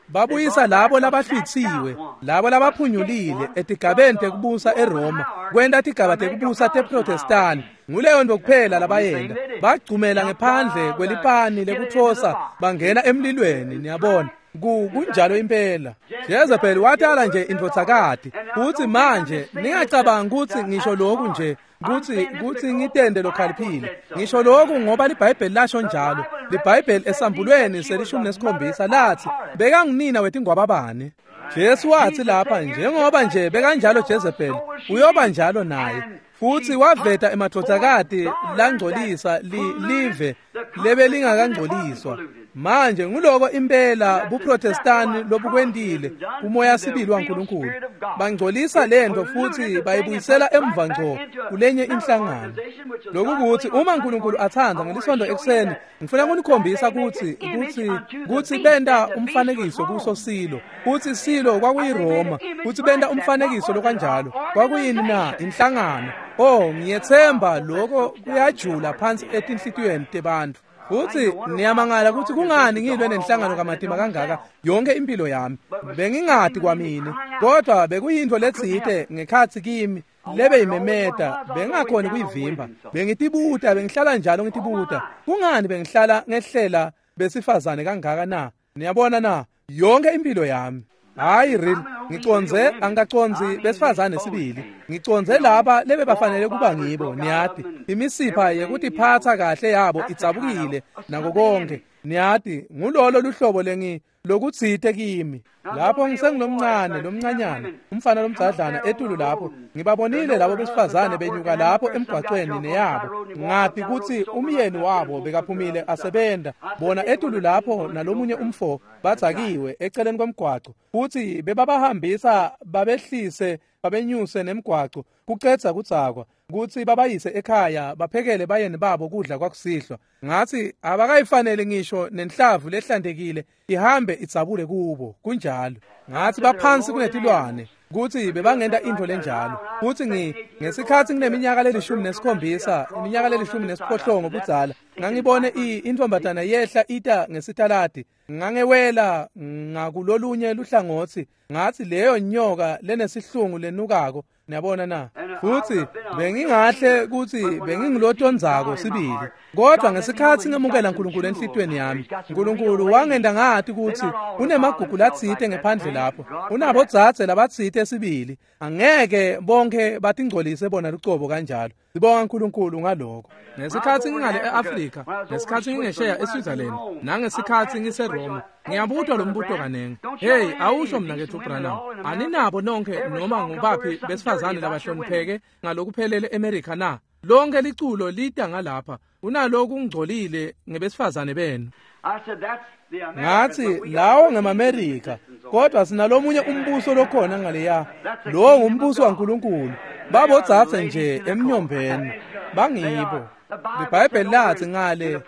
Babuyisa labo labahlwithiwe, labo labaphunyulile etigabeni tekubusa eRoma, kwenta tigaba tekubusa teProtestani. Nguleyo nto kuphela labayenda. Bagcumela ngephandle kwelipani lekuthosa bangena emlilweni, niyabona. Kunjalo impela. Jezebel watala nje indvodzakati. Uthi manje ningacabanga ukuthi ngisho lokhu nje kuthi kuthi ngitende lokhaliphile. Ngisho lokhu ngoba liBhayibheli lasho njalo. LiBhayibheli esambulweni selishumi nesikhombisa lathi bekangunina wetingwababane. Jesu wathi lapha njengoba nje bekanjalo Jezebel uyoba njalo naye. Futhi waveta emadvodzakati langcolisa li, live lebelingakangcoliswa. Manje nguloko impela buProtestani lobukwentile kumoya sibili waNkulunkulu. Bangcolisa lento futhi bayibuyisela emva ngco kulenye inhlangano. Lokukuthi uma uNkulunkulu athanda ngelisonto ekuseni ngifuna ukunikhombisa ukuthi ukuthi ukuthi benda umfanekiso kuso silo, uthi silo kwakuyiRoma, uthi benda umfanekiso lokanjalo kwakuyini na inhlangano. Oh, ngiyethemba lokho kuyajula phansi etinhlitiyweni tebantu. Uthi niyamangala ukuthi kungani ngilwe nenhlangano kamatima kangaka yonke impilo yami. Bengingadi kwamine, kodwa bekuyinto letsite ngekhathi kimi lebe imemeta, bengakhona kuyivimba. Bengitibuta, bengihlala njalo ngitibuta, kungani bengihlala ngehlela besifazane kangaka na? Niyabona na, yonke impilo yami. Hayi real, ngiconze angikaconzi besifazane sibili. Ngiconze laba lebe bafanele kuba ngibo, niyati. Imisipha yekutiphatha kahle yabo idzabukile nako konke. Niyati, ngulolo luhlobo lengi lokutsite kimi. Lapho ngisengilomncane, lomncanyana, umfana lomdzadlana etulu lapho, ngibabonile labo besifazane benyuka lapho emgwaqweni neyabo. Ngathi kutsi umyeni wabo bekaphumile asebenta, bona etulu lapho nalomunye umfo badzakiwe eceleni kwemgwaco. Futhi bebabahambisa babehlise babenyuse nemgwaco kucedza kudzakwa kutsi babayise ekhaya baphekele bayeni babo kudla kwakusihlwa. Ngathi abakayifanele ngisho nenhlavu lehlantekile ihambe idzabule kubo. Kunjalo. Ngathi baphansi kunetilwane kutsi bebangenta into lenjalo. Futhi ngi ngesikhathi ngineminyaka lelishumi nesikhombisa, iminyaka lelishumi nesiphohlongo budzala, ngangibone intombazana yehla ita ngesitaladi. Ngangewela ngakulolunye luhlangotsi, ngathi leyo nyoka lenesihlungu lenukako. Niyabona na? Futhi bengingahle kuthi bengingilotonzako sibili, kodwa ngesikhathi ngemukela uNkulunkulu enhlitweni yami, uNkulunkulu wangenda ngathi ukuthi unemagugu latsite ngephandle lapho, unabodzadze labatsite sibili, angeke bonke batingcolise bona lucobo kanjalo. Sibonga uNkulunkulu ngalokho. Ngesikhathi ngingale eAfrika, ngesikhathi ngingesheya eSwitzerland, nangesikhathi ngiseRoma, ngiyabutwa lo mbuto kaningi. Hey, awusho mina kethu Branham, aninabo nonke noma ngubaphi besifazane labahlonipheke ngalokuphelele eMerika na? Lonke liculo lita ngalapha, unaloku ungcolile ngebesifazane benu. Ngathi lawo ngemaMerika, kodwa sinalomunye umbuso lokhona ngaleya. Lo ngumbuso waNkulunkulu. Babodzadze nje emnyombeni bangibo. IBhayibheli lathi ngale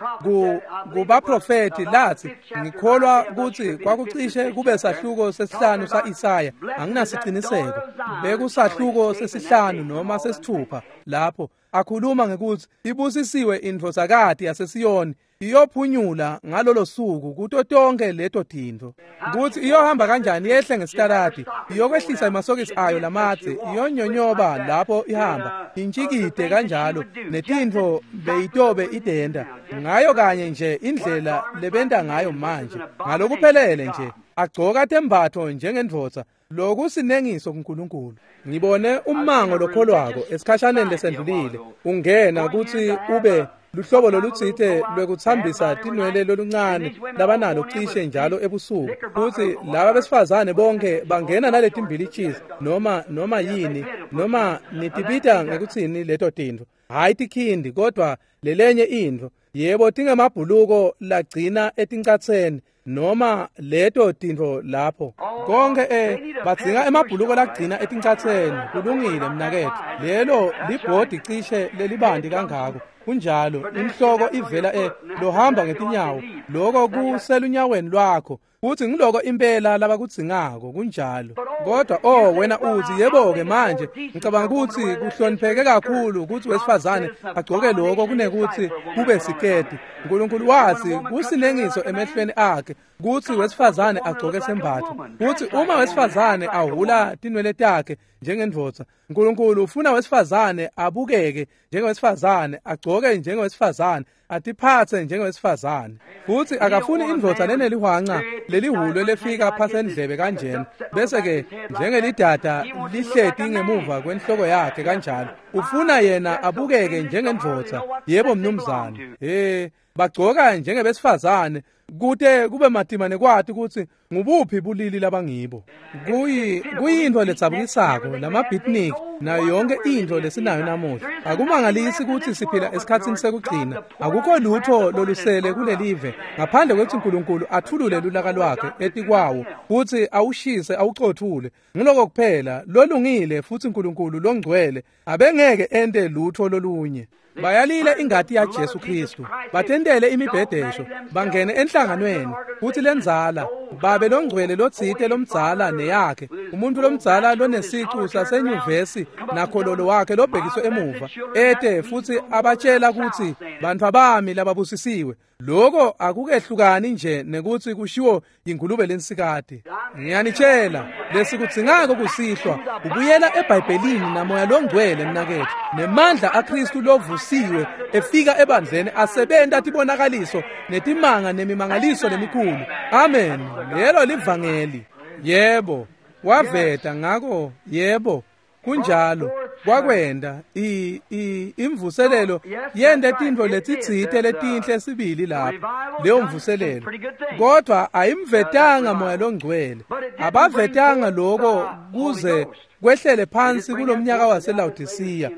kubaprofeti lathi, ngikholwa ukuthi kwakucishe kube sahluko sesihlanu sa-Isaya, anginasiciniseko, bekusahluko sesihlanu noma sesithupha lapho akhuluma ngekuthi ibusisiwe indvodzakati yaseSiyoni iyophunyula ngalolo suku kuto tonke leto tintfo. Kuthi iyohamba kanjani yehle ngesitaladi, iyokwehlisa emasokisi ayo lamadze, iyonyonyoba lapho ihamba, intshikide kanjalo, netintfo beyitobe idenda ngayo kanye nje indlela lebenta ngayo manje, ngalokuphelele nje agcoka tembatfo njengendvodza. Lokusinengiso kuNkulunkulu. Ngibone ummango lokholwako esikhashaneni lesendlulile ungena kutsi ube luhlobo lolutsite lwekuthambisa tinwele loluncane labanalo cishe njalo ebusuku, futhi laba besifazane bonke bangena naletimbilitshisi noma noma yini noma nitibita ngekutsini leto tintfo, hhayi tikhindi kodwa lelenye intfo, yebo tingemabhuluko lagcina etincatseni noma leto tintfo lapho konke eh badzinga emabhuluko lagcina etincatseni. Kulungile mnaketfu, lelo libhodi cishe lelibandi kangako. Kunjalo, inhloko ivela e lohamba ngetinyawo, lokho kuselunyaweni lwakho, futhi ngiloko impela labakudzingako. Kunjalo. Kodwa oh wena uthi yebo-ke manje ngicabanga ukuthi kuhlonipheke kakhulu ukuthi wesifazane agcoke lokho kunekuthi kube siketi. uNkulunkulu wathi kusinengiso emehlweni akhe kuthi wesifazane agcoke sembatho, kuthi uma wesifazane ahula tinwele takhe njengendvodza, uNkulunkulu ufuna wesifazane abukeke njengowesifazane, agcoke njengowesifazane, atiphathe njengowesifazane. Futhi akafuni indvodza lenelihwanca lelihulwe lefika phasi endlebe kanjena, bese ke njengelidada lihleti ngemuva kwenhloko yakhe kanjalo. Ufuna yena abukeke njengendvodza. Yebo mnumzane. He, Bagcoka njengebesifazane kute kube matima nekwati kutsi ngubuphi bulili labangibo. Kuyi kuyintfo ledzabukisako lama-beatnik nayo yonke intfo lesinayo namuhla. Akumangalisi kutsi siphila esikhatsini sekugcina. Akukho lutho lolusele kulelive ngaphandle kwekutsi Nkulunkulu atfulule lulaka lwakhe etikwawo futsi awushise awucothule. Nguloko kuphela lolungile futsi Nkulunkulu longcwele abengeke ente lutho lolunye. Bayalile ingati ya Jesu Kristu, batentele imibhedesho, bangene enhlanganweni futsi lendzala babe longcwele lotsite lomdzala neyakhe, umuntu lomdzala lonesicu sasenyuvesi nakhololo wakhe lobhekiswe emuva ete futsi abatshela kutsi bantfwa bami lababusisiwe. Loko akukehlukani nje nekutsi kushiwo ingulube lensikati. Ngiyanitshela lesikudzingako kusihlwa ubuyela eBhayibhelini namoya longcwele mnaketfu, nemandla aKristu lovusiwe efika ebandleni asebenta tibonakaliso netimanga nemimangaliso lemikhulu. Amen. Lelo livangeli. Yebo, waveta ngako. Yebo, kunjalo. Kwakwenda i i imvuselelo yente tintfo letitsite letinhle sibili lapho leyo mvuselelo, kodwa ayimvetanga moya longcwele. Abavetanga loko kuze kwehlele phansi kulomnyaka waseLaodicea,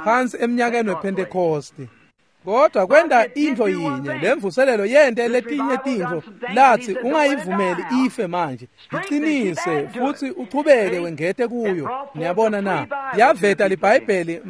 phansi emnyakeni wePentecost. Kodwa kwenda intfo yinye, lemvuselelo yente letinye tintfo lathi ungayivumeli ife manje, iqinise futhi uchubeke wengete kuyo. Niyabona na? Yaveta liBhayibheli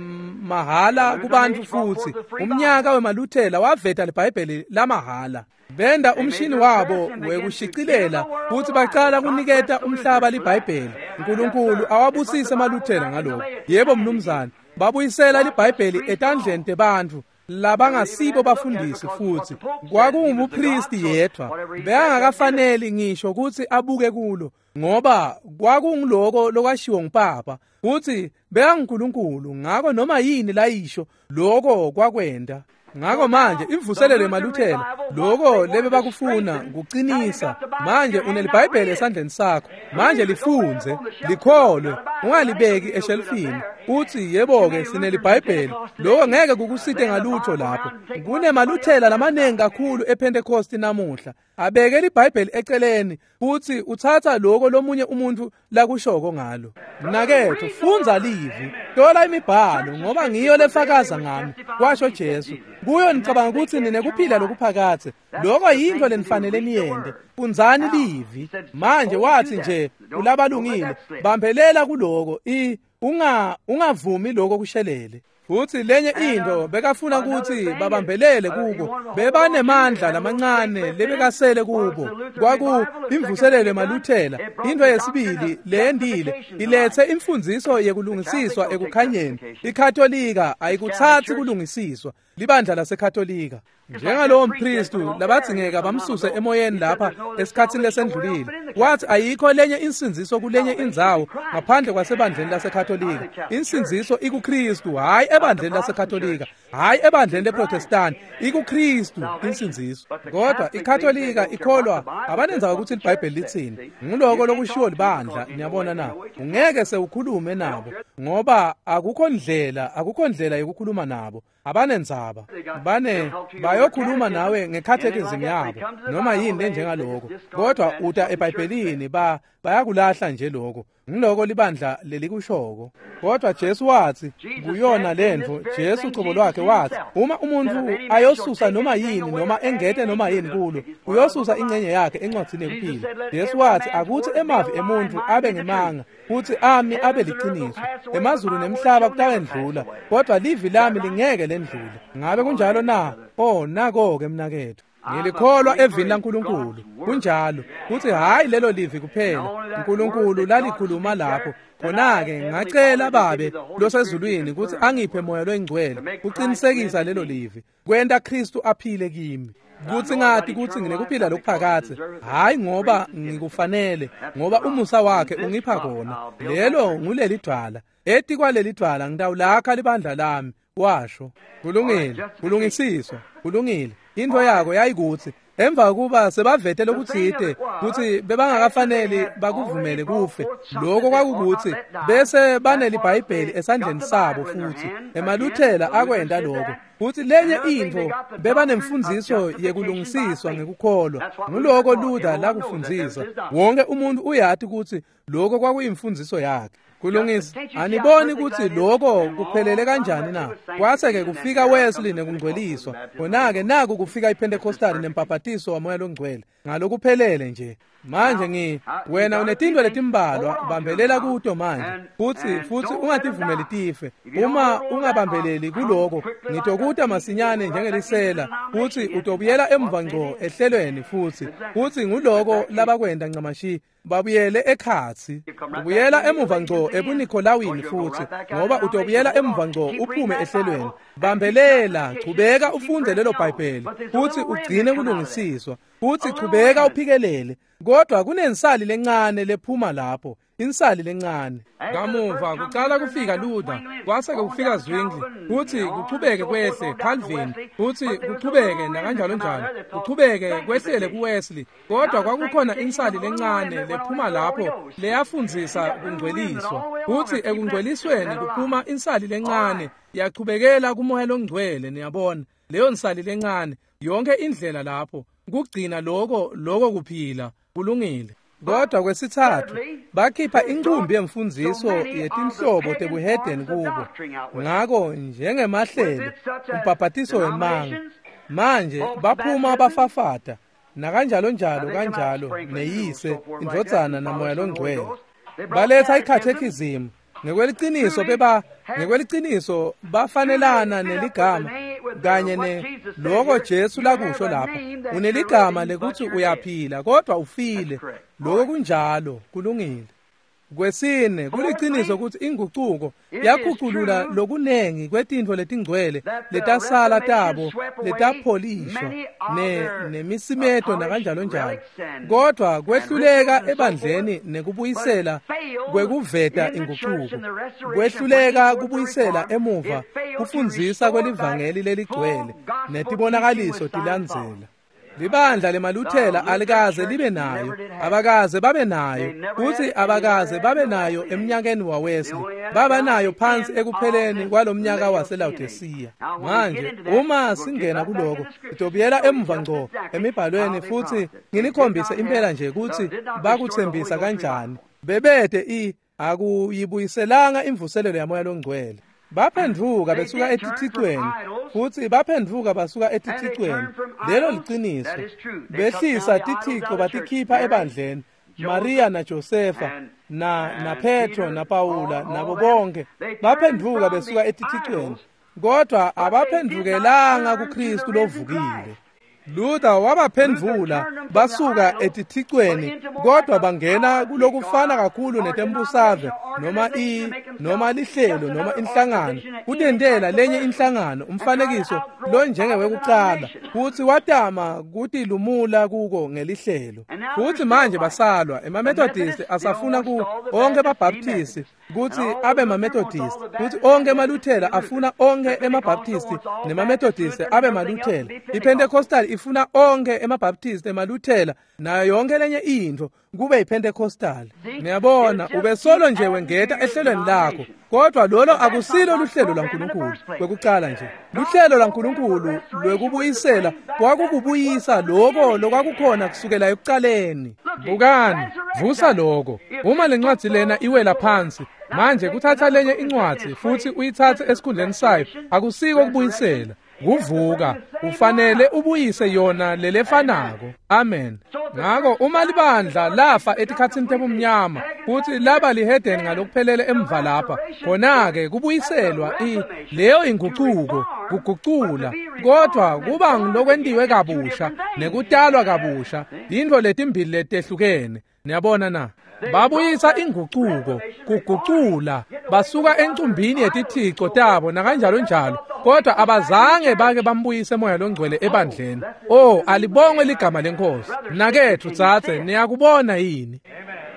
mahala kubantu futhi umnyaka wemaluthela waveta liBhayibheli lamahhala. Benda umshini wabo wekushicilela futhi bacala kuniketa umhlaba liBhayibheli. Nkulunkulu awabusise emaluthela ngalokho. Yebo mnumzane, babuyisela liBhayibheli etandleni tebantfu labangasibo bafundisi futhi kwakungumpristi yedwa bekangakafaneli ngisho kutsi abuke kulo, ngoba kwakunguloko lokwashiwo ngupapa futhi bekanguNkulunkulu, ngako noma yini layisho loko kwakwenda. Ngako manje imvuselelo yemaluthela loko lebe bakufuna kuqinisa. Manje uneliBhayibheli esandleni sakho, manje lifundze, likholwe, ungalibeki eshelfini uthi yebo-ke sineliBhayibheli. Loko ngeke kukusite ngalutho lapho. Kunemaluthela lamaningi kakhulu ePentecost namuhla abeke liBhayibheli eceleni futhi uthatha loko lomunye umuntu lakushoko ngalo. Mnaketfu, fundza livi, thola imibhalo, ngoba ngiyo lefakaza ngami, kwasho Jesu. Kuyo nicabanga kutsi ninekuphila lokuphakadze. Loko yintfo lenifanele niyente. Fundzani livi. Manje wathi nje kulabalungile, bambelela kuloko, i unga ungavumi loko kushelele. Futhi lenye into bekafuna ukuthi babambelele kuko, bebanemandla lamancane lebekasele kubo, kwaku imvuselelo emaluthela. Into yesibili leyendile ilethe imfundiso yekulungisiswa ekukhanyeni. IKatolika ayikuthathi kulungisiswa, libandla laseKatolika. Njengalowo mpristu labadzingeka bamsuse emoyeni lapha esikhatsini lesendlulile, wathi ayikho lenye insindziso kulenye indzawo ngaphandle kwasebandleni laseKatolika. Insindziso ikuKristu, hhayi ebandleni laseKatolika, hhayi ebandleni leProtestant, ikuKristu insindziso. Kodwa iKatolika ikholwa abanendzaba ukuthi liBhayibheli litsini. Nguloko lokushiwo libandla. Niyabona na? Ungeke sewukhulume nabo ngoba akukho ndlela, akukho ndlela yokukhuluma nabo. Abanendzaba, bane bayokhuluma nawe ngecatechism yabo noma yini lenjengaloko, kodwa uta eBhayibhelini ba bayakulahla nje lokho. Ngiloko libandla lelikushoko. Kodwa Jesu wathi kuyona lentfo, Jesu ucobo lwakhe wathi uma umuntu ayosusa noma yini noma engete noma yini kulo, uyosusa ingcenye yakhe encwadzini yekuphila. Jesu wathi akuthi emavi emuntu abe ngemanga futhi ami abe liciniso. Emazulu nemhlaba kutawendlula, kodwa livi lami lingeke lendlule. Ngabe kunjalo na? Oh, nako-ke mnaketfu. Ngilikholwa evini laNkulunkulu. Kunjalo. Kuthi hayi lelo livi kuphela uNkulunkulu lalikhuluma lapho. Khona-ke ngacela Babe losezulwini ukuthi angiphe moya loyingcwele kuqinisekisa lelo livi, kwenta Kristu aphile kimi. Kuthi ngathi kuthi nginekuphila lokuphakadze, hayi ngoba ngikufanele, ngoba umusa wakhe ungipha kona. Lelo nguleli dwala, etikwaleli dwala ngitawulakha libandla lami, washo. Kulungile, kulungisiswa, kulungile. Into yako yayikuthi Emva kuba sebavete lokutsite kutsi bebangakafaneli bakuvumele kufe, lokho kwakukuthi bese baneliBhayibheli esandleni sabo futhi emaLuthela akwenta lokho. Futhi lenye intfo bebanemfundziso yekulungisiswa ngekukholwa. Nguloko Luther lakufundzisa. Wonke umuntu uyati kutsi lokho kwakuyimfundziso yakhe. Kulungisa, aniboni kutsi lokho kuphelele kanjani na? Kwase-ke kufika Wesley nekungcweliswa. Khona-ke naku kufika iPentecostal nembhaphatiso waMoya loNgcwele. Ngalokuphelele nje. Manje ngi wena unetintfo letimbalwa bambelela kuto manje futsi futsi ungativumeli tife. Uma ungabambeleli kuloko ngitokuta masinyane njengelisela futsi utobuyela emva ngco ehlelweni futsi futsi nguloko labakwenta ncamashi babuyele ekhatsi. Ubuyela emuva ngco ebuNikolawini futsi ngoba utobuyela emuva ngco uphume ehlelweni. Bambelela, chubeka ufunde lelo Bhayibheli futsi ugcine kulungisiswa futsi chubeka uphikelele. Kodwa kunensali lencane lephuma lapho, insali lencane. Kamuva kucala kufika Luther, kwase kufika Zwingli, futhi kuchubeke kwehle Calvin, futhi kuchubeke nakanjalo njalo, kuchubeke kwehlele kuWesley. Kodwa kwakukhona insali lencane lephuma lapho leyafundzisa kungcweliswa. Futhi ekungcwelisweni kuphuma insali lencane yachubekela kuMoya loNgcwele, niyabona. Leyo nsali lencane yonke indlela lapho kugcina lokho lokho kuphila kulungile. Kodwa kwesithathu bakhipha incumbi yemfundziso yetinhlobo tebuhedeni kubo. Ngako njengemahlelo umbhaphatiso wemanga manje baphuma bafafata nakanjalo njalo kanjalo neyise indvodzana naMoya loNgcwele. Baletha ikhathekhizimu ngekweliciniso beba ngekweliciniso bafanelana neligama kanye ne lokho Jesu lakusho lapha. Uneligama lekuthi uyaphila kodwa ufile. Lokho kunjalo, kulungile. Kwesine, kuliciniso ukuthi ingucuko yakhuculula lokunengi kwetintfo letingcwele letasala tabo letapholishwa ne nemisimeto nakanjalo njalo. Kodwa kwehluleka ebandleni nekubuyisela kwekuveta ingucuko. Kwehluleka kubuyisela emuva kufundzisa kwelivangeli leligcwele netibonakaliso tilandzela. Libandla lemaLuthela alikaze libe nayo, abakaze babe nayo, futhi abakaze babe nayo emnyakeni waWesley. Baba nayo phansi ekupheleni kwalomnyaka waseLaodicea. Manje uma singena kuloko, sitobuyela emuva ngco emibhalweni futhi nginikhombise impela nje ukuthi bakuthembisa kanjani. Bebede i akuyibuyiselanga imvuselelo yaMoya loNgcwele. Baphendvuka besuka etithicweni futhi baphendvuka basuka etithicweni. Lelo liciniso. Behlisa tithixo batikhipha ebandleni. Maria na Josefa na na Petro na Paula nabo bonke baphendvuka besuka etithicweni, kodwa abaphendvukelanga kuKristu lovukile. Luther wabaphendvula basuka etithicweni, kodwa bangena kulokufana kakhulu netembusave noma i noma lihlelo noma inhlangano, kutentela lenye inhlangano umfanekiso lo njengewekucala, futhi watama kutilumula kuko ngelihlelo. Futhi manje basalwa emaMethodist asafuna ku onke baBaptist kuthi abe maMethodist, futhi onke emaLuthela afuna onke emaBaptist nemaMethodist abe maLuthela. IPentecostal ifuna onke emaBaptist emaLuthela nayo yonke lenye intfo kube yiPentecostal. Niyabona, ubesolo nje wengeta ehlelweni lakho, kodwa lolo akusilo luhlelo lwaNkulunkulu kwekucala nje. Luhlelo lwaNkulunkulu lwekubuyisela kwakukubuyisa lokho lokwakukhona kusukela ekucaleni. Bukani, vusa lokho. Uma lencwadi lena iwela phansi, manje kuthatha lenye incwadi futhi uyithathe esikhundleni sayo akusiko kubuyisela. Kuvuka, ufanele ubuyise yona lelefanako. Amen. Ngako uma libandla lafa etikhatsini tebumnyama futhi laba lihedeni ngalokuphelele emva lapha, khona-ke kubuyiselwa i leyo ingucuko, kugucula, kodwa kuba ngilokwentiwe kabusha nekutalwa kabusha, intfo letimbili letehlukene. Niyabona na? Babuyisa ingucuko, kugucula, basuka encumbini yetithixo tabo nakanjalo njalo, kodwa abazange bake bambuyise Moya loNgcwele ebandleni. Oh, alibongwe ligama lenkosi. Mnaketfu dzadze, niyakubona yini?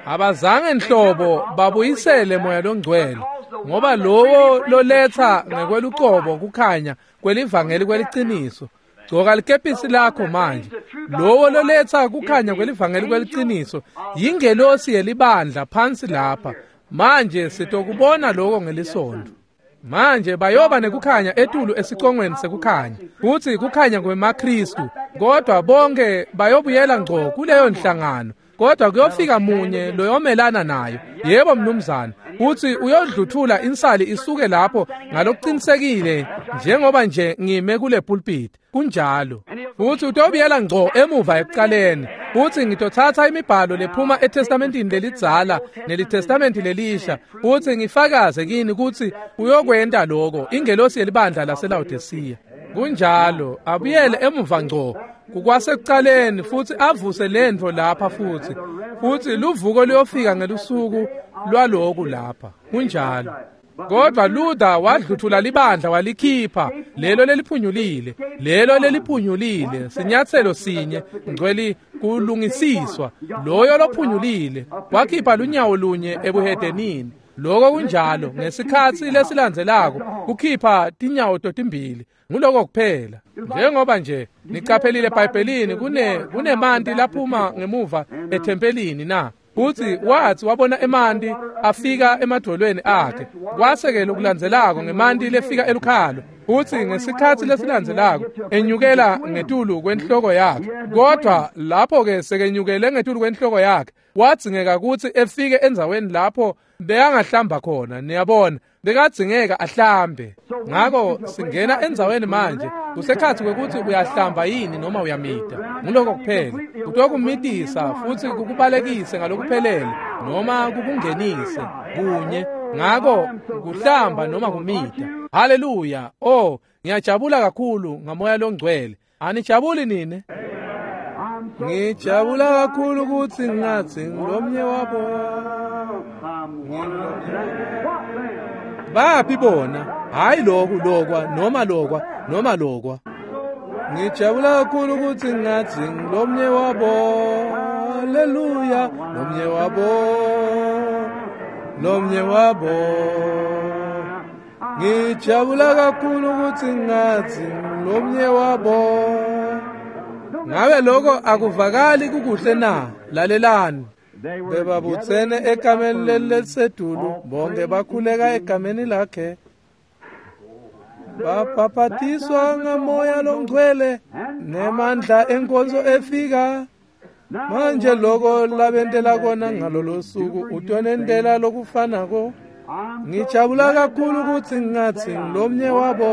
Abazange nhlobo babuyisele Moya loNgcwele, ngoba lowo loletha ngekwelucobo kukhanya kwelivangeli kweliciniso, Gcoka likepisi lakho manje. Lowo loletsa kukhanya kwelivangeli kweliciniso yingelosi yelibandla phansi lapha. Manje sitokubona lokho ngelisonto. Manje bayoba nekukhanya etulu esicongweni sekukhanya, futsi kukhanya kwemaKristu, kodwa bonke bayobuyela ngco kuleyo nhlangano. Kodwa kuyofika munye loyomelana nayo. Yebo mnumzane, uthi uyodluthula insali isuke lapho ngalokuqinisekile njengoba nje ngime kule pulpit. Kunjalo. Futhi utobuyela ngco emuva ekuqaleni. Futhi ngitothatha imibhalo lephuma eTestamentini lelidzala neliTestamenti lelisha, futhi ngifakaze kini ukuthi uyokwenta lokho ingelosi yelibandla laseLaodicea. Kunjalo, abuyele emuva ngco kukwasekuqaleni futhi avuse lento lapha futhi. Futhi luvuko luyofika ngelusuku lwaloku lapha. Kunjalo. Kodwa Luther wadluthula libandla walikhipha lelo leliphunyulile, lelo leliphunyulile, sinyathelo sinye ngcweli kulungisiswa. Loyo lophunyulile wakhipha lunyawo lunye ebuhedenini. Lokho kunjalo ngesikhatsi lesilandzelako kukhipha tinyawo totimbili. Nguloko kuphela. Njengoba nje niqaphelile eBhayibhelini kune kunemanti laphuma ngemuva ethempelini na. Futhi wathi wabona emanti afika emadolweni akhe. Kwase-ke lokulandzelako ngemanti lefika elukhalo. Futhi ngesikhatsi lesilandzelako enyukela ngetulu kwenhloko yakhe. Kodwa lapho-ke sekenyukele ngetulu kwenhloko yakhe, wadzingeka ukuthi efike endzaweni lapho bekangahlamba khona. Niyabona, bekadzingeka ahlambe. Ngako singena endzaweni manje kusekhathi kwekuthi uyahlamba yini noma uyamida. Nguloko kuphela. Kutokumitisa futhi kukubalekise ngalokuphelele noma kukungenise kunye. Ngako kuhlamba noma kumida. Haleluya. Oh, ngiyajabula kakhulu ngamoya longcwele. Anijabuli nini? Ngijabula kakhulu ukuthi ngathi ngilomnye wabo. Baphi bona? Hayi lokhu lokwa noma lokwa noma lokwa. Ngijabula kakhulu ukuthi ngathi ngilomnye wabo. Haleluya, lomnye wabo. Lomnye wabo. Ngijabula kakhulu ukuthi ngathi ngilomnye wabo. Ngabe lokho akuvakali kukuhle na? Lalelani. Bebabutsene egameni lelisedulu, bonke bakhuleka egameni lakhe. Babhabhatiswa ngamoya longcwele nemandla enkonzo efika. Manje lokho labentela kona ngalolo suku utonentela lokufanako. Ngijabula kakhulu ukuthi ngathi ngilomnye wabo.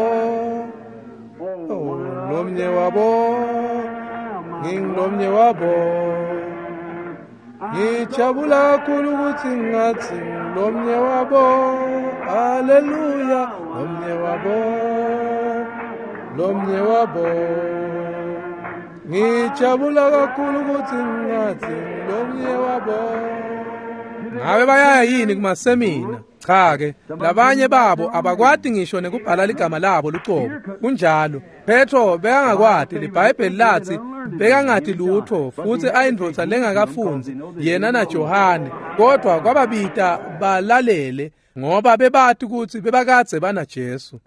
Oh, lomnye wabo. Ngingilomnye wabo. Ngijabula kakhulu ukuthi ngathi ngilomnye wabo. Haleluya, lomnye wabo. Lomnye wabo. Ngijabula kakhulu ukuthi ngathi ngilomnye wabo. Ngabe bayaya yini kumasemina? Cha ke, labanye babo abakwati ngisho nekubhala ligama labo lucobo. Kunjalo. Petro bekangakwati, liBhayibheli lathi bekangati lutho futhi ayindvodza lengakafundzi yena naJohane, kodwa kwababita balalele ngoba bebati ukuthi bebakadze banaJesu.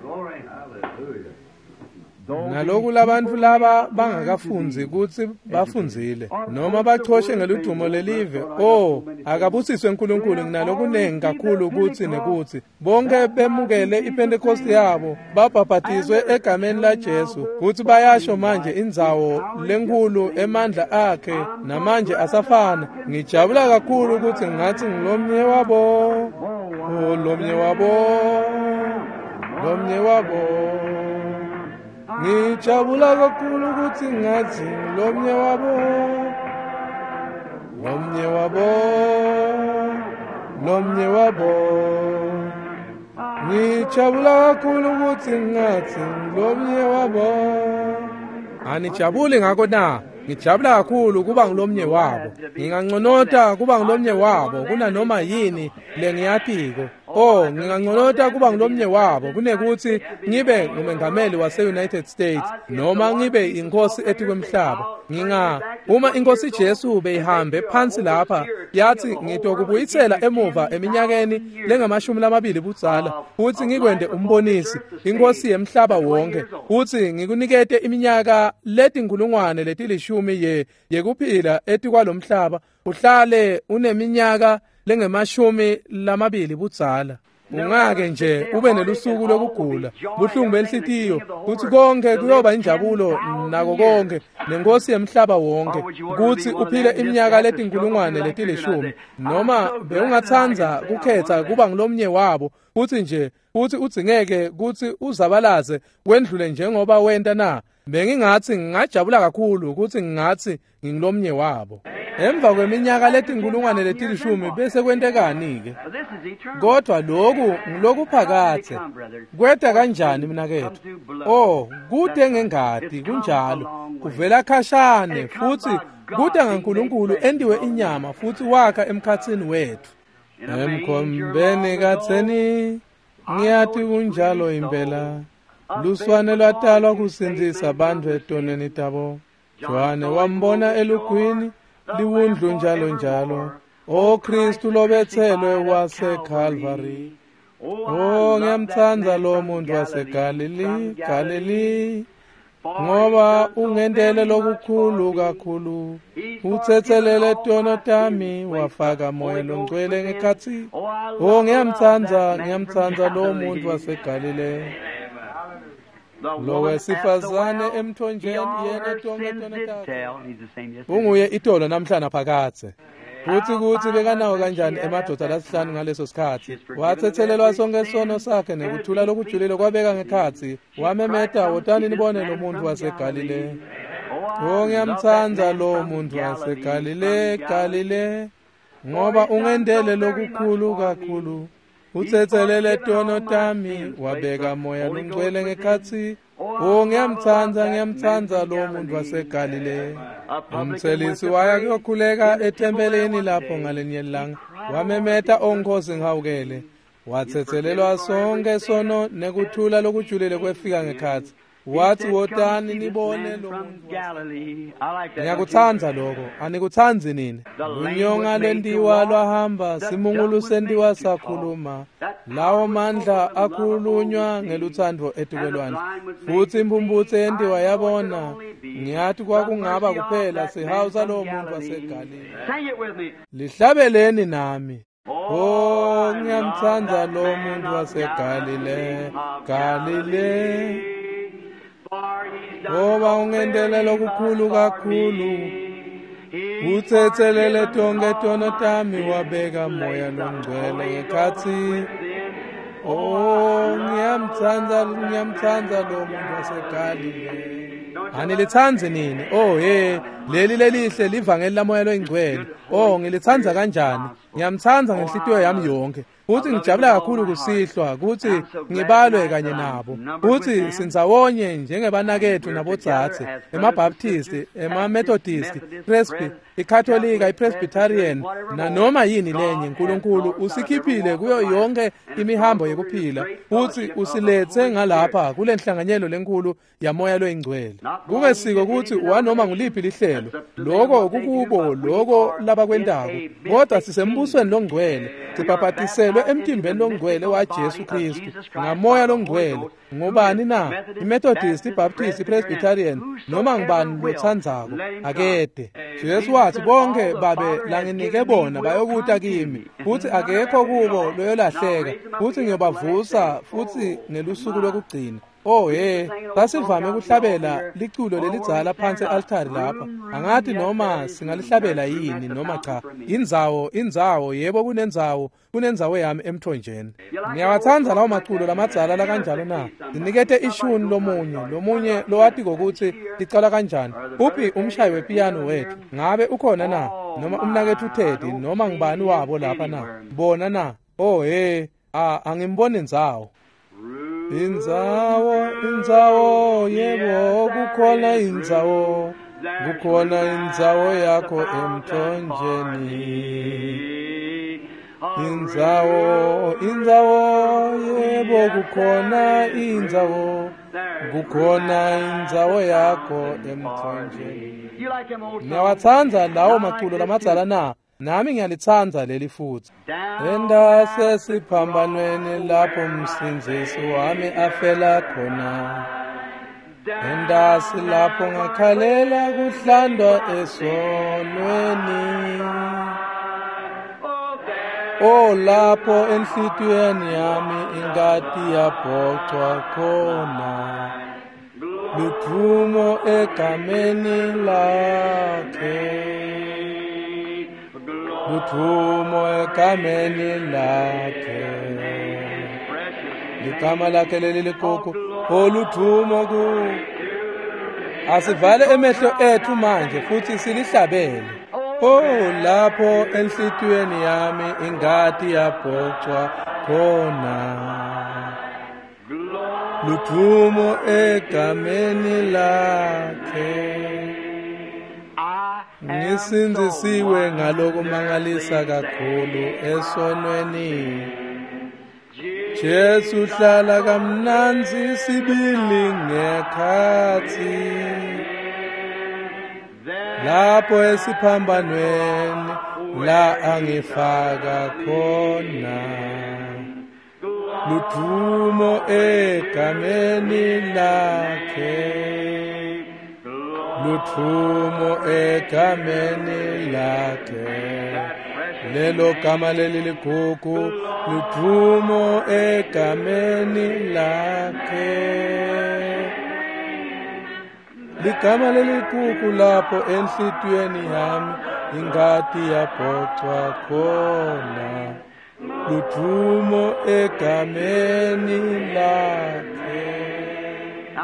Naloku labantfu laba bangakafundzi kutsi bafundzile noma bachoshe ngeludumo lelive. Oh, akabusiswe uNkulunkulu nginalokunengi kakhulu kutsi nekutsi bonke bemukele iPentecost yabo babhabhatiswe egameni laJesu, kutsi bayasho manje indzawo lenkulu emandla akhe namanje asafana. Ngijabula kakhulu ukuthi ngathi ngilomnye wabo. Oh, lomnye wabo. Lomnye wabo. Ngijabula kakhulu ukuthi ngathi ngilomnye wabo. Lomnye wabo. Lomnye wabo. Ngijabula kakhulu ukuthi ngathi ngilomnye wabo. Anijabuli ngako na? Ngijabula kakhulu kuba ngilomnye wabo. Nginganconota kuba ngilomnye wabo kunanoma yini lengiyatiko. Oh, nginganconota kuba ngulomnye wabo kunekuthi ngibe ngumengameli wase-United States noma ngibe inkosi etikwemhlaba. Nginga uma inkosi Jesu beyihambe phansi lapha yathi ngitokubuyisela emuva eminyakeni lengamashumi lamabili budzala futhi ngikwende umbonisi inkosi yemhlaba wonke futhi ngikunikete iminyaka letinkulungwane letilishumi ye yekuphila etikwalomhlaba uhlale uneminyaka lengemashumi lamabili budzala. Ungake nje ube nelusuku lokugula buhlungu benhlitiyo kuthi konke kuyoba injabulo nako konke nenkosi yemhlaba wonke kuthi uphile iminyaka letinkulungwane letilishumi noma bewungatsandza kukhetha kuba ngulomnye wabo futhi nje futhi udzingeke kuthi uzabalaze wendlule njengoba wenta na. Bengingathi ngingajabula kakhulu ukuthi ngingathi ngingulomnye wabo. Emva kweminyaka letinkulungwane letilishumi bese kwentekani ke? Kodwa lokhu ngilokuphakathe. Kweta kanjani mnakethu? Oh, kude ngengadi kunjalo. Kuvela khashane futhi kude ngaNkulunkulu endiwe inyama futhi wakha emkhathini wethu. Emkhombeni katheni ngiyathi kunjalo impela. Luswane lwatalwa kusindzisa abantu etonweni tabo. Johane wambona elugwini liwundlu njalo njalo. O Kristu lobethelwe waseCalvary. Oh, ngiyamtsandza lo muntu waseGalili, Galili, ngoba ungendele lokukhulu kakhulu. Uthethelele tono tami wafaka moya longcwele ngekhatsi. Oh, ngiyamtsandza, ngiyamtsandza lo muntu waseGalile. Lo wesifazane emthonjeni yena tonke tono takhe. Unguye itolo namhlanje phakathe. Futhi kuthi bekanawo kanjani emadoda lasihlanu ngaleso sikhathi. Wathethelelwa sonke sono sakhe nekuthula lokujulile kwabeka ngekhatsi. Wamemeta, wotani nibone lo muntu waseGalile. Oh, ngiyamtsandza lo muntu waseGalile, Galile, ngoba ungendele lokukhulu kakhulu. Uthethelele tono tami wabeka moya longcwele ngekhatsi. Oh, ngiyamtsandza, ngiyamtsandza lo muntu waseGalile. Umthelisi waya kuyokhuleka ethempelini lapho ngalenye ilanga. Wamemeta, onkosi ngihawukele. Wathethelelwa sonke sono nekuthula lokujulile kwefika ngekhatsi. Wathi wotani nibone lo muntu. Ngiyakutsandza lokho, anikutsandzi nini? Lunyonga lentiwa lwahamba, simungulu sentiwa sakhuluma. Lawo mandla akhulunywa ngelutsandvo etikwelwandle. Futhi impumputse yentiwa yabona. Ngiyathi kwakungaba kuphela sihawu salowo muntu waseGalile. Lihlabeleni nami. Oh, ngiyamtsandza lo muntu waseGalile, Galile. Ngoba ungendele lokukhulu kakhulu. Uthethelele tonke tono tami wabeka moya longcwele ngekhatsi. Oh, ngiyamtsandza, ngiyamtsandza lo muntu waseGalile. Anilitsandzi nini? Oh, hey, leli lelihle livangeli lamoya loyingcwele. Oh, ngilitsandza kanjani? Ngiyamtsandza ngenhlitiyo yami yonke. Futhi ngijabula kakhulu kusihlwa ukuthi ngibalwe kanye nabo. Futhi sindzawonye njengebanakethu nabodzadze, emaBaptist, emaMethodist, Presby, iKatolika, iPresbyterian nanoma yini lenye. uNkulunkulu usikhiphile kuyo yonke imihambo yekuphila futhi usilethe ngalapha kule nhlanganyelo lenkulu yamoya loyingcwele. Kungesiko ukuthi wanoma nguliphi lihlelo, lokho kukubo lokho labakwentako, kodwa sisembusweni longcwele, sibhabhatiselwe emtimbeni longcwele waJesu Kristu ngamoya longcwele. Ngobani na? iMethodist, iBaptist, iPresbyterian noma ngibani lotsandzako akede. Jesu wathi bonke babe langinike bona bayokuta kimi, futhi akekho kubo loyolahleka, futhi ngiyobavusa futhi ngelusuku lokugcina. Oh hey, sasivame ukuhlabela liculo lelidzala phansi e-altari lapha. Angathi noma singalihlabela yini noma cha. Indzawo, indzawo, yebo kunendzawo, kunendzawo yami emthonjeni. Ngiyawatsandza lawo maculo lamadzala la kanjalo na. Sinikete ishuni lomunye, lomunye lowati kokuthi licala kanjani. Uphi umshayi wepiano wethu? Ngabe ukhona na? Noma umnakethu Teddy noma ngibani wabo lapha na? Bona na? Oh hey, ah angimboni ndzawo. Indzawo, indzawo, yebo kukhona indzawo, kukhona indzawo yakho emthonjeni. Indzawo, indzawo, yebo kukhona indzawo, kukhona indzawo yakho emthonjeni. Ngiyawatsandza lawo maculo lamadzala na? Nami ngiyalitsandza leli futsi. Endase siphambanweni lapho Msindzisi wami afela khona. Endasi lapho ngakhalela kuhlandwa esonweni. O lapho enhlitiyweni yami ingati yabhocwa khona. Ludvumo egameni lakhe. Ludvumo egameni lakhe. Ligama lakhe leli ligugu. Oludvumo ku. Asivale emehlo ethu manje futhi silihlabele. Oh lapho enhlitiyweni yami ingati yabhocwa khona. Ludvumo egameni lakhe. Ngisindzisiwe ngalokumangalisa kakhulu esonweni. Jesu hlala kamnandzi sibili ngekhatsi. Lapho esiphambanweni la angifaka khona. Ludvumo egameni lakhe. Ludvumo egameni lakhe. Lelo gama leli ligugu. Ludvumo egameni lakhe. Ligama leligugu lapho enhlitiyweni yami ingati yabhocwa khona. Ludvumo egameni lakhe.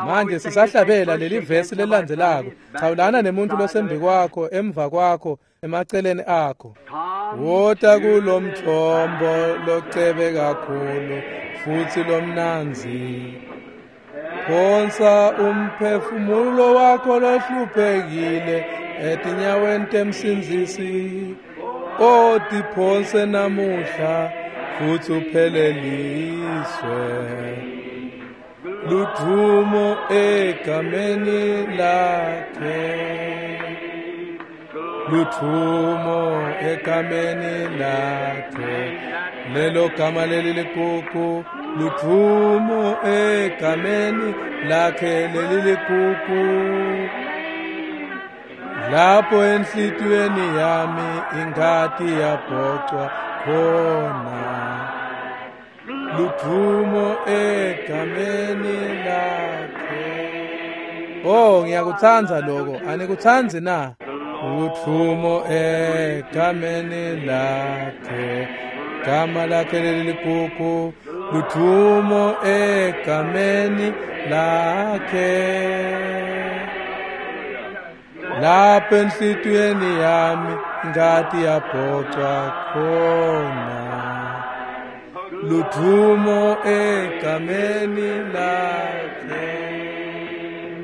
Manje sisahlabela leli vesi lelandzelako. Chawulana nemuntu losembi kwakho, emva kwakho, emaceleni akho. Wota kulomthombo locebe kakhulu futhi lomnandzi. Phonsa umphefumulo wakho lohluphekile etinyaweni temsindzisi. O tiphonse namuhla futhi upheleliswe. Ludvumo egameni lakhe. Ludvumo egameni lakhe. Lelo gama leli ligugu. Ludvumo egameni lakhe leli ligugu. Lapho enhlitiyweni yami ingati yabhocwa khona. Ludvumo egameni lakhe. Oh ngiyakutsandza lokho, anikutsandzi na? Ludvumo egameni lakhe. Gama lakhe leli ligugu. Ludvumo egameni lakhe. Lapho enhlitiyweni yami ingati yabhocwa khona. Ludvumo egameni lakhe.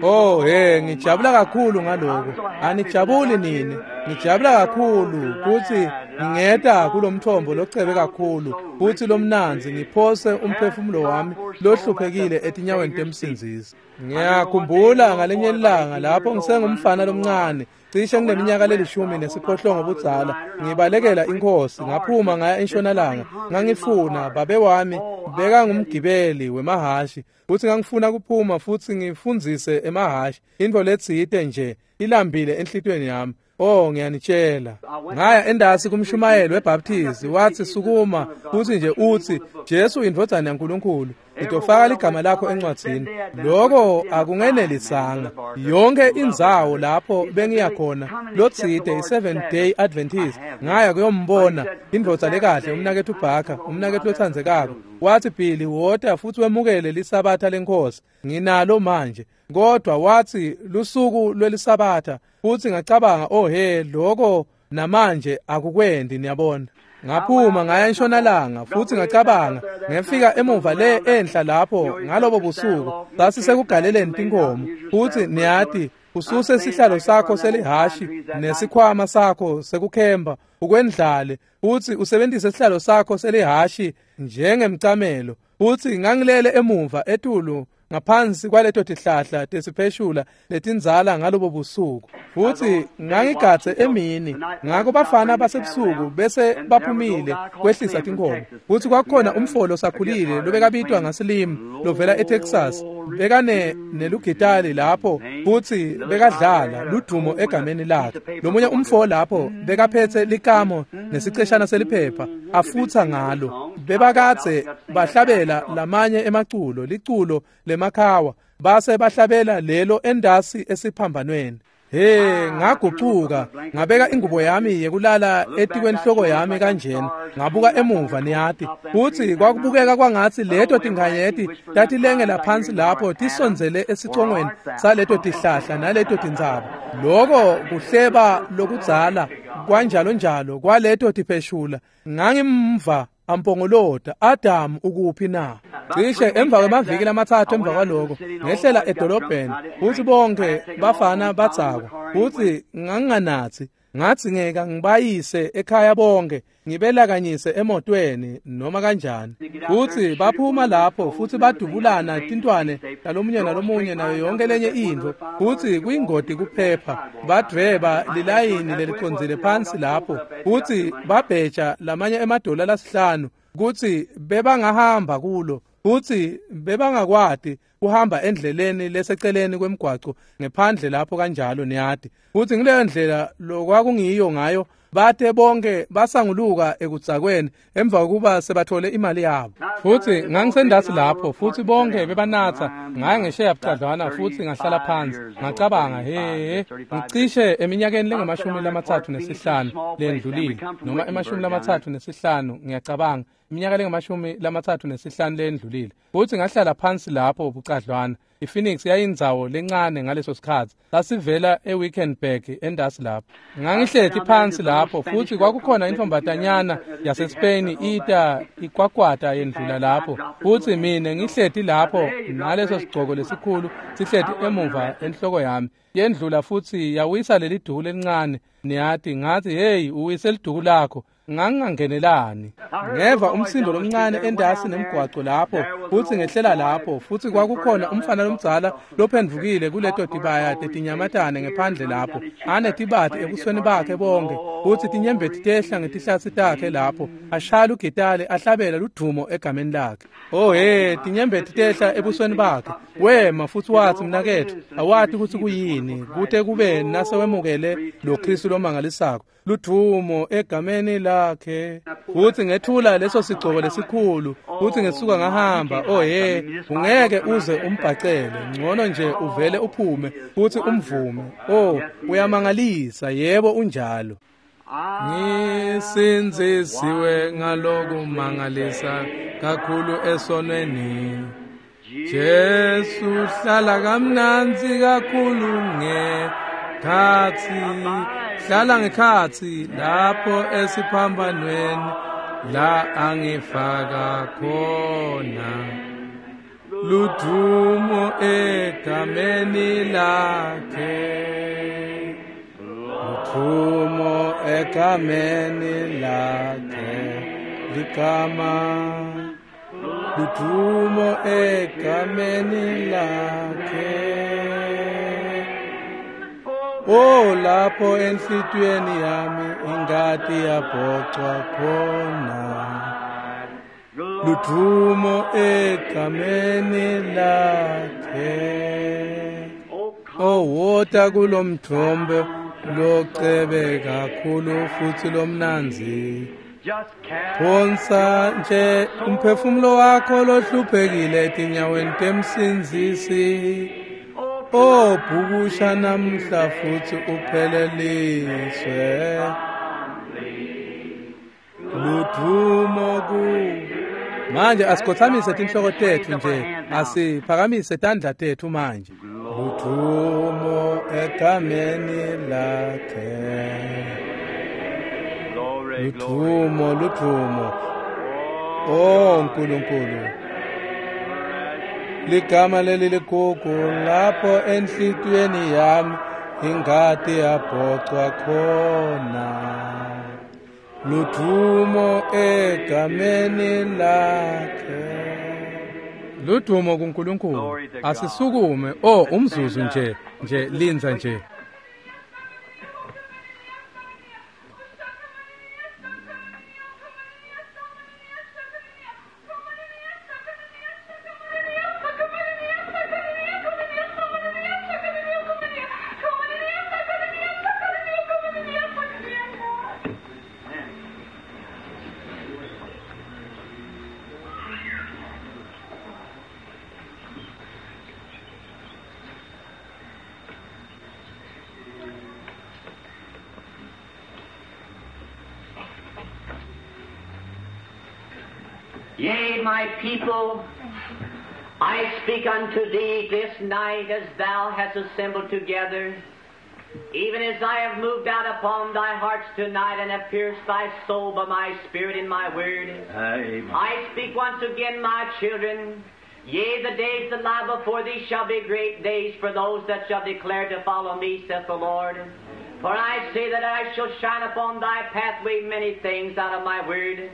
Oh hey, ngijabula kakhulu ngaloko. Anijabuli nini? Ngijabula kakhulu kuthi ngingeta kulomthombo locebe kakhulu futhi lomnandzi ngiphose umphefumulo wami lohluphekile etinyaweni temsindzisi. Ngiyakhumbula ngalenye ilanga lapho ngisengumfana lomncane, cishe ngineminyaka lelishumi nesiphohlongo budzala, ngibalekela inkosi, ngaphuma ngaya entshonalanga. Ngangifuna babe wami bekangumgibeli wemahashi futhi ngangifuna kuphuma futhi ngifundzise emahashi intfo letsite nje ilambile enhlitiyweni yami. Oh ngiyanitshela, ngaya endasi kumshumayeli weBaptist, wathi sukuma futhi nje uthi Jesu indvodzana yaNkulunkulu, ngitofaka ligama lakho encwadzini. Lokho akungenelisanga. Yonke indzawo lapho bengiya khona lotsite i-Seventh Day Adventist, ngaya kuyombona indvodza lekahle umnaketfu Barker, umnaketfu lotsandzekako. Wathi Billy, wota futhi wemukele lisabatha lenkosi, nginalo manje. Kodwa wathi lusuku lwelisabatha, futhi ngacabanga oh he, lokho namanje akukwendi, niyabona. Ngaphuma ngaya entshonalanga futhi ngacabanga ngefika emuva le enhla lapho ngalobo busuku sasisekugaleleni tinkomo futhi niyati Ususe sihlalo sakho selihashi nesikhwama sakho sekukhemba ukwendlale futhi usebenzise sihlalo sakho selihashi njengemcamelo. Futhi ngangilele emuva etulu ngaphansi kwaleto tihlahla tesipheshula letindzala ngalobo busuku. Futhi ngangigadze emini, ngakho bafana basebusuku bese baphumile kwehlisa tinkhomo. Futhi kwakukhona umfolo sakhulile lobekabitwa ngaSlim lovela eTexas, bekane nelugitali lapho futhi bekadlala ludumo egameni lakhe. Lomunye umfo lapho bekaphethe likamo nesiceshana seliphepha afutha ngalo. Bebakadze bahlabela lamanye emaculo, liculo lemakhawa, base bahlabela lelo endasi esiphambanweni. He, ngagucuka ngabeka ingubo yami yekulala etikwenhloko yami kanjena, ngabuka emuva niyati, futhi kwakubukeka kwangathi leto tinkhanyeti tatilengela phansi lapho tisondzele esicongweni saleto tihlahla naleto tintsaba. Loko kuhleba lokudzala kwanjalo njalo kwaleto tipheshula. Ngangimva ampongolota, Adam ukuphi na? Cishe emva kwemaviki lamatsatfu emva kwaloko ngehlela edolobheni, futhi bonke bafana badzakwa, futhi nganginganathi. Ngathi ngeka ngibayise ekhaya bonke, ngibelakanyise emotweni noma kanjani. Futhi baphuma lapho futhi badubulana tintwane nalomunye nalomunye nayo yonke lenye intfo, futhi kuyingoti kuphepha. Badvweba lilayini lelicondzile phansi lapho, futhi babheja lamanye emadola lasihlanu kutsi bebangahamba kulo, futhi bebangakwati kuhamba endleleni leseceleni kwemgwaco ngephandle lapho kanjalo niyati. Futhi ngileyo ndlela lokwakungiyo ngayo, bate bonke basanguluka ekudzakweni emva kokuba sebathole imali yabo. Futhi ngangisendasi lapho futhi bonke bebanatha. Ngaya ngesheya bucadlwana futhi ngahlala phansi ngacabanga, he, ngicishe eminyakeni lengamashumi lamatsatfu nesihlanu lendlulile, noma emashumi lamatsatfu nesihlanu, ngiyacabanga iminyaka lengamashumi lamatsatfu nesihlanu lendlulile. Futhi ngahlala phansi lapho bucadlwana. iPhoenix yayindzawo lencane ngaleso sikhatsi, sasivela eWickenburg endasi lapho. Ngangihleti phansi lapho futhi kwakukhona intombatanyana yaseSpain ita ikwakwata yendlula lapho, futhi mina ngihleti lapho naleso sigcoko lesikhulu sihleti emuva enhloko yami. Yendlula futhi yawisa leli duku lelincane niyati. Ngathi, hey, uwise liduku lakho. Ngangingangenelani. Ngeva umsindo lomncane endasi nemgwaco lapho, futhi ngehlela lapho, futhi kwakukhona umfana lomdzala lophendvukile kuleto tibaya tetinyamatane ngephandle lapho, anetibati ebusweni bakhe bonke, futhi tinyembeti tehla ngetihlatsi takhe lapho, ashaya lugitali ahlabela ludumo egameni lakhe. Oh he, tinyembeti tehla ebusweni bakhe. Wema futhi wathi, mnaketfu, awati kutsi kuyini kute kube nasewemukele lo Kristu lomangalisako, ludumo egameni lakhe. Futhi ngethula leso sigcoko lesikhulu, futhi ngesuka ngahamba. Oh he, ungeke uze umbhacele, ngcono nje uvele uphume futhi umvume. Oh, uyamangalisa, yebo unjalo. Ngisindzisiwe ngalokumangalisa kakhulu esonweni. Jesu hlala kamnandzi kakhulu ngekhatsi, hlala ngekhatsi lapho esiphambanweni la angifaka khona. Ludumo egameni lakhe, ludumo egameni lakhe, ligama ludumo egameni lakhe. Oh, lapho enhlitiyweni yami ingati yabhocwa khona, ludumo egameni lakhe. Oh, wota kulomthombo locebe kakhulu futhi lomnandzi, phonsa nje umphefumulo wakho lohluphekile etinyaweni temsindzisi. Oh, bhukusha namhla futhi upheleliswe, ludumo ku. Manje asikhothamise tinhloko tetfu nje, asiphakamise tandla tetfu manje. Ludumo egameni lakhe, ludumo, ludumo. Oh Nkulunkulu, Ligama leli ligugu lapho enhlitiyweni yami ingati yabhocwa khona. Ludumo egameni lakhe. Ludumo kuNkulunkulu. Asisukume oh umzuzu nje nje linza nje. Yea, my people, I speak unto thee this night as thou hast assembled together, even as I have moved out upon thy hearts tonight and have pierced thy soul by my spirit and my word. Amen. I speak once again, my children, yea, the days that lie before thee shall be great days for those that shall declare to follow me, saith the Lord. For I say that I shall shine upon thy pathway many things out of my word.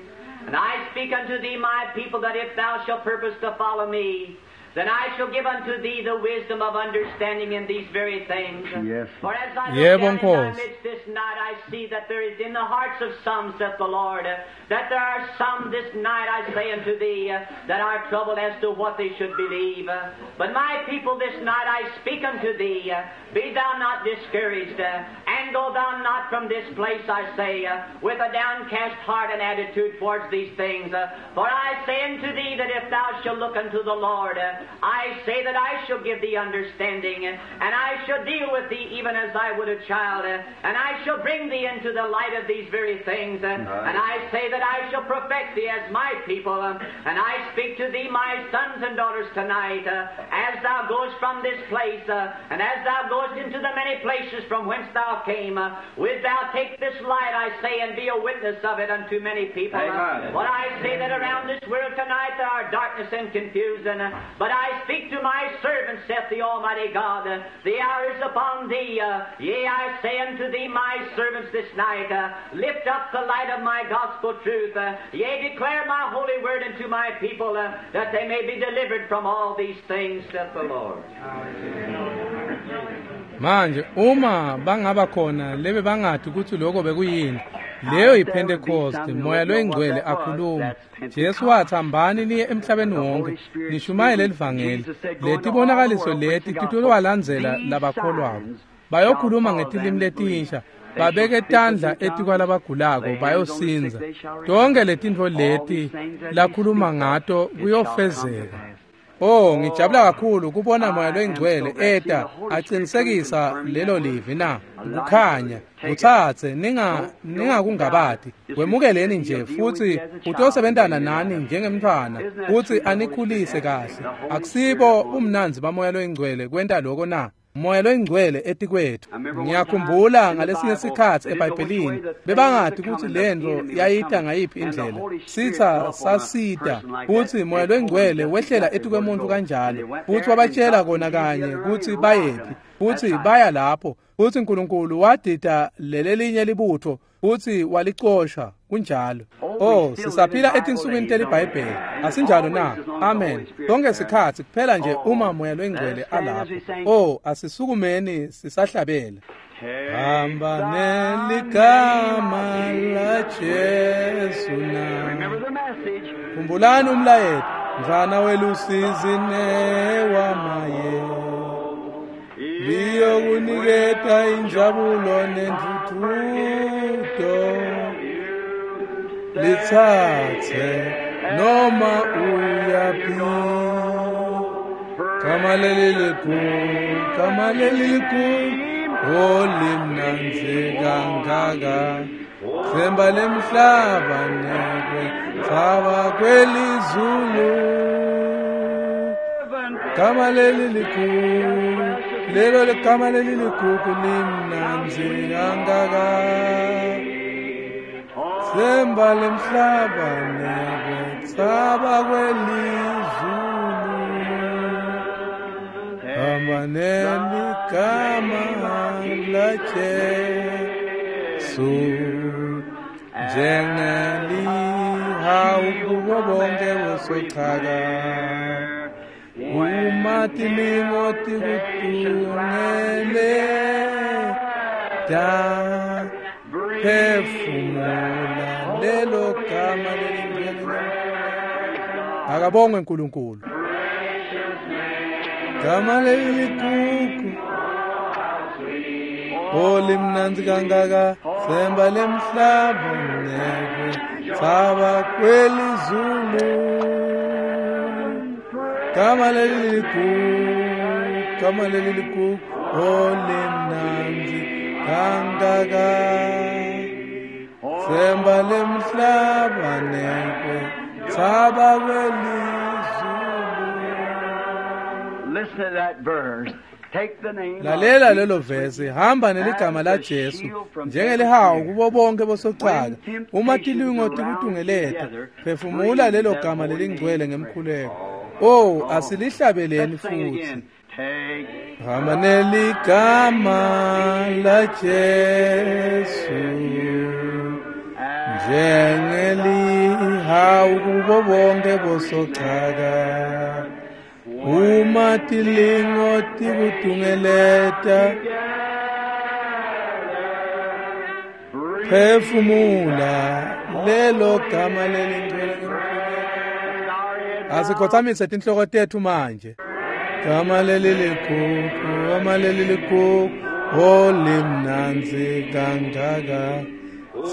And I speak unto thee, my people, that if thou shalt purpose to follow me, then I shall give unto thee the wisdom of understanding in these very things. Yes. For as I look Yebo, down in thy Nkosi. midst this night, I see that there is in the hearts of some, saith the Lord, that there are some this night, I say unto thee, that are troubled as to what they should believe. But my people, this night I speak unto thee, be thou not discouraged, and go thou not from this place, I say, with a downcast heart and attitude towards these things. For I say unto thee that if thou shalt look unto the Lord, I say that I shall give thee understanding, and I shall deal with thee even as I would a child, and I shall bring thee into the light of these very things, and I say that I shall perfect thee as my people, and I speak to thee, my sons and daughters, tonight, as thou goest from this place, and as thou goest into the many places from whence thou came, wilt thou take this light, I say, and be a witness of it unto many people. Amen. But I say that around this world tonight there are darkness and confusion, but I speak to my servants, saith the Almighty God, the hour is upon thee. Yea, I say unto thee, my servants, this night, lift up the light of my gospel truth. Yea, declare my holy word unto my people, that they may be delivered from all these things, saith the Lord. Manje uma bangaba khona lebe bangathi ukuthi lokho bekuyini, leyo yiPentecost, moya loyingcwele akhuluma. Jesu wathi hambani niye emhlabeni wonke nishumayele elivangeli. Letibonakaliso leti titolowalandzela labakholwako. Bayokhuluma ngetilimi letinsha, babeke tandla etikwalabagulako bayosinza. Tonke letintfo leti lakhuluma ngato kuyofezeka. Oh, ngijabula kakhulu kubona moya loyingcwele eta aqinisekisa lelo livi na kukhanya kuthathe ninga ningakungabati wemukeleni nje futhi utosebentana nani njengemntwana futhi anikhulise kahle. Akusibo umnanzi bamoya loyingcwele kwenta lokho na? Moya loyingcwele etikwethu. Ngiyakhumbula ngalesinye sikhathi eBhayibhelini bebangathi ukuthi lento yayita ngayiphi indlela. Sitha sasita futhi moya loyingcwele wehlela etikwemuntu kanjalo futhi wabatshela kona kanye ukuthi bayephi futhi baya lapho futhi uNkulunkulu wadida lelelinye libutho futhi walicosha kunjalo. Oh, sisaphila etinsukwini teliBhayibheli. Asinjalo na? Amen. Sonke sikhathi kuphela nje uma moya loyingcwele alapho. Oh, asisukumeni sisahlabela. Hamba neligama la Jesu na. Khumbulani umlayeto, mfana welusizi newamaye. Liyokuniketa injabulo nentuthuko. Lithathe noma uyaphi. Gama leli likhulu, gama leli likhulu, olimnandzi kangaka. Themba lemhlaba nekwe thaba kwelizulu. Gama leli likhulu, lelo ligama leli likhulu limnandzi kangaka. Themba lemhlaba nekwe thaba kwelizulu. Hamba neligama la Jesu njengelihawu kubo bonke bosochaka uma tilingo tikutungele da phefumula lelo gama lelingcwele. Akabongwe uNkulunkulu. Gama leligugu olimnandzi kangaka semba lemhlaba nekwe saba kwelizulu. Gama leligugu, gama leligugu olimnandzi kangaka semba lemhlaba nekwe saba kwelizulu. Listen to that verse. Take the name. Lalela lelo vesi, hamba neligama la Jesu njengelihawu kubo bonke bosochaka. Uma tilingo tikutungeleta, phefumula lelo gama lelingcwele ngemkhuleko. Oh, asilihlabeleni Let's sing it futhi. again. Take Hamba neligama la Jesu njengelihawu kubo bonke bosochaka. Uma tilingo tikutungeleta, phefumula lelo gama lelingcwele ngemkhuleko. Asikhothamise tinhloko tetfu manje. Gama leliligugu, gama leliligugu, olimnandzi kangaka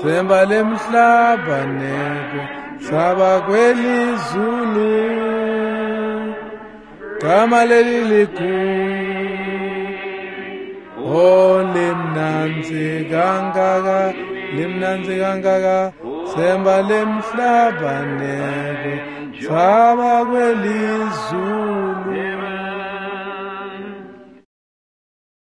semba lemhlaba nekwe saba kwelizulu. Gama leliligugu, olimnandzi kangaka, limnandzi kangaka semba lemhlaba nekwe saba kwelizulu.